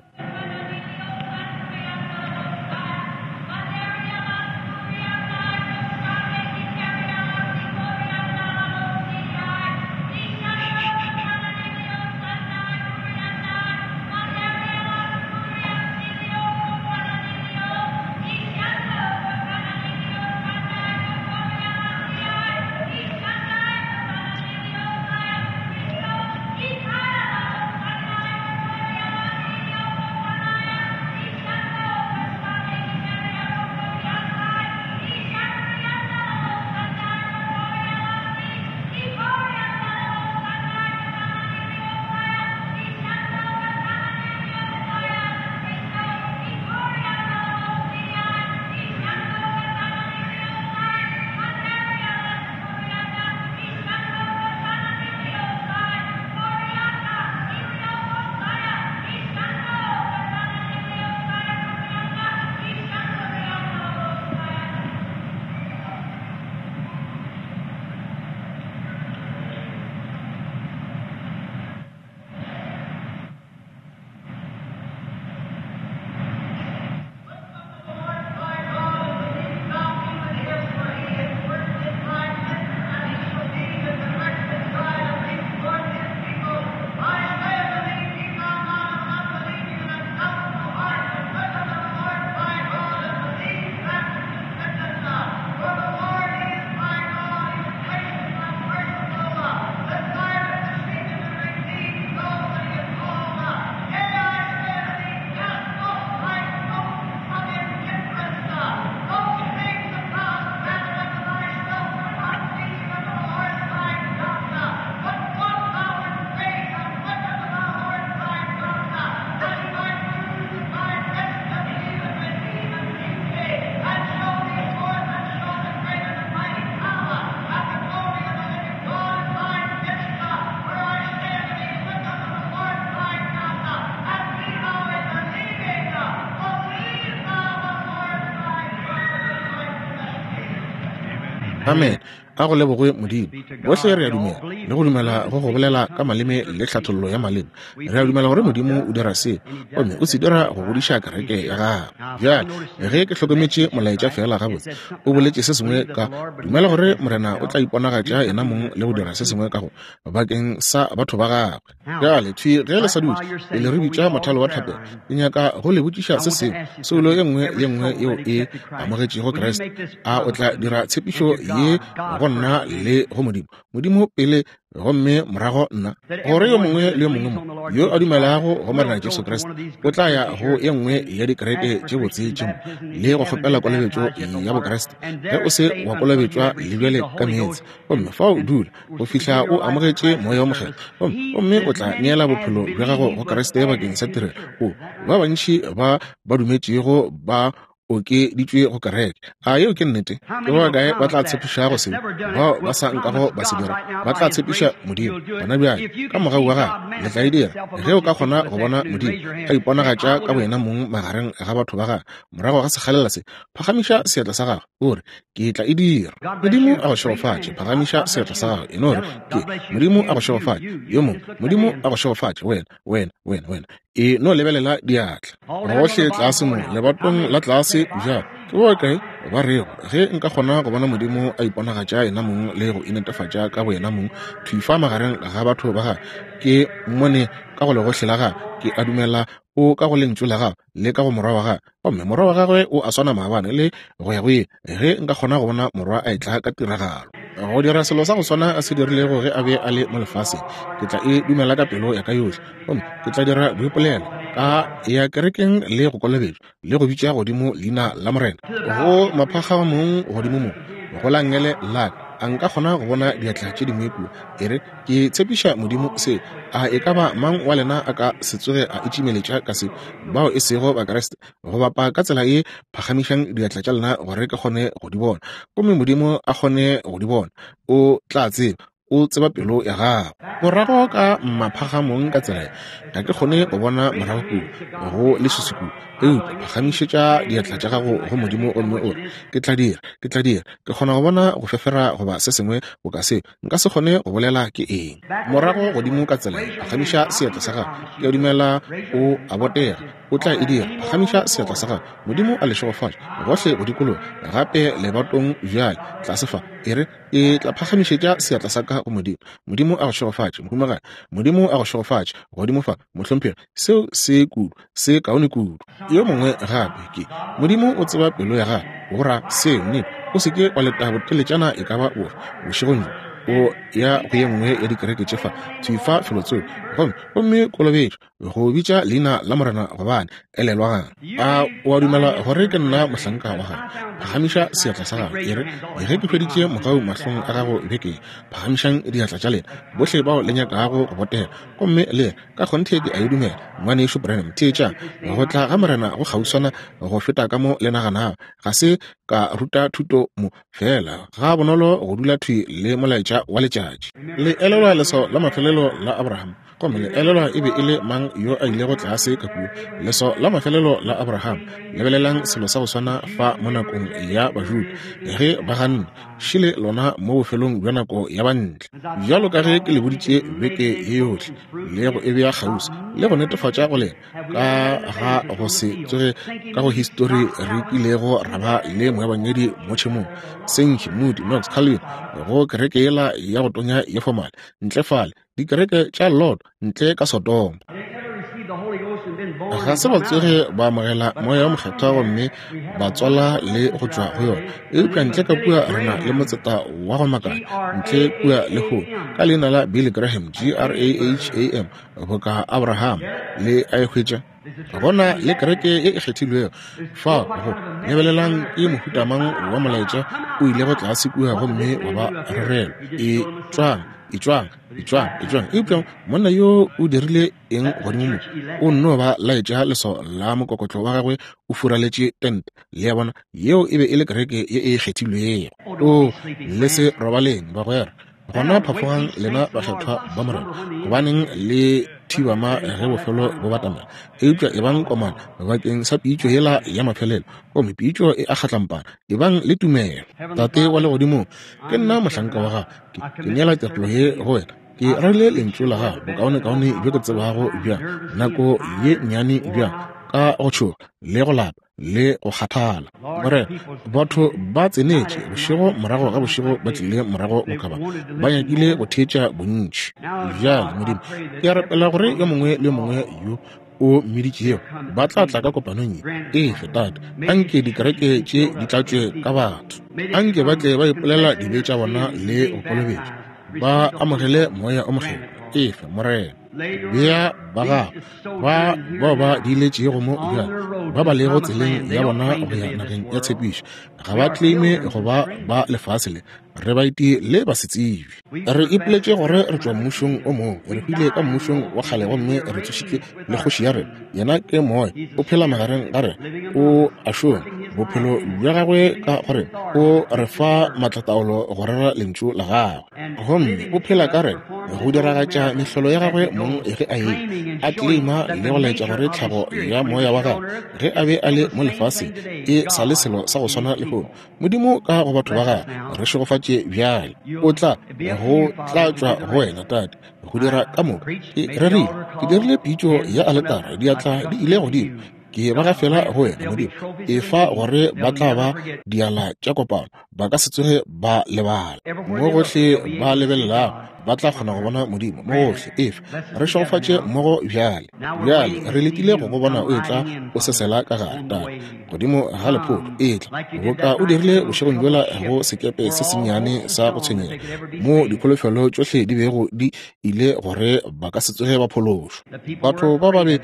Amen. A go lebogwe Modimo. Bohle re a dumela, le go dumela go go bolela ka maleme le tlhathollo ya maleme. Re a dumela gore Modimo o dira se, gomme o se dira go godiša kereke ya gagwe. Bjale, ge ke hlokometše molaetša feela gabotse, o boletše se sengwe ka dumela gore Morena o tla iponagatša yena mong le go dira se sengwe ka go bakeng sa batho ba gagwe. Bjale, thwi ge le sa dutše, pele re bitša mothalo wa thapelo, ke nyaka go le botšiša se sengwe. Soulo ye nngwe le ye nngwe yeo e amogetšego Kriste, a o tla dira tshepišo ye go nna le go Modimo? Modimo pele, gomme morago nna. Gore yo mongwe le yo mongwe mo yo a dumelago go Morena Jesu Kriste o tla ya go ye nngwe ya dikereke tše botse tše mo le go kgopela kolobetšo ya Bokriste, ge o se wa kolobetšwa le bjale ka meetse, gomme fao dula go fihla o amogetše Moya wo Mokgethwa, gomme, gomme o tla neela bophelo bja gago go Kriste bakeng sa tirelo. O, ba bantši ba ba dumetšego ba okeditšwe go kereke. A yeo ke nnete? Ke ba bakae ba tla tshepišago seo? Bao ba sa nkago ba se dira, ba tla tshepiša Modimo gona bjale ka mogau wa gagwe. Le tla e dira ge o ka kgona go bona Modimo a iponagatša ka boyena mong magareng ga batho ba gagwe morago ga sekgalela se. Phagamiša seatla sa gago, o re, Ke tla e dira. Modimo a go šegofatše. Phagamiša seatla sa gago, e no re, Ke. Modimo a go šegofatše. Yo mongwe, Modimo a go šegofatše, wena, wena, wena, wena. E no lebelela diatla. Gohle tlase mo, lebatong la tlase bjalo. Ke ba bakae ba rego, Ge nka kgona go bona Modimo a iponagatša Yenamong le go inetefatša ka Boyenamong thwi fa magareng ga batho ba Gagwe, ke Mmone ka go legohle la Gagwe, ke a dumela O ka go Lentšu la Gagwe le ka go Morwa wa Gagwe, gomme Morwa wa Gagwe o a swana maabane le go ya go ile, ge nka kgona go bona Morwa a etla ka tiragalo go dira selo sa go swana a se dirilego ge a be a le mo lefaseng, ke tla e dumela ka pelo ya ka yohle, gomme ke tla dira boipolelo ka ya kerekeng le go kolobetšwa le go bitša godimo leina la Morena go maphagamong godimo mo go la nngele la ka. A nka kgona go bona diatla tše dingwe kua? E re, Ke tshepiša Modimo se. A e ka ba mang wa lena a ka se tsoge a itšimeletša ka se, bao e sego Bakriste, go bapa ka tsela ye? Phagamišang diatla tša lena gore ke kgone go di bona, gomme Modimo a kgone go di bona. O tla tseba. O tseba pelo ya gago. Morago ka maphagamong ka tsela ye, ga ke kgone go bona morago kua, go leswiswi kua. Eupša phagamišetša diatla tša gago go Modimo gomme o re, Ke tla dira. Ke tla dira. Ke kgona go bona go fefera goba se sengwe boka seo. Nka se kgone go bolela ke eng. Morago godimo ka tsela ye, phagamiša seatla sa gago. Ke a dumela o a botega. O tla e dira. Phagamiša seatla sa gago. Modimo a le šegofatše, gohle go dikologa, gape lebatong bjale, tlase fa. E re, Ke tla phagamišetša seatla sa ka go Modimo. Modimo a go šegofatše, mohumagadi. Modimo a go šegofatše, godimo fa, mohlomphegi. Seo se kudu, se kaone kudu. Yo mongwe gape, ke. Modimo o tseba pelo ya gago. Go ra seo, nnete. O se ke wa leta boteletšana e ka ba bofe bošegong bjo, o ya go ye nngwe ya dikereke tše fa, thwi fa felotsoko, gomme, gomme kolobetšwa, go bitša leina la Morena, gobane, elelwang, a o a dumela gore ke nna mohlanka wa gago? Phagamiša seatla sa gago, e re, Ge ke hweditše mogau mahlong a gago beke ye. Phagamišang diatla tša lena, bohle bao le nyakago go botega, gomme le re, Ka kgonthe ke a e dumela, Ngwanešu Branham. Theetšang, go tla ga Morena go kgauswana go feta ka mo le naganago. Ga se ka ruta thuto mo, feela ga bonolo go dula thwi le molaetša wa letšatši. Le elelwa leswao la mafelelo la Abraham, gomme le elelwa e be e le mang yo a ilego tlase ka kua? Leswao la mafelelo la Abraham. Lebelelang selo sa go swana fa mo nakong ya Bajuda, ge ba ganne šele lona mo bofelong bja nako ya Bantle. Bjalo ka ge ke le boditše beke ye yohle, le go e bea kgauswi, le go netefatša go lena, ka ga go se tsoge ka go histori re kilego ra ba le moebangedi mo tšhemong, Sankey, Moody, Knox, Calvin, go kereke yela ya go tonya ye fomale, ntle fale, dikereke tša Lot, ntle ka Sodoma. Ga se ba tsoge ba amogela Moya wo Mokgethwa gomme ba tswala le go tšwa go yona. Eupša ntle ka kua re na le motseta wa go makatša, ntle kua lehono, ka leina la Billy Graham, G-r-a-h-a-m, boka Abraham, le a e hwetša. Gona le kereke ye e kgethilwego fa go lebelelang ke mohuta mang wa molaetša o ilego tlase kua gomme wa ba rerelwa. Etšwang, etšwang, etšwang, etšwang. Eupša monna yo o dirile eng godimo mo? O nno ba laetša leswao la mokokotlo wa gagwe o furaletše tente. Le a bona, yeo e be e le kereke ye e kgethilwego. O, le se robaleng, bagwera. Gona phafogang lena bakgethwa ba Morena, gobaneng le. thibama ge bofelo bo batamela. Eupša ebang komana bakeng sa pitšo yela ya mafelelo, gomme pitšo e a kgatlampana. Ebang le tumelo. Tate wa Legodimong, ke nna mohlanka wa Gago. Ke neela tirelo ye go Wena. Ke rerile Lentšu la Gago bokaonekaone bjo ke tsebago bjang, nako ye nnyane bjang, ka go tšhoga le go lapa le go kgathala. Morena, batho ba tsenetše bošego morago ga bošego, ba tlile morago bokaba, ba nyakile go theetša bontši. Bjale, Modimo, ke a rapela gore yo mongwe le yo mongwe yo o mmiditšego ba tla tla ka kopanong ye. Efe, Tate, anke dikereke tše di tlatšwe ka batho. Anke ba tle ba ipolela dibe tša bona le go kolobetšwa, ba amogele Moya o Mokgethwa. Efe, Morena. Bea ba gago ba bao ba diiletšego mo bjale, ba ba lego tseleng ya bona go ya nageng ya tshepišo. Ga ba claime go ba ba lefase le, re baeti le basetsebje. Re ipoletše gore re tšwa mmušong o mongwe, re hwile ka mmušong wa kgale gomme re tsošitšwe le kgoši ya rena. Yena ke Moya, o phela magareng ga rena, o a šoma bophelo bja gagwe ka go rena, o re fa maatlataolo go rera lentšu la gagwe, gomme o phela ka rena go diragatša mehlolo ya gagwe mong ge a e a claima le go laetša gore tlhago ya moya wa gagwe ge a be a le mo lefaseng e sa le selo sa go swana lehono. Modimo ka go batho ba gagwe, re šegofatše bjale. O tla go tla tšwa go wena, Tate, go dira ka moka. Ke rerile, ke dirile pitšo ya aletara, diatla di ile godimo. Ke ba gafela go wena, Modimo. Efa gore ba tla ba diala tša kopano, ba ka se tsoge ba lebala. Mo gohle ba lebelelago, ba tla kgona go bona Modimo mo gohle. Efa re šegofatše mmogo bjale. Bjale re letile go go bona o etla o sesela ka gare, Tate, godimo ga lephoto. Etla boka o dirile bošegong bjola go sekepe se sennyane sa go tshwenyega, mo dikholofelo tšohle di bego di ile gore ba ka se tsoge ba phološwa. Batho ba ba be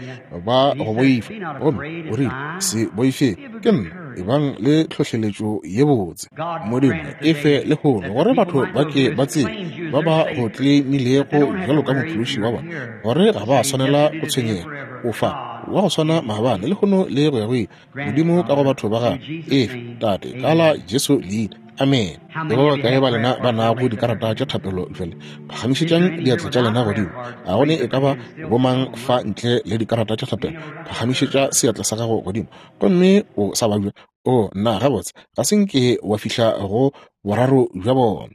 ba go boifa, gomme o rile, Se boife, ke nna, ebang le tlhohleletšo ye botse. Modimo, e fe lehono gore batho ba ke ba tsebe, ba ba go tleimilego bjalo ka mophološi wa bona, gore ga ba swanela go tshwenyega. O fa wa go swana maabane, lehono le go ya go ile. Modimo ka go batho ba gago, efe, Tate, ka la Jesu leina. Amen. Ke ba bakae ba lena ba nago dikarata tša thapelo bjale? Phagamišetšang diatla tša lena godimo. A go ne e ka ba bomang fa ntle le dikarata tša thapelo? Phagamišetša seatla sa gago godimo. Gomme o sa babja. O, nna, gabotse, ga se nke wa fihla go boraro bja bona.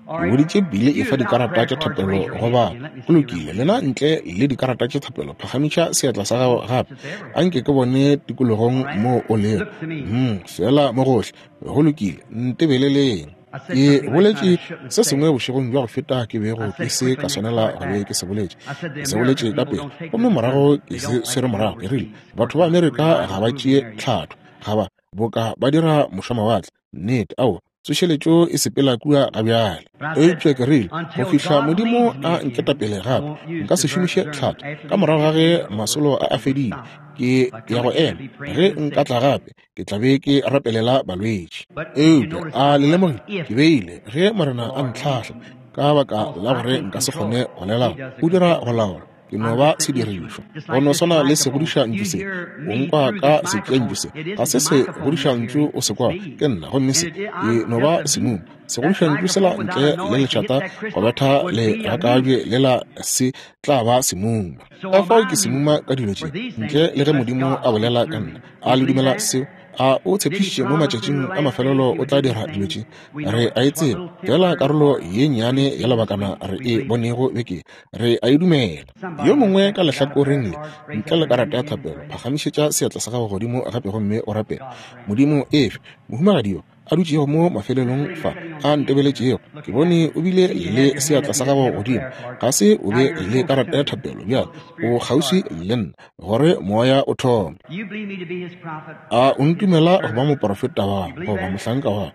Ke boditše Billy efa dikarata tša thapelo go ba. Go lokile, lena ntle le dikarata tša thapelo, phagamiša seatla sa gago gape. A nke ke bone tikologong moo o lego. Feela mo gohle. Go lokile, ntebeleleng. Ke boletše se sengwe bošegong bja go feta ke bego ke se ka swanela go be ke se boletše. Ke se boletše ka pele, gomme morago ke se swere morago. Ke rile, Batho ba Amerika ga ba tšee tlhatho, ga ba, boka ba dira mošwamawatle. Nnete, aowa. Tsošeletšo e sepela kua ga bjale. Eupša ke rile, go fihla Modimo a nketapele gape, nka se šomiše tlhatho. Ka morago ga ge masolo a a fedile, ke ya go ema. Ge nka tla gape, ke tla be ke rapelela balwetši. Eupša a le lemogile, ke beile, ge Morena a ntlhahla, ka baka la gore nka se kgone go lela, o dira go laola. Ke no ba sedirišwa. Go no swana le segodišantšu se. O nkwa ka setšentšu se. Ga se segodišantšu o se kwa, ke nna. Gomme se e no ba semuma. Segodišantšu sela ntle le lešata go betha legakabje lela se tla ba semuma. Ka fao ke semuma ka dilo tše, ntle le ge Modimo a bolela ka nna. A le dumela seo? A o tshepišitše mo matšatšing a mafelelo o tla dira dilo tše? Re a e tseba. Feela karolo ye nnyane ya lebakana re e bonego beke Re a e dumela. Yo mongwe ka lehlakoreng le, ntle le karata ya thapelo, phagamišetša seatla sa gago godimo gape gomme o rapele. Modimo, efe mohumagadi yo a dutšego mo mafelelong fa, a ntebeletšego, ke bone o bile le seatla sa gago godimo. Ga se o be le karata ya thapelo bjale, o kgauswi le nna, gore moya o thome. A o ntumela go ba moprofeta wa goba mohlanka wa?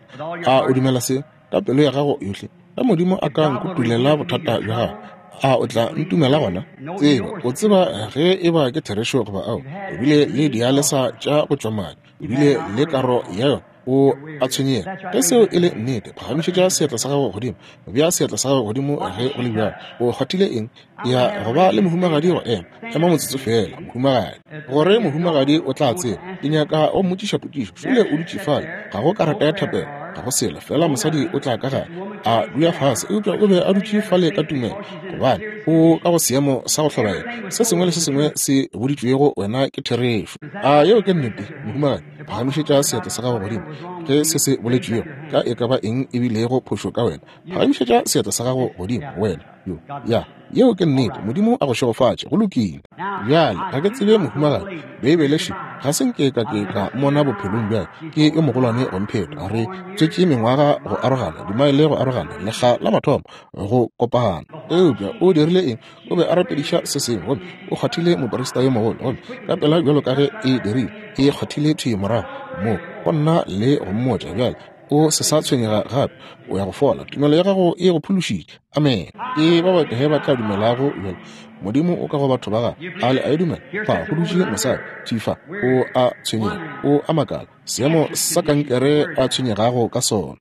A o dumela se ka pelo ya gago yohle? Ge Modimo a ka nkutulela bothata bja gago, a o tla ntumela gona? Tseba, o tseba ge e ba ke therešo goba ao. O bile le dialesa tša go tšwa madi, o bile le karo ya yona, o a tshwenyega. Ge seo e le nnete, phagamišetša seatla sa gago godimo, bea seatla sa gago godimo ge go le bjalo. O kgwathile eng? Ya go ba le mohumagadi go ema. Ema motsotso feela, mohumagadi. Gore mohumagadi o tla tseba, ke nyaka go mmotšiša potšišo. Šole o dutše fale, ga go karata ya thapelo. Ga go selo, fela mosadi o tla ka gare, a dula fase, eupša o be a dutše fale ka tumelo, gobane o ka go seemo sa go hlobaela. Se sengwe le se sengwe se boditšwego wena ke therešo. A yeo ke nnete, mohumagadi? Phagamišetša seatla sa gago godimo ge se se boletšwego ka e ka ba eng e bilego phošo ka wena. Phagamišetša seatla sa gago godimo, wena yo. Ya, yeo ke nnete. Modimo a go šegofatše. Go lokile. Bjale, ga ke tsebe mohumagadi. Beibele še, ga se nke ka ke ka mmona bophelong bja ke yo mogolwane go mpheta. Re tswetše mengwaga go arogana, dimaele go arogana, lekga la mathomo go kopana. Eupša o dirile eng? O be a rapediša se sengwe, gomme o kgwathile moprista yo mogolo, gomme ka pela bjalo ka ge e dirile, e kgwathile thwi morago mo go nna le go mmotša, bjale o se sa tshwenyega gape, o ya go fola. Tumelo ya gago e go phološitše. Amen. Ke ba bakae ba tla dumelago bjale? Modimo o ka go batho ba gagwe. A le a e dumela? Fa go dutše mosadi thwi fa, o a tshwenyega, o a makala, seemo sa kankere a tshwenyegago ka sona.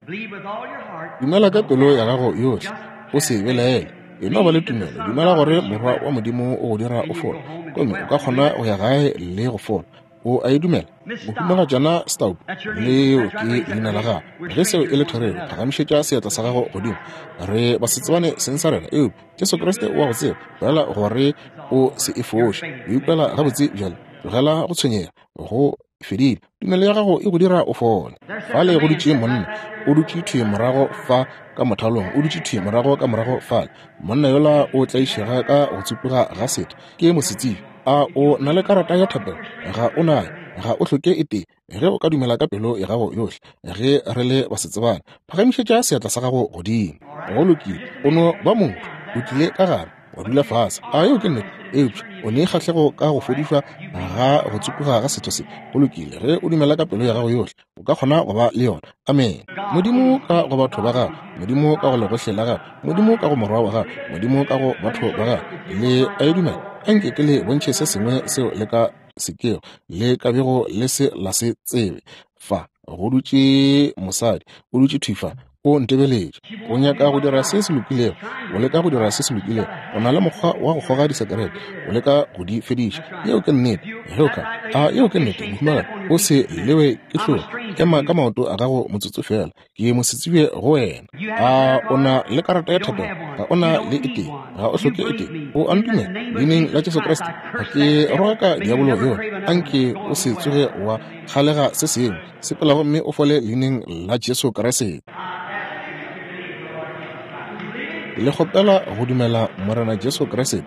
Dumela ka pelo ya gago yohle, o se belaele. E no ba le tumelo, dumela gore Morwa wa Modimo o go dira o fole, gomme o ka kgona go ya gae le go fola. O a e dumela? Mohumagatšana Staub, leo ke leina la gago. Ge seo e le therešo, phagamišetša seatla sa gago godimo. Re basetsebane seng sa rena, eupša Jesu Kriste o a go tseba. Tlogela gore o se e foše. O ikwela gabotse bjale. Tlogela go tshwenyega. Go fedile. Tumelo ya gago e go dira o fole. Fale go dutše monna, o dutše thwi morago fa ka mothalong, o dutše thwi morago ka morago fale. Monna yola o tlaišega ka go tsupuga ga setho. Ke mosetsebi. A o na le karata ya thapelo? Ga o nayo. Ga o hloke e tee. Ge o ka dumela ka pelo ya gago yohle, ge re le basetsebane, phagamišetša seatla sa gago godimo. Go lokile. O no ba motho. O tlile ka gare, wa dula fase. A yeo ke nnete? Eupša o ne kgahlego ka go fodišwa ga go tsupuga ga setho se. Go lokile. Ge o dumela ka pelo ya gago yohle, o ka kgona go ba le yona. Amene. Modimo ka go batho ba gagwe, Modimo ka go legohle la gagwe, Modimo ka go Morwa wa gagwe, Modimo ka go batho ba gagwe. Le a e dumela? Anke ke le bontšhe se sengwe seo le ka se kego le ka bego le se la se tsebe. Fa go dutše mosadi, o dutše thwi fa, o ntebeletše. O nyaka go dira se se lokilego, o leka go dira se se lokilego. O na le mokgwa wa go kgoga disekerete, o leka go di fediša. Yeo ke nnete. Ge o ka, a yeo ke nnete, mohumagadi? O se lewe ke hlong. Ema ka maoto a gago motsotso feela. Ke mosetsebje go wena. A o na le karata ya thapelo? Ga o na le e tee. Ga o hloke e tee. O a ntumela? Leineng la Jesu Kriste, ga ke rogaka diabolo yola. Anke o se tsoge wa kgalega se sengwe. Sepela gomme o fole leineng la Jesu Kriste. Le kgopela go dumela Morena Jesu Kriste.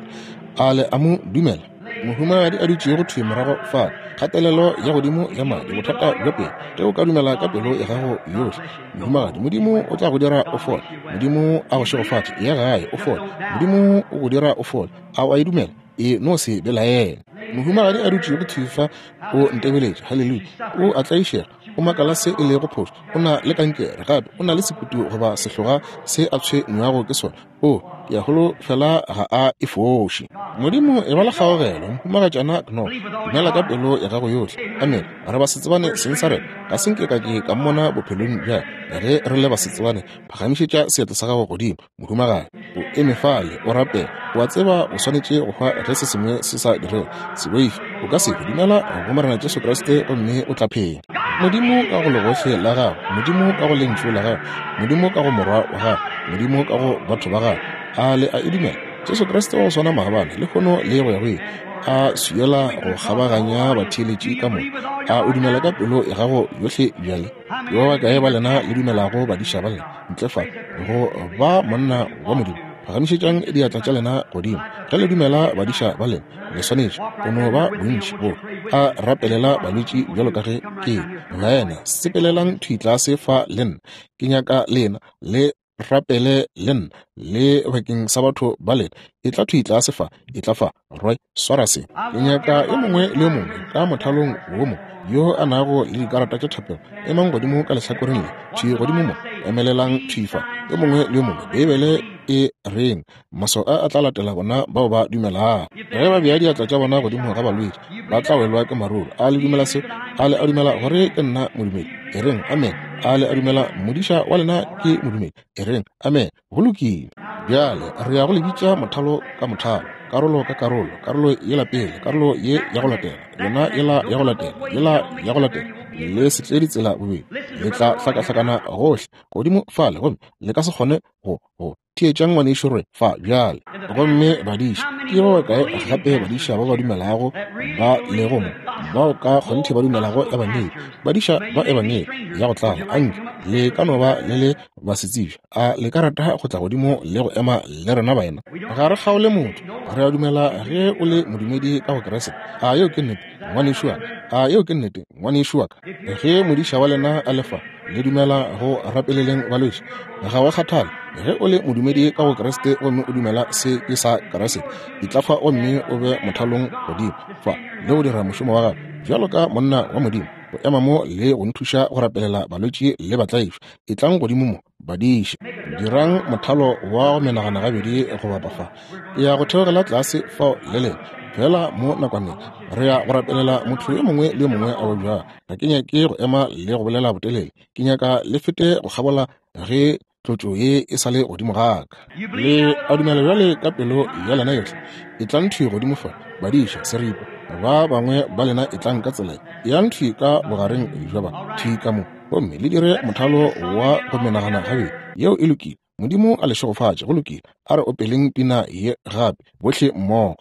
A le a mo dumela? Mohumagadi a dutšego thwi morago fale, kgatelelo ya godimo ya madi, bothata bja pelo. Ge o ka dumela ka pelo ya gago yohle, mohumagadi, Modimo o tla go dira o fole. Modimo a go šegofatše. Ya gae, o fole. Modimo o go dira o fole. A o a e dumela? E no se belaele. Mohumagadi a dutšego thwi fa o ntebeletše. Haleluya. O a tlaišega. O makala se e lego phošo. O na le kankere, gape o na le sekutu goba sehloga se a tshwenywago ke sona. O, ke a holofela ga a e foše. Modimo, e ba le kgaogelo, Mohumagatšana Knox. Dumela ka pelo ya gago yohle. Amene. Re basetsebane seng sa rena. Ga se nke ka ke ka mmona bophelong bja ka. Ge re le basetsebane, phagamišetša seatla sa gago godimo. Mohumagadi, o eme fale, o rapela. O a tseba o swanetše go hwa ge se sengwe se sa direge. Se boife, o ka se hwe. Dumela go Morena Jesu Kriste gomme o tla phela. Modimo ka go legohle la Gagwe, Modimo ka go Lentšu la Gagwe, Modimo ka go Morwa wa Gagwe, Modimo ka go batho ba Gagwe. A le a e dumela? Jesu Kriste wa go swana maabane, lehono le go ya go ile, a swiela go kgabaganya batheeletši ka moka. A o dumela ka pelo ya gago yohle bjale? Ke ba bakae ba lena le dumelago badiša ba lena ntle fa go ba monna wa Modimo? Phagamišetšang diatla tša lena godimo ge le dumela badiša ba lena. Le swanetše go no ba bontši bo a rapelela balwetši bjalo ka ge ke baena. Sepelelang thwi tlase fa le nna. Ke nyaka lena le rapele le nna le bakeng sa batho ba lena. Etla thwi tlase fa, etla fa, Roy, swara se. Ke nyaka yo mongwe le yo mongwe ka mothalong wo mo yo a nago le dikarata tša thapelo, emang godimo ka lehlakoreng le, thwi godimo mo, emelelang thwi fa, yo mongwe le yo mongwe. Beibele e reng? Maswao a a tla latela bona bao ba dumelago. Ge ba bea diatla tša bona godimo ga balwetši, ba tla welwa ke maruru. A le dumela seo? A le a dumela gore ke nna modumedi? E reng, Amen. A le a dumela modiša wa lena ke modumedi? E reng, Amen. Go lokile. Bjale re ya go le bitša mothalo ka mothalo, karolo ka karolo, karolo yela pele, karolo ye ya go latela, yona yela ya go latela, yela ya go latela. Le se tle ditsela bobedi, le tla hlakahlakana gohle godimo fale gomme le ka se kgone go go theetšang ngwanešu Roy fa bjale. Gomme badiša, ke ba bakae gape badiša ba ba dumelago ba lego mo, bao ka kgonthe ba dumelago Ebangedi, badiša ba Ebangedi ya go tlala? Anke le ka no ba le le basetsebje, a le ka rata go tla godimo le go ema le rena baena? Ga re kgaole motho, re a dumela ge o le modumedi ka go Kriste. A yeo ke nnete, ngwanešu wa ka? A yeo ke nnete, ngwanešu wa ka? Ge modiša wa lena a le fa, le dumela go rapeleleng balwetši, ga wa kgathale. Ge o le modumedi ka go Kriste gomme o dumela se ke sa Kriste, etla fa gomme o be mothalong godimo fa le go dira mošomo wa gago bjalo ka monna wa Modimo, go ema mo le go nthuša go rapelela balwetši le batlaišwa. Etlang godimo mo, badiši. Dirang mothalo wa go menagana gabedi go bapa fa. Ke ya go theogela tlase fao le lena fela mo nakwaneng. Re ya go rapelela motho yo mongwe le yo mongwe a babjago. Ga ke nyake go ema le go bolela botelele. Ke nyaka le fete go kgabola ge tlotšo ye e sa le godimo ga ka. Le a dumela bjale ka pelo ya lena yohle? Etlang thwi godimo fa, badiša, seripa. Ba bangwe ba lena etlang ka tsela ye. Eyang thwi ka bogareng bja ba, thwi ka mo, gomme le dire mothalo wa go menagana gabedi. Yeo e lokile. Modimo a le šegofatše. Go lokile. A re opeleng pina ye gape, bohle mmogo.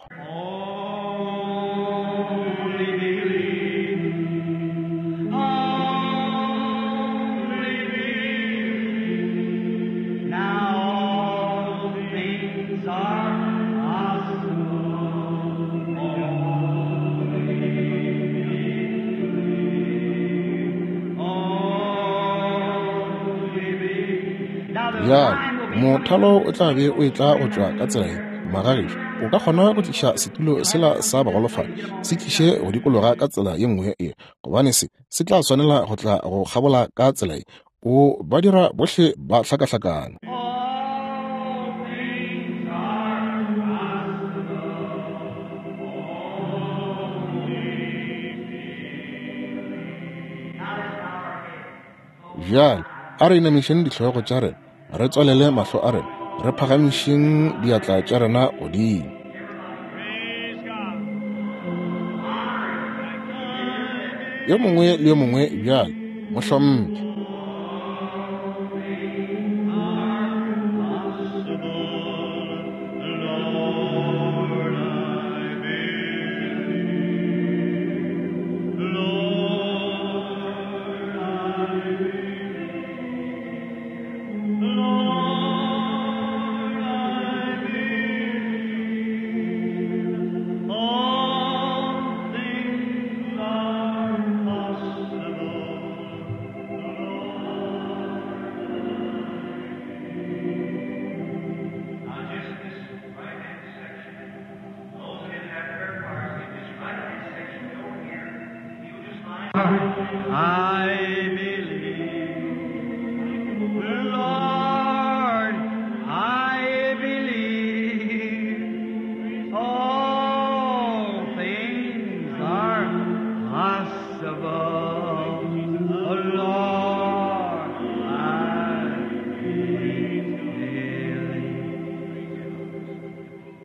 Only believe. Only believe. Now all things are possible. Only believe. Only believe. Now the Bjale, time will be mothalo o tla be o etla go tšwa ka tsela ye. Magagešo, o ka kgona go tliša setulo sela sa bagolofadi, se tliše go dikologa ka tsela ye nngwe ye, gobane se se tla swanela go tla go kgabola ka tsela ye. O ba dira bohle ba hlakahlakane. All things are possible. Bjale, a re inamišeng dihlogo tša rena, re tswalele mahlo a rena, re phagamišeng diatla tša rena godimo. Yo mongwe le yo mongwe bjale, mohlomphe. Lord, I believe. Lord, I believe. Lord, I believe. All things are possible. Now, just this right-hand section, those of you that have prayer cards, in this right-hand section over here, you'll just line I believe, Lord, I believe. All things are possible, Lord, I believe.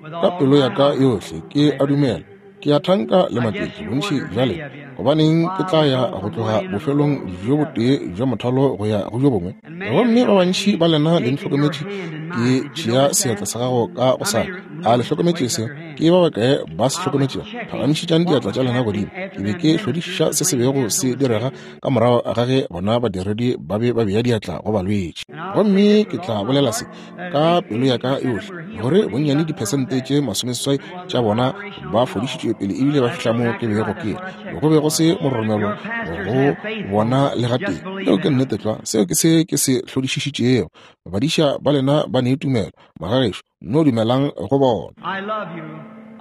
With Ka all pelo my ya ka heart, yohle ke a dumela. Ke a thanka le maketše bontši bja lena. Gobaneng ke tla ya go tloga bofelong bjo botee bja mothalo go ya go bjo bongwe? Gomme ba bantši ba lena le ntlhokometše ke tšea seatla sa gago ka go sa. A le hlokometše se? Ke ba bakae ba se hlokometšego? Phagamišetšang diatla tša lena godimo. Ke be ke hlodišiša se se bego se direga ka morago ga ge bona badiredi ba be ba bea diatla go balwetši. Gomme ke tla bolela se ka pelo ya ka yohle, gore bonnyane diphesente tše 80 tša bona ba fodišitšwe pele ebile ba fihla mo ke bego ke ya. Go be go se moromelo go bona le gatee. Yeo ke nnete tlwa. Seo ke se ke se hlodišišitšego. Badiša ba lena ba ne tumelo. Magagešo, no dumelang go bona. I love you.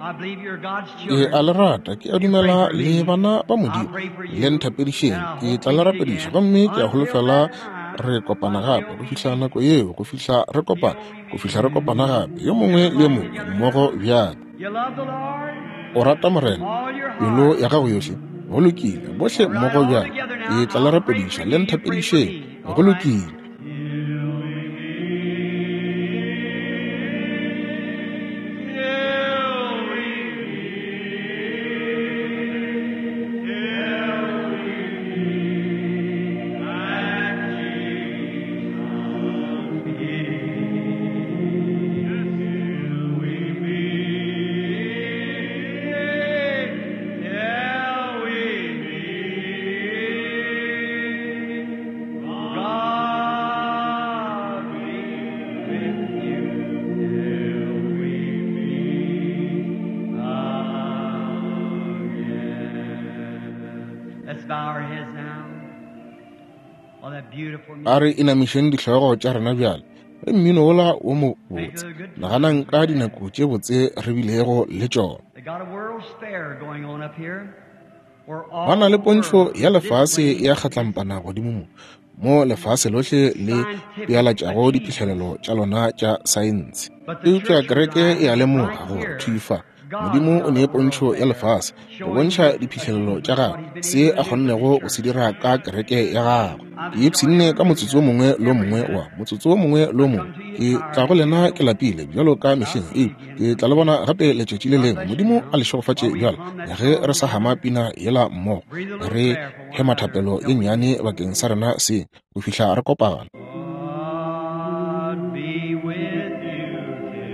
I believe you're God's Ke children. a le rata, ke a dumela le bana ba Modimo. Le nthapedišeng, ke tla le rapediša, gomme ke a holofela re kopana gape. Go fihla nako yeo, go fihla re kopana, go fihla re kopana gape, yo mongwe le yo mongwe mmogo bjale. You love the Lord? O rata Morena All your pelo heart. ya gago yohle? Go lokile, bohle mmogo bjale. Ke tla le rapediša, le nthapedišeng. Go lokile. Till we A re inamišeng dihlogo tša rena bjale. Ge mmino wola wo mo botse, naganang ka dinako tše botse re bilego le tšona. Ba na le pontšho ya lefase ya kgatlampana godimo mo, mo lefase lohle le pealatšago diphihlelelo tša lona tša saense. Eupša kereke e a lemoga gore thwi fa, Modimo o nee pontšho ya lefase go bontšha diphihlelelo tša gagwe, se a kgonnego go se dira ka kereke ya gagwe. Ke ipshinne ka motsotso wo mongwe le wo mongwe wa motsotso wo mongwe le wo mongwe. Ke tla go lena ke lapile bjalo ka mehleng, eupša ke tla le bona gape letšatši le lengwe. Modimo a le šegofatše bjale ge re sa hama pina yela mmogo, re hema thapelo ye nnyane bakeng sa rena seng go fihla re kopana. God be with you till we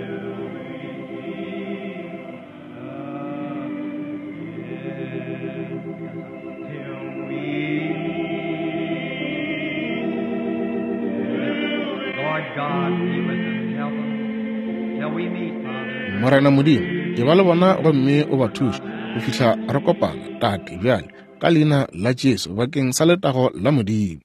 meet again. Till we meet. Lord God be with them and help them till we meet, Father. Morena Modimo, e ba le bona gomme o ba thuše go fihla re kopana, Tate, bjale, ka Leina la Jesu, bakeng sa letago la Modimo.